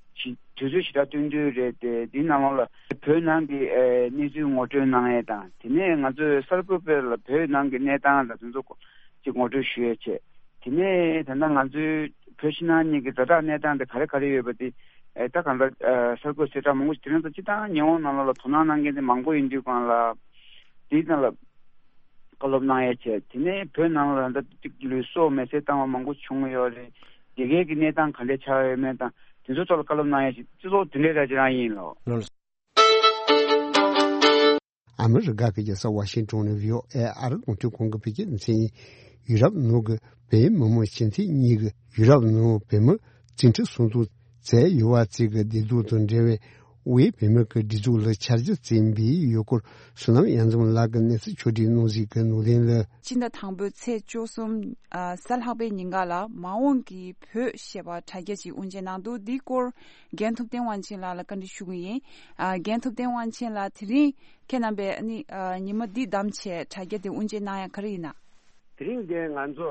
ཚོད་ཞེ་དྲག་བསྟུན་བསྟུན་རེད་དེ། འདིའི་ནང་ལོགས་ལ་བོད་ནང་གི། ཨ། གནས་ཚུལ་ངོ་སྤྲོད་གནང་ཡས་དང་། དེ་ནས་ང་ཚོས་གསར་འགོད་པ་ལ་བོད་ནང་གི་གནས་སྟངས་ལ་དེ་ཚོ་ཅིག་ངོ་སྤྲོད་ཞུ་ཡས་བྱས། དེ་ནས་ད་ལྟ་ང་ཚོའི་བོད་ཕྱི་ནང་གཉིས་ཀྱི་ཛ་དྲག་གནས་སྟངས་དེ་ག་རེ་ག་རེ་ཡོད་པ་དེ། ཨེ། ད་གང་ལྟར། ཨ། གསར་འགོད་གསལ་བསྒྲགས་མང་པོ་ཞིག་དེ་རིང་ད་སྤྱིར་བཏང་ཉི་ཧོང་ནང་ལོགས་ལ་དོ་སྣང་གནང་མཁན་དེ་མང་པོ་ཡིན་དུས་སྒང་ལ། དེའི་སྟེང་ལ་བཀའ་སློབ་གནང་ཡས་བྱས། དེ་ནས་བོད་ནང་ལ་ད་ཅིག་ལུས་སྲོག་མེར་སྲེག་བཏང་བ་མང་པོ་བྱུང་ཡོད་རེད། དེ་གའི་གི་གནས་སྟངས་ག་འདྲ་ཆགས་ཡོད་མེད་དང་། དེ་ཚོ་ཐོག་ལ་བཀའ་སློབ་གནང་ཡས་ཅིག་སྤྱི་ཚོགས་དེ་འདྲའི་ར་ཅིག་རང་ཡིན་ལོ། ཨ་མི་རི་ཀ་གི་རྒྱལ་ས་ཝ་ཤིང་ཊོན་ནས་བྷི་ཨོ་ཨེ་ཨ་རི་རླུང་འཕྲིན་ཁང་གི་བོད་སྐད་སྡེ་ཚན་ཡིན། ཡུ་རོབ་ནང་གི་བོད་མི་མང་སྤྱི་འཐུས་གཉིས་ཀྱིས་ཡུ་རོབ་ནང་བོད་མི་བཅིངས་འགྲོལ་གསུང་གཏམ་བྱས་ཡོད་པ་བཅས་ཀྱི་བདེ་སྡུག་དང་འབྲེལ་བའི་དབུས་བོད་མི་གི་སྒྲིག་འཛུགས་ལ་ཆ་རྒྱུས་བཙན་པོའི་ཡུལ་སྐོར་བསོད་ནམས་དབྱངས་འཛོམས་ལགས་ཀྱིས་གནས་ཚུལ་ཕྱོགས་བསྒྲིགས་གནང་གཟིགས་ཀྱི་ནང་དོན་ལ། སྤྱི་ཟླ་དང་པོའི་ཚེས་བཅུ་གསུམ། ཨ། གཟའ་ལྷག་པའི་ཉིན་ཀ་ལ་མ་འོངས་ཀྱི་བོད་ཞེས་པ་དྲ་རྒྱ་ཅིག་དབུ་འབྱེད་གནང་འདུག་འདིའི་སྐོར་རྒན་ཐུབ་བསྟན་དབང་ཆེན་ལགས་ལ་བཀའ་འདྲི་ཞུ་གི་ཡིན། ཨ། རྒན་ཐུབ་བསྟན་དབང་ཆེན་ལགས། དེ་རིང་ཁྱེད་རྣམ་པས་ནི། ཨ། ཉི་མ་འདི་བདམས་བྱས་དྲ་རྒྱ་དེ་དབུ་འབྱེད་གནང་ཡ་ག་རེ་ཡིན་ན། དེ་རིང་འདི་ང་ཚོ་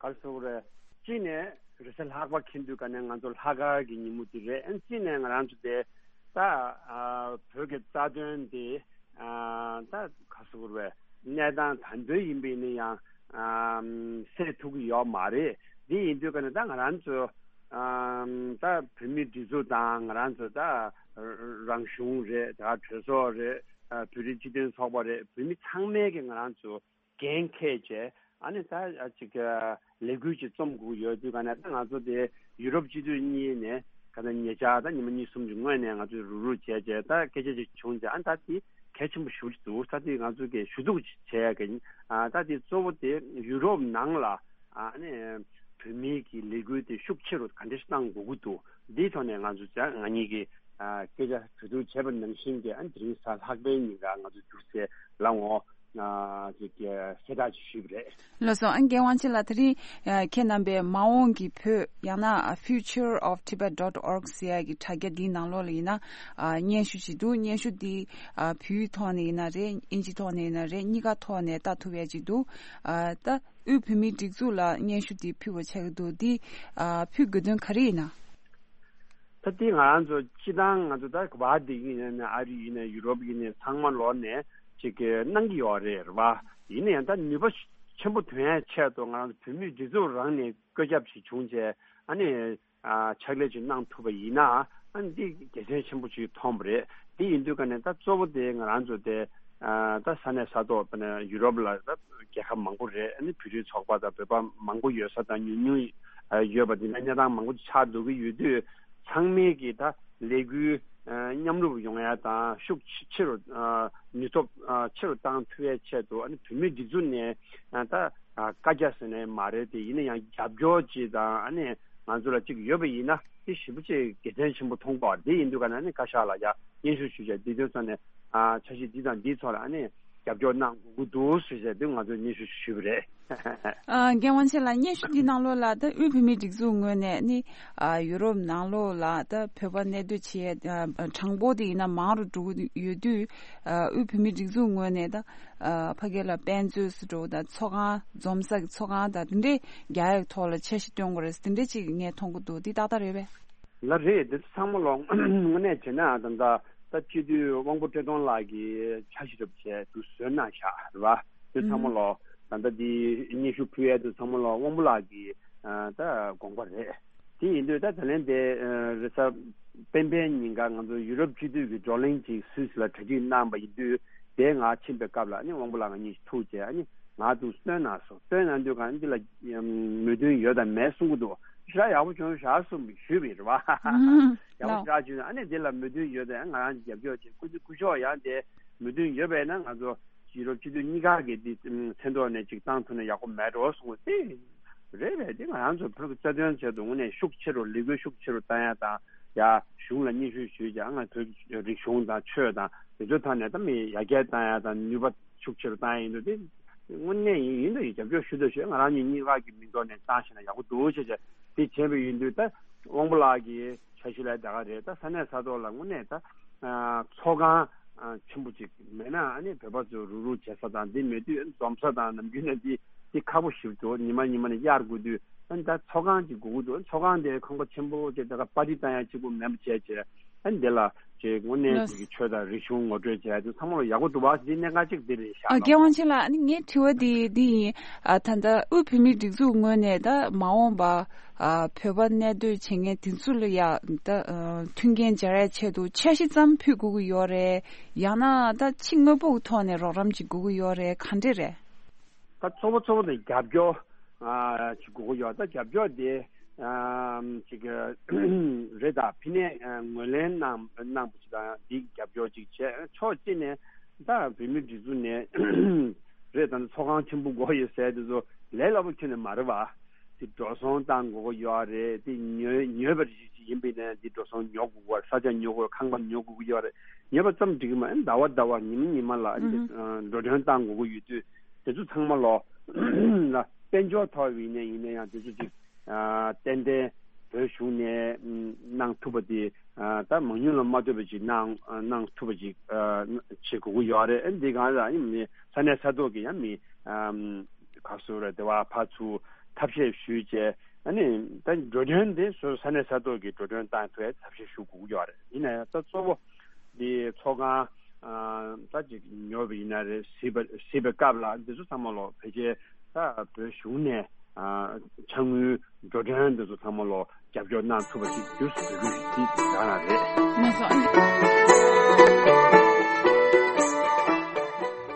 ག་རེ་ཟེར་དགོས་རེད། གཅིག་ནས་རེས་གཟའ་ལྷག་པ་འཁེལ་དུས་ཀ་ནས་ང་ཚོ་ལྷག་དཀར་གྱི་ཉིན་མོ་དེ་རེད། ཨ། གཅིག་ནས་ང་རང་ཚོ་དེ་ད། ཨ། བོད་ཀྱི་རྩ་དོན་དེ། ཨ། ད་ག་རེ་ཟེར་དགོས་རེད། གནས་སྟངས་ད་དུང་ཡིན་པ་ཡིན་ན་ཡང་། ཨ། སེལ་ཐུབ་ཀྱི་ཡོད་མ་རེད། འདི་ཡིན་དུས་ཀ་ནས་ད་ང་རང་ཚོ། ཨ། ད་བོད་མིའི་སྒྲིག་འཛུགས་དང་། ང་རང་ཚོ་ད་རང་གཞུང་རེད། ད་གྲོས་ཚོགས་རེད། ཨ། བོད་རིགས་སྤྱི་མཐུན་ཚོགས་པ་རེད། བོད་མི་ཚང་མས་ཀྱི་ང་རང་ཚོ་འགན་འཁྱེར་བྱས། ཨ་ནི་ད་ཅིག་ལས་འགུལ་ཅིག་རྩོམ་དགོས་ཡོད་དུས་ཀ་ནས། ད་ང་ཚོ་དེ་ཡུ་རོབ་སྤྱི་འཐུས་གཉིས་ནས་ག་ད་ཉེ་ཆར་ད་ཉི་མ་གཉིས་གསུམ་གྱི་སྔོན་ནས་ང་ཚོས་རུག་རུག་བྱས་བྱས་ད་སྐད་ཆ་ཅིག་བྱུང་བྱས། ཨ་ནི་ད་དེ་གལ་ཆེན་པོ་ཞེ་པོ་ཅིག་འདུག་ད་དེ་ང་ཚོ་གིས་ཞུ་གཏུག་ཅིག་བྱས་ཡ་གི། ཨ། ད་དེ་གཙོ་བོ་དེ་ཡུ་རོབ་ནང་ལ། ཨ་ནི་བོད་མིའི་གི་ལས་འགུལ་དེ་ཤུགས་ཆེ་རུ་ག་འདྲ་ཞིག་གཏང་དགོས་ཀྱི་འདུག་འདིའི་ཐོག་ནས་ང་ཚོ་ང་གཉིས་ཀྱིས། ཨ། སྐད་ཆ་གྲོས་བསྡུར་བྱས་པ་ནང་བཞིན་གྱི། ཨ། དེ་རིང་གཟའ་ལྷག་པའི་ཉིན་ཀ་ང་ཚོ་རྒྱུགས་སྤྲོད་ལ་འོང་། ཨ། ཅིག་གསལ་བསྒྲགས་ཅིག་ཞུས་པ་རེད། ལགས་སོ། ཨ། རྒན་དབང་ཆེན་ལགས། དེ་རིང་ཁྱེད་རྣམ་པས་མ་འོངས་ཀྱི་བོད། ཡང་ན་future of tibet dot org ཟེར་ཡ་གི་དྲ་རྒྱ་འདིའི་ནང་ལོགས་ལ་ཡིན་ན། ཨ། སྙན་ཞུ་ཅིག་འདུག་སྙན་ཞུ་འདི། ཨ། བོད་ཡིག་ཐོག་ནས་ཡིན་ན་རེད། ཨིན་ཇི་ཐོག་ནས་ཡིན་ན་རེད། གཉིས་ཀ་ཐོག་ནས་ལྟ་ཐུབ་ཡ་ཅིག་འདུག་ཨ། ད་དབུས་བོད་མིའི་སྒྲིག་འཛུགས་ལ་སྙན་ཞུ་འདི་ཕུལ་བ་ཆགས་ཀྱི་འདུག་འདི། ཨ། ཕུལ་དགོས་དོན་ག་རེ་ཡིན་ན། ད་དེ་ང་རང་ཚོ་སྤྱིར་བཏང་ང་ཚོ་ད་ག་བ་འདི་ཡིན་ན། ཨ་རི་ཡིན་ན། ཡུ་རོབ་ཡིན་ན། ཚང་མ་ལོག་ནས་ཅིག་གི་གནང་གི་ཡོད་རེད། རེད་བ། ཡིན་ན་ཡང་ད་ནུས་པ་ཆེན་པོ་ཐོན་ཡ་ཆེད་དུ་ང་རང་ཚོ་བོད་མིའི་སྒྲིག་འཛུགས་རང་ནས་བཀོད་ཁྱབ་ཞིག་བྱུང་བྱས། ཨ་ནི། ཨ། ཕྱག་ལས་ཅིག་གནང་ཐུབ་པ་ཡིན་ན། ཨ་ནི་འདི་དགེ་མཚན་ཆེན་པོ་ཅིག་མཐོང་བ་རེད། དེ་ཡིན་དུས་ཀ་ནས་ད་གཙོ་བོ་དེ་ང་རང་ཚོ་དེ། ཨ། ད་ས་གནས་ས་ཐོག་ད་ནས་ཡུ་རོབ་ལ་ད་རྒྱལ་ཁབ་མང་པོ་རེད། ཨ་ནི་བོད་རིགས་ཚོགས་པ་དང་བོད་པ་མང་པོ་ཡོད་ས་དང་ཉུང་ཉུང་ཡོད་པ་དེ་འདྲ་གནས་སྟངས་མང་པོ་ཆགས་འགྲོ་གི་ཡོད་དུས། ཚང་མས་ཀྱིས་ད་ལས་འགུལ། ཨ། མཉམ་རུབ་ཡོང་ཡ་དང་ཤུགས་ཆེ་རུ། ཨ། ནུས་སྟོབས། ཨ། ཆེ་རུ་བཏང་ཐུབ་ཡའི་ཆེད་དུ། ཨ་ནི་བོད་མིའི་སྒྲིག་འཛུགས་ནས། ཨ། ད། ཨ། བཀའ་རྒྱ་ཟེར་ནའི་མ་རེད་དེ། ཡིན་ན་ཡང་རྒྱབ་སྐྱོར་ཅིག་དང་། ཨ་ནི་ང་ཚོ་ལ་ཅིག་ཡོད་པ་ཡིན་ན་དེ་ཞེ་པོ་ཅིག་དགེ་མཚན་ཆེན་པོ་མཐོང་གི་ཡོད་རེད། དེ་ཡིན་དུས་ཀ་ནས་ཨ་ནི་བཀའ་ཤག་ལ་ཡ་སྙན་ཞུ་ཞུས་བྱས། དེ་དོན་ཚོ་ནས། ཨ། འཆར་གཞི་འདི་དང་འདིའི་ཐོག་ལ་ཨ་ནི་རྒྱབ་སྐྱོར་གནང་དགོས་ཀྱི་འདུག་ཟེར་བྱས་དེ་ང་ཚོས་སྙན་ཞུ་ཞུས་པ་རེད། ཨ། རྒན་དབང་ཆེན་ལགས། སྙན་ཞུ་འདི་ནང་ལོགས་ལ་ད་དབུས་བོད་མིའི་སྒྲིག་འཛུགས་ངོས་ནས་ནི། ཨ། ཡུ་རོབ་ནང་ལོགས་ལ་ད་བོད་པ་གནས་སྡོད་བྱེད། ཨ། གྲངས་འབོར་དེ་ཡིན་ན་མང་རུ་འགྲོ་གི་ཡོད་དུས། ཨ། དབུས་བོད་མིའི་སྒྲིག་འཛུགས་ངོས་ནས་ད། ཨ། ཕ་གི་ལ་དཔེ་མཛོད་ཟེར་འགྲོ་དང་། ཚོགས་ཁང་། འཛོམས་ས་གི་ཚོགས་ཁང་དང་དེ་འདྲས་རྒྱག་ཡག་ཐོག་ལ་འཆར་གཞི་བཏོན་དགོས་རེད་ཟེར་དེ་འདྲས་ཅིག་ངས་མཐོང་གི་འདུག་འདི་ཏག་ཏག་རེད་པས། ལགས་རེད། འདི་ཚང་མ་ལོག་དངོས་གནས་བྱས་ན་ད་ལྟ་ད་སྤྱི་འཐུས་དབང་པོ་བཀྲས་མཐོང་ལགས་ཀྱིས་འཆར་གཞི་རུབ་བྱས་འདུག་བཟོས་གནང་བཞག་རེད་བ། འདི་ཚང་མ་ལོག་ད་ལྟ་འདི་སྙན་ཞུ་ཕུལ་ཡས་འདི་ཚང་མ་ལོག་དབང་པོ་ལགས་ཀྱི། ཨ། ད་དགོངས་པ་རེད། དེ་ཡིན་དུས་ད་ད་ལན་དེ། ཨ། རེས་གཟའ་སྤེན་པའི་ཉིན་ཀ་ང་ཚོ་ཡུ་རོབ་སྤྱི་འཐུས་ཀྱི་བགྲོ་གླེང་ཅིག་སུད་སི་ལ་གྲ་སྒྲིག་གནང་བ་ཡིན་དུས། དེ་ང་ཕྱིན་པའི་སྐབས་ལ་ཨ་ནི་དབང་པོ་ལགས་ང་གཉིས་ཐུག་བྱས། ཨ་ནི་ང་འདུག་སྟོན་གནང་སོང་། སྟོན་གནང་དུས་གང་འདི་ལ་མོས་མཐུན་ཡོད་དམ་མེད་གསུང་གི་འདུག་ཞེ་དྲག་ཡག་པོ་བྱུང་ཤག་གསུངས་པ་ཞུས་པ་ཡིན། རེད་བ། ཡག་པོ་ཞེ་དྲག་བྱུང་། ཨ་ནི་འདི་ལ་མོས་མཐུན་ཡོད་དམ། ང་རང་རྒྱབ་སྐྱོར་བྱེད། སྐུ་སྐུ་ཞབས་ཡང་དེ་མོས་མཐུན་ཡོད་པས་ན་ང་ཚོ་ཡུ་རོབ་སྤྱི་འཐུས་གཉིས་ཀ་གི་འདི་མཚན་ཐོག་ནས་ཅིག་བཏང་ཐུབ་ན་ཡག་པོ་མེད་འགྲོ་གསུངས་པ་དེ་རེད་པས། དེ་ང་རང་ཚོ་བོད་ཀྱི་རྩ་དོན་ཆེད་དུ་དངོས་གནས་ཤུགས་ཆེ་རུ། ལས་འགུལ་ཤུགས་ཆེ་རུ་བཏང་ཡ་དང་། ཡ། གཞུང་ལ་སྙན་ཞུ་ཞུས་ཀྱང་། ང་བོད་ཀྱི་རིག་གཞུང་དང་ཆོས་དང་དེ་ཚོའི་ཐོག་ནས་ད་མི་ཡར་རྒྱས་བཏང་ཡ་དང་ནུས་པ་ཤུགས་ཆེ་རུ་བཏང་ཡ་ཡིན་དུས། དེ་དངོས་གནས་ཡིན་ཡིན་དུ་ཡིན་རྒྱབ་སྐྱོར་ཞུ་དུ་ཞུ། ང་རང་ཉིད་གཉིས་ཀ་གི་མིང་ཐོག་ནས་བཏང་ཤེ་ན་ཡག་པོ་འདུག་ཅེས་བྱས། དེ་བྱས་པ་ཡིན་དུས་ད་དབང་པོ་ལགས་ཀྱི་འཆར་གཞི་ལ་ད་ག་རེད། ད་ས་གནས་ས་ཐོག་ལ་དངོས་གནས་ད། ཨ། ཚོགས་ཁང་ ཨ་ཆེན་པོ་ཅིག་མེད་ན། ཨ་ནི་བོད་པ་ཚོ་རུག་རུག་བྱེད་ས་དང་འདི་མེད་དུས། འཛོམས་ས་དང་ནམ་རྒྱུན་ནས་འདི་འདི་ཁག་པོ་ཞིག་འདུག་ཉི་མ་ཉི་མ་ནས་གཡར་དགོས་དུས། ཨ་ནི་ད་ཚོགས་ཁང་ཅིག་དགོས་ཀྱི་འདུག་ཚོགས་ཁང་དེ་ཁང་པ་ཆེན་པོ་ཅིག་ད་ག་པར་ཊི་བཏང་ཡ་གཅིག་པུ་མེད་པ་བྱས་བྱས། ཨ་ནི་འདི་ལ་ཅིག་དངོས་གནས་ལགས། ཅིག་གི་ཆོས་དང་རིག་གཞུང་ངོ་སྤྲོད་བྱས་དུས་ཚང་མ་ལ་ཡག་པོ་འདུག་བ། འདི་གནད་འགག་ཅིག་འདི་རེད་ཤག་ཨ། ལགས། རྒྱལ་དབང་ཆེ་ལགས། ཨ་ནི་ངའི་དྲི་བ་འདི་འདི་ཡིན། ཨ་ད་ལྟ་དབུས་བོད་མིའི་སྒྲིག་འཛུགས་ངོས་ནས་ད་མ་འོངས་པ་ཨ་བོད་པ་གནས་སྡོད་བྱེད་མཁན་དེ་ཚོ་ལ་ཡ་ད་ཨ་མཐུན་རྐྱེན་སྦྱར་ཡ་ཆེད་དུ་འཆར་གཞི་ཙམ་ཕུལ་དགོས་ཀྱི་ཡོད་རེད། ཡང་ན་ད་ཕྱི་དངོས་པོ་གི་ཐོག་ནས་རོགས་རམ་ཅིག་དགོས་ཀྱི་ཡོད་རེད། ག་འདྲས་རེད། ད་གཙོ་བོ་གཙོ་བོ་དེ་རྒྱབ་སྐྱོར་ཨ་ཅིག་དགོས་ཀྱི་ཡོད། ད་རྒྱབ་སྐྱོར་དེ་ཨ་ཅིག་རེད། ད་ཕི་ནས་ཨ་ངོས་ལེན་གནང་གནང་པ་ཅིག་དང་འདི་རྒྱབ་སྐྱོར་ཅིག་བྱས། ཕྱོགས་གཅིག་ནས་ད་བོད་མིའི་སྒྲིག་འཛུགས་ནས་རེད། ད་ཚོགས་ཁང་ཆེན་པོ་དགོས་ཡོད་ཟེར་དེ་ཚོ་ལས་སླ་པོ་ཁྱོན་ནས་མ་རེད་བ། དེ་འགྲོ་སོང་བཏང་དགོས་ཀྱི་ཡོད་རེད། དེ་ཉོས་ཉོས་པ་ཞིག་ཡིན་པ་ཡིན་ན་དེ་འགྲོ་སོང་ཉོ་དགོས་ཀྱི་ཡོད་རེད། ས་ཆ་ཉོ་དགོས། ཁང་པ་ཉོ་དགོས་ཀྱི་ཡོད་རེད། ཉོས་པ་ཙམ་འགྲིག་གི་མ་རེད། ཟླ་བ་ཟླ་བ་ཉི་མ་ཉི་མ་ལ་ཨ་ནི་ཨུ་ཧུམ། ཨ་འགྲོ་གྲོན་བཏང་དགོས་ཀྱི་ཡོད་དུས། དེ་ཚོ་ཚང་མ་ལོ་ལ་དཔལ་འབྱོར་ཐོག་ཡིན་ནའི་ཡིན་ན་ཡང་དེ་ཚོ་ཅིག་ཨ་ཏན་ཏན་བོད་གཞུང་ནས་ཨམ་གནང་ཐུབ་པ་དེ་ཨ་ད་མང་ཉུང་ལ་མ་ལྟོས་པ་ཅིག་གནང་གནང་ཐུབ་པ་ཅིག་ཨ་བྱེད་དགོས་ཀྱི་ཡོད་རེད། ཨ་འདི་གང་ལ་ཡིན་མི་ས་གནས་ས་ཐོག་གི་ཡང་མི་ཨམ་ག་སུ་རེད། དེ་བ་ཕར་ཚུར་ཐབས་ཤེས་ཞུས་བྱས། ཨ་ནི་ད་འགྲོ་གྲོན་དེ་སོ་སོ་ས་གནས་ས་ཐོག་གི་འགྲོ་གྲོན་བཏང་ཐུབ་པའི་ཐབས་ཤེས་ཞུ་དགོས་ཀྱི་ཡོད་རེད། ཡིན་ན་ཡང་ད་གཙོ་བོ་འདི་ཚོགས་ཁང་ཨ་ད་ཅིག་ཉོ་བ་ཡིན་ན་རེད། གཟིགས་པ་གཟིགས་པའི་སྐབས་ལ་འདི་ཚོ་ཚང་མ་ལོ་ཕལ་ཆེར་ད་བོད་གཞུང་ནས་ཨ་ཕྱག་དངུལ་འགྲོ་གྲོན་འདི་ཚོ་ཚང་མ་ལོ་རྒྱབ་སྐྱོར་གནང་ཐུབ་པ་ཞིག་འགྱུར་སོང་། དགོས་ཀྱི་ཞིག་འདི་རང་ལ་རེད། ལགས་སོ། ཨ་ནི།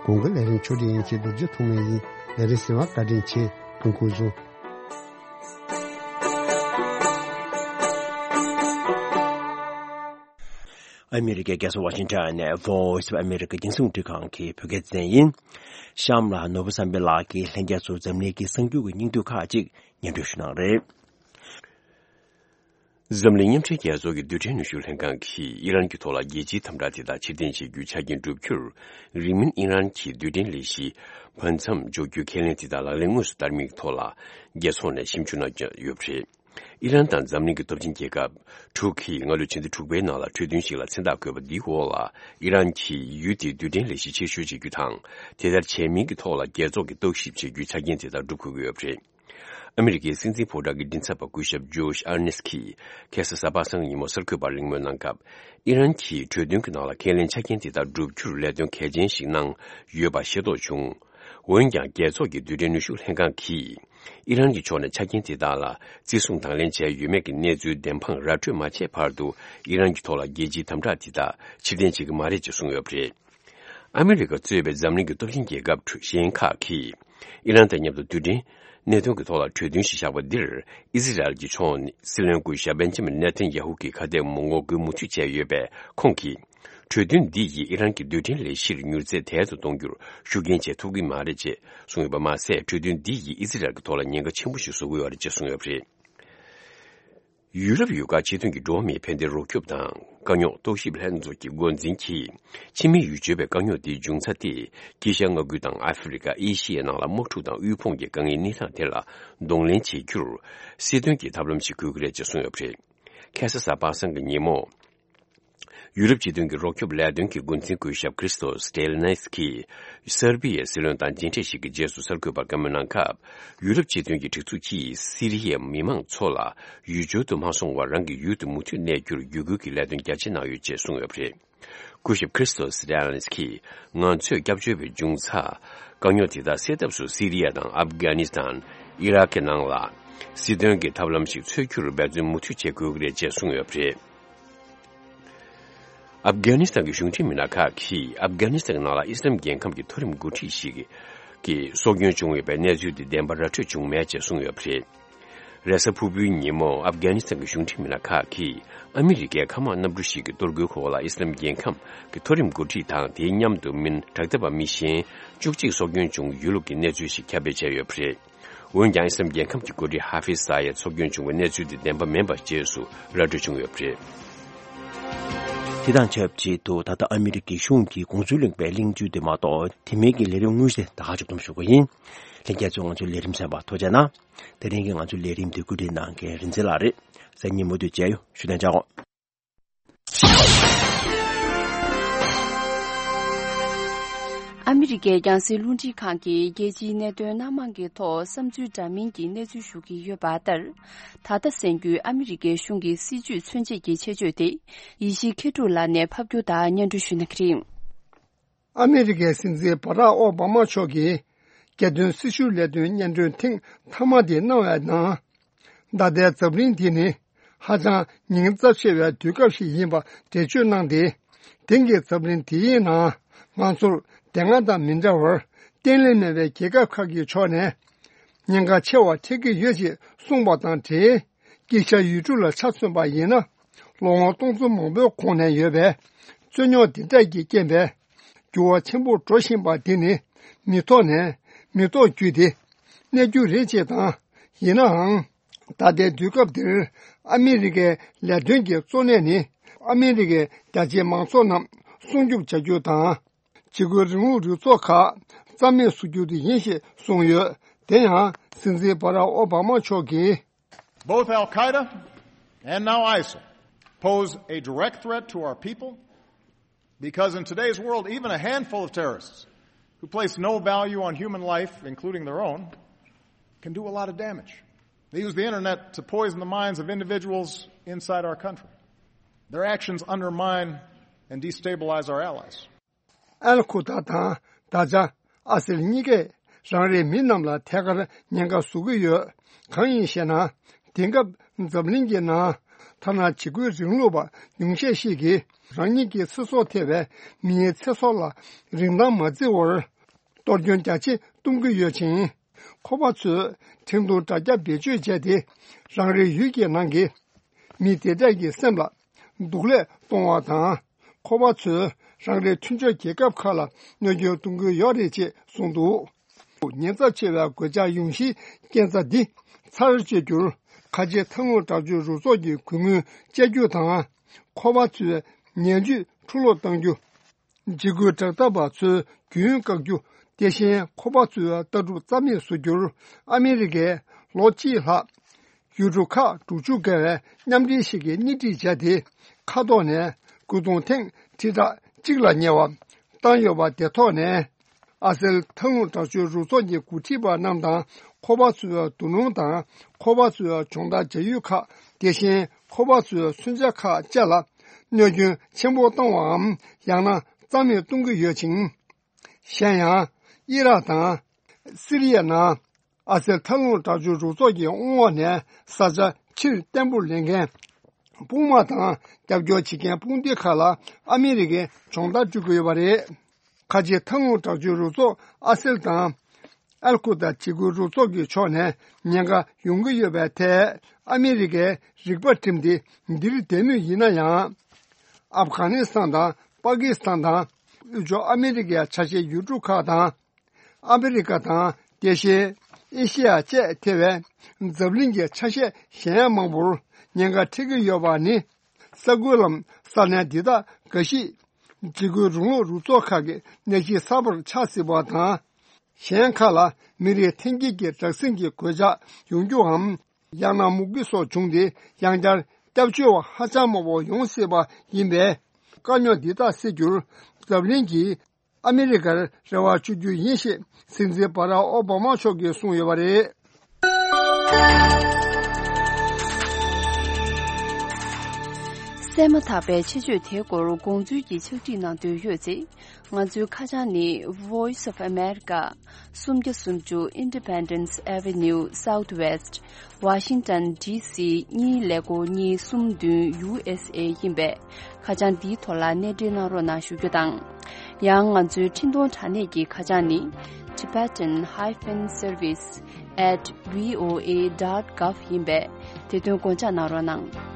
གོང་གི་ལས་རིམ་ཕྱོགས་སྒྲིག་ཡིན་གྱི་རྡོ་རྗེ་ཐོགས་མེད་ཡིན། ལས་རིམ་གསན་པར་བཀའ་དྲིན་ཆེ། ཐུགས་རྗེ་ཆེ། ཨ་མི་རི་ཀའི་རྒྱལ་ས་ཝ་ཤིང་ཊོན་ནས་Voice of America རྒྱང་སྲིང་རླུང་འཕྲིན་ཁང་གི་བོད་སྐད་སྡེ་ཚན་ཡིན། གཤམ་ལ་ནོར་བུ་བསམ་འཕེལ་ལགས་ཀྱིས་ལྷན་རྒྱས་ཚོར་འཛམ་གླིང་གི་གསར་འགྱུར་གྱི་སྙིང་བསྡུས་ཁག་ཅིག་སྙན་སྒྲོན་ཞུ་གནང་རེད། འཛམ་གླིང་མཉམ་འབྲེལ་རྒྱལ་ཚོགས་ཀྱི་རྡུལ་ཕྲན་ནུས་ཤུགས་ལྷན་ཁང་གིས་ཨི་རན་གྱི་ཐོག་ལ་རྒྱལ་སྤྱིའི་དམ་དྲག་དེ་དག་ཕྱིར་འཐེན་བྱེད་རྒྱུའི་ཆ་རྐྱེན་བསྒྲུབ་རྒྱུར། རིང་མིན་ཨི་རན་གྱི་རྡུལ་ཕྲན་ལས་གཞི་བར་མཚམས་འཇོག་རྒྱུའི་ཁས་ལེན་དེ་དག་ལག་ལེན་དངོས་སུ་བསྟར་མིན་གྱི་ཐོག་ལ། རྒྱལ་ཚོགས་ནས་ཞིབ་འཇུག་གནང་ཡོད་པ་རེད། ཨི་རན་དང་འཛམ་གླིང་གི་སྟོབས་ཆེན་རྒྱལ་ཁབ་དྲུག་གིས་སྔ་ལོའི་ཕྱི་ཟླ་དྲུག་པའི་ནང་ལ་གྲོས་མཐུན་ཞིག་ལ་མཚན་རྟགས་བཀོད་པ་འདིའི་འོག་ལ། ཨི་རན་གྱིས་ཡུལ་དེའི་རྡུལ་ཕྲན་ལས་གཞི་ཕྱིར་བཤོལ་བྱེད་རྒྱུ་དང་། དེ་ལྟར་བྱས་མིན་གྱི་ཐོག་ལ་རྒྱལ་ཚོགས་ཀྱིས་བརྟག་ཞིབ་བྱེད་རྒྱུའི་ཆ་རྐྱེན་དེ་དག་སྒྲུབ་དགོས་ཀྱི་ཡོད་པ་རེད། ཨ་མི་རི་ཀའི་སྲིད་འཛིན་ཕོ་བྲང་གི་མགྲིན་ཚབ་པ་སྐུ་ཞབས་ཇོ་ཤ་ཨར་ནེ་སི་ཀིས་ཁ་སང་གཟའ་པ་སངས་ཀྱི་ཉིན་མོ་གསར་འགོད་པར་གླེང་མོལ་གནང་སྐབས། ཨི་རན་གྱིས་གྲོས་མཐུན་གྱི་ནང་ལ་ཁས་ལེན་ཆ་རྐྱེན་དེ་དག་བསྒྲུབ་རྒྱུར་ལས་དོན་གལ་ཆེན་ཞིག་གནང་ཡོད་པ་ཤེས་རྟོགས་བྱུང་། འོན་ཀྱང་། རྒྱལ་ཚོགས་ཀྱི་རྡུལ་ཕྲན་ནུས་ཤུགས་ལྷན་ཁང་གིས་ཨི་རན་གྱི་ཕྱོགས་ནས་ཆ་རྐྱེན་དེ་དག་ལ་བརྩི་སྲུང་དང་ལེན་བྱས་ཡོད་མེད་ཀྱི་གནས་ཚུལ་བདེན་དཔང་ར་སྤྲོད་མ་བྱས་བར་དུ། ཨི་རན་གྱི་ཐོག་ལ་རྒྱལ་སྤྱིའི་དམ་དྲག་དེ་དག་ཕྱིར་འཐེན་བྱེད་ཀྱི་མ་རེད་ཅེས་གསུངས་ཡོད་པ་རེད། ཨ་མི་རི་ཀ་གཙོས་པའི་འཛམ་གླིང་གི་སྟོབས་ཆེན་རྒྱལ་ཁབ་གཞན་ཁག་གིས་ཨི་རན་དང་མཉམ་དུ་རྡུལ་ཕྲན་གནད་དོན་གྱི་ཐོག་ལ་གྲོས་མཐུན་ཞིག་བཞག་པ་འདིར། ཨི་ཟི་རལ་གྱི་ཕྱོགས་ནས་སྲིད་བློན་སྐུ་ཞབས་བེན་ཇ་མིན་ནེ་ཐན་ཡ་ཧུ་གི་ཁ་གཏད་མི་ངོ་རྒོལ་མུ་མཐུད་བྱས་ཡོད་པས། ཁོང་གིས་གྲོས་མཐུན་འདི་ཡིས་ཨི་རན་གྱི་རྡུལ་ཕྲན་ལས་གཞིར་མྱུར་ཚད་དལ་དུ་གཏོང་རྒྱུར་ཤུགས་རྐྱེན་བྱེད་ཐུབ་ཀྱི་མ་རེད་ཅེས་གསུངས་ཡོད་པ་མ་ཟད། གྲོས་མཐུན་འདི་ཡིས་ཨི་ཟི་རལ་གྱི་ཐོག་ལ་ཉེན་ཁ་ཆེན་པོ་ཞིག་བཟོ་གི་ཡོད་རེད་ཅེས་གསུངས་ཡོད་པ་རེད། ཡུ་རོབ་ཡུལ་ཁག་སྤྱི་མཐུན་གྱི་འགྲོ་བ་མིའི་ཕན་བདེའི་རོགས་སྐྱོབ་དང་དཀའ་རྙོག་རྟོག་ཞིབ་ལྷན་ཚོགས་ཀྱི་འགོ་འཛིན་གྱིས། ཕྱི་མིའི་ཡུལ་སྤྱོད་པའི་དཀའ་རྙོག་དེའི་འབྱུང་རྩ་དེ། དཀྱིལ་ཤར་མངའ་ཁུལ་དང་ཨ་ཧྥེ་རི་ཁ། ཨེ་ཤི་ཡའི་ནང་ལ་དམག་འཁྲུག་དང་དབུལ་ཕོངས་ཀྱི་དཀའ་ངལ་གནས་སྟངས་དེ་ལ་གདོང་ལེན་བྱེད་རྒྱུར། སྲིད་དོན་གྱི་ཐབས་ལམ་ཞིག་དགོས་ཀྱི་རེད་ཅེས་གསུངས་ཡོད་པ་རེད། ཁ་སང་གཟའ་པ་སངས་ཀྱི་ཉིན་མོ། ཡུ་རོབ་སྤྱི་མཐུན་གྱི་རོགས་སྐྱོབ་ལས་དོན་གྱི་འགོ་འཛིན་སྐུ་ཞབས་ཁྲིས་ཏོ་སི་ཏེ་ལ་ནེ་སི་ཀིས་སར་བི་ཡའི་སྲིད་བློན་དང་མཇལ་འཕྲད་ཞིག་གི་རྗེས་སུ་གསར་འགོད་པར་བཀའ་མོལ་གནང་སྐབས། ཡུ་རོབ་སྤྱི་མཐུན་གྱི་སྒྲིག་འཛུགས་ཀྱིས་སི་རི་ཡའི་མི་མང་ཚོ་ལ་ཡུལ་སྦྱོར་དུ་མ་སོང་བར་རང་གི་ཡུལ་དུ་མུ་མཐུད་གནས་རྒྱུར་བརྒྱུད་སྐུལ་གྱི་ལས་དོན་རྒྱ་ཆེ་གནང་ཡོད་ཅེས་གསུངས་ཡོད་པ་རེད། སྐུ་ཞབས་ཁྲིས་ཏོ་སི་ཏེ་ལ་ནེ་སི་ཀིས། ང་ཚོས་སྐྱབས་བཅོལ་བའི་འབྱུང་རྩ། དཀའ་རྙོག་དེ་དག་སེལ་ཐབས་སུ་སི་རི་ཡ་དང་ཨབ་གྷ་ནི་སི་ཐན། ཨི་རག་གི་ནང་ལ། སྲིད་དོན་གྱི་ཐབས་ལམ་ཞིག་འཚོལ་རྒྱུར་འབད་བརྩོན་མུ་མཐུད་བྱེད་དགོས་ཀྱི་རེད་ཅེས་གསུངས་ཡོད་པ་རེད། ཨབ་གྷ་ནི་སི་ཐན་གྱི་གཞུང་འབྲེལ་མི་སྣ་ཁག་གིས་ཨབ་གྷ་ནི་སི་ཐན་གྱི་ནང་ལ་ཨི་སི་ལམ་རྒྱལ་ཁམས་ཀྱི་མཐོ་རིམ་འགོ་ཁྲིད་ཞིག་གིས་སྲོག་སྐྱོན་བྱུང་ཡོད་པའི་གནས་ཚུལ་དེ་བདེན་པ་ར་འཕྲོད་བྱུང་མེད་ཅེས་གསུངས་ཡོད་པ་རེད། རེས་གཟའ་ཕུར་བུའི་ཉིན་མོ་ཨབ་གྷ་ནི་སི་ཐན་གྱི་གཞུང་འབྲེལ་མི་སྣ་ཁག་གིས་ཨ་མི་རི་ཀའི་མཁའ་དམག་གནམ་གྲུ་ཞིག་གི་གཏོར་རྒོལ་འོག་ལ་ཨི་སི་ལམ་རྒྱལ་ཁམས་ཀྱི་མཐོ་རིམ་འགོ་ཁྲིད་དང་དེའི་མཉམ་དུ་མི་སྣ་དྲག་འཐབ་པ་མི་གཞན་བཅུ་གཅིག་སྲོག་སྐྱོན་བྱུང་ཡོད་ལུགས་ཀྱི་གནས་ཚུལ་ཞིག་ཁྱབ་སྤེལ་བྱས་ཡོད་པ་རེད། འོན་ཀྱང་ཨི་སི་ལམ་རྒྱལ་ཁམས་ཀྱི་འགོ་ཁྲིད་ཧ་ཧྥིཛ་ས་ཡད་སྲོག་སྐྱོན་བྱུང་བའི་གནས་ཚུལ་དེ་བདེན་པ་མིན་པ་རྗེས་སུ་ར་སྤྲོད་བྱུང་ཡོད་པ་རེད། དེ་དང་ཆབས་ཅིག་ཏུ་ད་ལྟ་ཨ་མི་རི་ཀའི་གཞུང་གིས་དགོངས་ཚུལ་གླེང་བའི་གླེང་བརྗོད་དེ་མ་གཏོགས་དེ་མིན་གྱི་ལས་རིམ་དངོས་གཞི་དེ་ད་ག་ཅིག་སྡོམ་ཞུ་གི་ཡིན། ལྷན་རྒྱས་ཚོས་ང་ཚོའི་ལས་རིམ་གསན་པར་ཐུགས་རྗེ་གནང་། དེ་རིང་གི་ང་ཚོའི་ལས་རིམ་དེ་བཀོད་སྒྲིག་གནང་མཁན་རིན་འཛིན་ལགས་རེད། གཟའ་ཉིན་མུ་མཐུད་མཇལ་ཡོང་། བཞུགས་གདན་འཇགས། ཨ་མི་རི་ཀའི་རྒྱང་སྲིང་རླུང་འཕྲིན་ཁང་གིས་རྒྱལ་སྤྱིའི་གནད་དོན་སྣ་མང་གི་ཐོག་བསམ་ཚུལ་འདྲ་མིན་གྱི་གནས་ཚུལ་ཞུ་གི་ཡོད་པ་ལྟར། ད་ལྟ་གསན་རྒྱུའི་ཨ་མི་རི་ཀའི་གཞུང་གི་སྲིད་ཇུས་མཚོན་བྱེད་ཀྱི་ཆེད་བརྗོད་དེ། ཡེ་ཤེས་མཁས་གྲུབ་ལགས་ནས་ཕབ་སྒྱུར་དང་སྙན་སྒྲོན་ཞུ་གནང་གི་རེད། ཨ་མི་རི་ཀའི་སྲིད་འཛིན་བྷ་རག་ཨོ་བྷ་མ་མཆོག་གིས་རྒྱལ་དོན་སྲི་ཞུ་ལས་དོན་སྙན་སྒྲོན་ཐེངས་མཐའ་མ་དེ་གནང་བའི་ནང་། ད་ལྟའི་འཛམ་གླིང་འདི་ནི་ཧ་ཅང་ཉེན་ཚབས་ཆེ་བའི་དུས་སྐབས་ཤིག་ཡིན་པ་འགྲེལ་བརྗོད་གནང་སྟེ། དེང་གི་འཛམ་གླིང་འདི་ཡི་ནང་ང་ཚོར་དེ་སྔ་དང་མི་འདྲ་བར་བརྟན་ལྷིང་མེད་པའི་རྒྱལ་ཁབ་ཁག་གི་ཕྱོགས་ནས་ཉེན་ཁ་ཆེ་བ་འཕྲད་ཀྱི་ཡོད་ཅེས་གསུངས་པ་དང་འབྲེལ། དཀྱིལ་ཤར་ཡུལ་གྲུ་ལ་ཆ་མཚོན་པ་ཡིན་ན། ལོ་ངོ་སྟོང་ཚོ་མང་པོའི་གོང་ནས་ཡོད་པའི་རྩོད་རྙོག་འདི་འདྲ་གི་རྐྱེན་པས། འགྱུར་བ་ཆེན་པོ་འགྲོ་བཞིན་པ་འདི་ནི་མི་ཐོག་ནས་མི་ཐོག་བརྒྱུད་དེ་གནས་རྒྱུ་རེད་ཅེས་དང་། ཡིན་ནའང་། ད་ལྟའི་དུས་སྐབས་འདིར་ཨ་མི་རི་ཀའི་ལས་དོན་གྱི་གཙོ་གནད་ནི་ཨ་མི་རི་ཀའི་རྒྱ་ཆེའི་མང་ཚོགས་རྣམས་སྲུང་སྐྱོབ་བྱ་རྒྱུ་དང་། འཇིགས་སྐུལ་རིང་ལུགས་རུ་ཚོགས་ཁག་རྩ་མེད་བཟོ་རྒྱུ་དེ་ཡིན་ཞེས་གསུངས་ཡོད། དེ་ཡང་སྲིད་འཛིན་བྷ་རག་ཨོ་བྷ་མ་མཆོག་གིས། Both Al Qaeda and now ISIL pose a direct threat to our people because in today's world, even a handful of terrorists who place no value on human life, including their own, can do a lot of damage. They use the internet to poison the minds of individuals inside our country. Their actions undermine and destabilize our allies. ཨལ་ཁུ་ད་དང་ད་ཆ་ཨ་སིལ་གཉིས་ཀས་རང་རེའི་མི་རྣམས་ལ་ཐད་ཀར་ཉེན་ཁ་བཟོ་གི་ཡོད། གང་ཡིན་ཞེ་ན། དེང་སྐབས་འཛམ་གླིང་གི་ནང་ཐ་ན་འཇིགས་སྐུལ་རིང་ལུགས་པ་ཉུང་ཤས་ཤིག་གིས་རང་ཉིད་ཀྱི་ཚེ་སྲོག་ཐེ་བའི་མིའི་ཚེ་སྲོག་ལ་རིན་ཐང་མ་བརྩི་བར་གཏོར་སྐྱོན་རྒྱ་ཆེ་གཏོང་གི་ཡོད་ཅིང་། ཁོ་པ་ཚོས་ཁྲིམས་ཐོག་དྲ་རྒྱ་བེད་སྤྱོད་བྱས་ཏེ་རང་རེའི་ཡུལ་གྱི་ནང་གི་མི་དེ་འདྲ་གི་སེམས་ལ་སྡུག་ལས་གཏོང་བ་དང་། ཁོ་པ་ཚོས་རང་རེའི་མཐུན་ཕྱོགས་རྒྱལ་ཁབ་ཁག་ལ་གནོད་སྐྱོན་གཏོང་གི་ཡོད་རེད་ཅེས་གསུངས་འདུག་ཉེན་ཚབས་ཆེ་བའི་གོད་ཆག་ཡོང་གཞིའི་རྐྱེན་རྩ་འདི་ཚར་གཅོད་རྒྱུར་ཁ་ཆེ་ཐབས་ལམ་དྲག་སྤྱོད་རུ་ཚོགས་ཀྱིས་གུས་མོས་བཅད་རྒྱུ་དང་། ཁོ་པ་ཚོའི་ཉེས་བཅོས་འཁྲུ་སློག་གཏང་རྒྱུ། འཇིགས་སྐུལ་དྲག་འཐབ་པ་ཚོའི་རྒྱུན་བཀག་རྒྱུ། དེ་བཞིན་ཁོ་པ་ཚོའི་ལྟ་གྲུབ་རྩ་མེད་བཟོ་རྒྱུར་ཨ་མི་རི་ཀས་ལོ་གཅིག་ལྷག་ཡུལ་གྲུ་ཁག་དྲུག་ཅུ་བརྒལ་བའི་མཉམ་འབྲེལ་ཞིག་གིས་སྣེ་ཁྲིད་བྱས་ཏེ། མཁའ་ཐོག་ནས་རྒོལ་རྡུང་ཐེངས་ཁྲི་ཕྲག་གཅིག་ལ་ཉེ་བ་བཏང་ཡོད་པ་དེ་ཐོག་ནས། ཨ་སེལ་ཐབས་ལམ་དྲག་སྤྱོད་རུ་ཚོགས་ཀྱི་འགོ་ཁྲིད་པ་རྣམས་དང་། ཁོ་པ་ཚོའི་འདུ་ལོང་དང་། ཁོ་པ་ཚོའི་སྦྱོང་བརྡར་བྱ་ཡུལ་ཁག་དེ་བཞིན་ཁོ་པ་ཚོའི་མཚོན་ཆ་ཁག་བཅས་ལ་གནོད་སྐྱོན་ཆེན་པོ་བཏང་བའམ། ཡང་ན་རྩ་མེད་གཏོང་གི་ཡོད་ཅིང་། གཞན་ཡང་། ཨི་རག་དང་། སི་རི་ཡའི་ནང་ཨ་སེལ་ཐབས་ལམ་དྲག་སྤྱོད་རུ་ཚོགས་ཀྱི་དབང་འོག་ནས་ས་ཆ་ཕྱིར་བརྟན་པོར་ལེན་མཁན་དཔུང་དམག་དང་རྒྱབ་སྐྱོར་བྱེད་མཁན་དཔུང་སྡེ་ཁག་ལ་ཨ་མི་རི་ཀས་སྦྱོང་བརྡར་སྤྲོད་ཀྱི་ཡོད་པ་རེད། ཁ་ཆེ་ཐབས་ལམ་དྲག་སྤྱོད་རུ་ཚོགས་ཨ་སེལ་དང་། ཨལ་ཁུ་ད་འཇིགས་སྐུལ་རུ་ཚོགས་ཀྱི་ཕྱོགས་ནས་ཉེན་ཁ་ཡོང་གི་ཡོད་པའི་ཐད། ཨ་མི་རི་ཀའི་རིག་པ་བསྒྲིམས་ཏེ་འདིར་བསྡད་མུས་ཡིན་ན་ཡང་། ཨབ་གྷ་ནི་སི་ཐན་དང་པ་ཀི་སི་ཐན་དང་། དབུས་ཕྱོགས་ཨ་མི་རི་ཀའི་ཆ་ཤས་ཡུལ་གྲུ་ཁག་དང་། ཨ་ཕི་རི་ཀ་དང་། དེ་བཞིན་ཨེ་ཤེ་ཡ་བཅས་ཐེ་བའི་འཛམ་གླིང་གི་ཆ་ཤས་གཞན་མང་པོར་ཉེན་ཁ་འཕྲད་ཀྱི་ཡོད་པ་ནི། ས་ཁུལ་ལམ་ས་གནས་འདི་དག་འགའ་ཞིག་འཇིགས་སྐུལ་རིང་ལུགས་རུ་ཚོགས་ཁག་གི་གནས་གཞི་གསར་པར་ཆགས་སྲིད་པ་དང་། གཞན་ཁག་ལ་མི་རིགས་འཐེན་འཁྱེར་གྱི་དྲག་ཟིང་གི་གོད་ཆག་ཡོང་རྒྱུའམ། ཡང་ན་མུ་གེ་སོགས་བྱུང་སྟེ་ཡང་བསྐྱར་སྐྱབས་བཅོལ་བ་ཧ་ཅང་མང་པོ་ཡོང་སྲིད་པ་ཡིན་པས། དཀའ་རྙོག་འདི་དག་སེལ་རྒྱུར་འཛམ་གླིང་གིས་ཨ་མི་རི་ཀར་རེ་བ་བཅོལ་རྒྱུ་ཡིན་ཞེས་སྲིད་འཛིན་བྷ་རག་ཨོ་བྷ་མ་མཆོག་གིས་གསུངས་ཡོད་པ་རེད། གསན་མ་ཐག་པའི་ཆེད་བརྗོད་དེའི་སྐོར་དགོངས་ཚུལ་གྱི་ཕྱག་བྲིས་གནང་འདོད་ཡོད་ཚེ། ང་ཚོའི་ཁ་བྱང་ནི་Voice of America། སུམ་བརྒྱ་སུམ་ཅུ་Independence Avenue Southwest Washington D C གཉིས་ཀླད་ཀོར་གཉིས་གསུམ་བདུན་U S A ཡིན་པས། ཁ་བྱང་འདིའི་ཐོག་ལ་གནས་འབྲེལ་གནང་རོགས་གནང་ཞུ་རྒྱུ་དང་། ཡང་ང་ཚོའི་འཕྲིན་གཏོང་དྲ་གནས་ཀྱི་ཁ་བྱང་ནི་Tibetan hyphen service at V O A dot gov ཡིན་པས། དེ་དོན་དགོངས་འཇགས་གནང་རོགས་གནང་།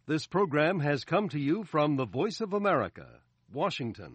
This program has come to you from the Voice of America, Washington.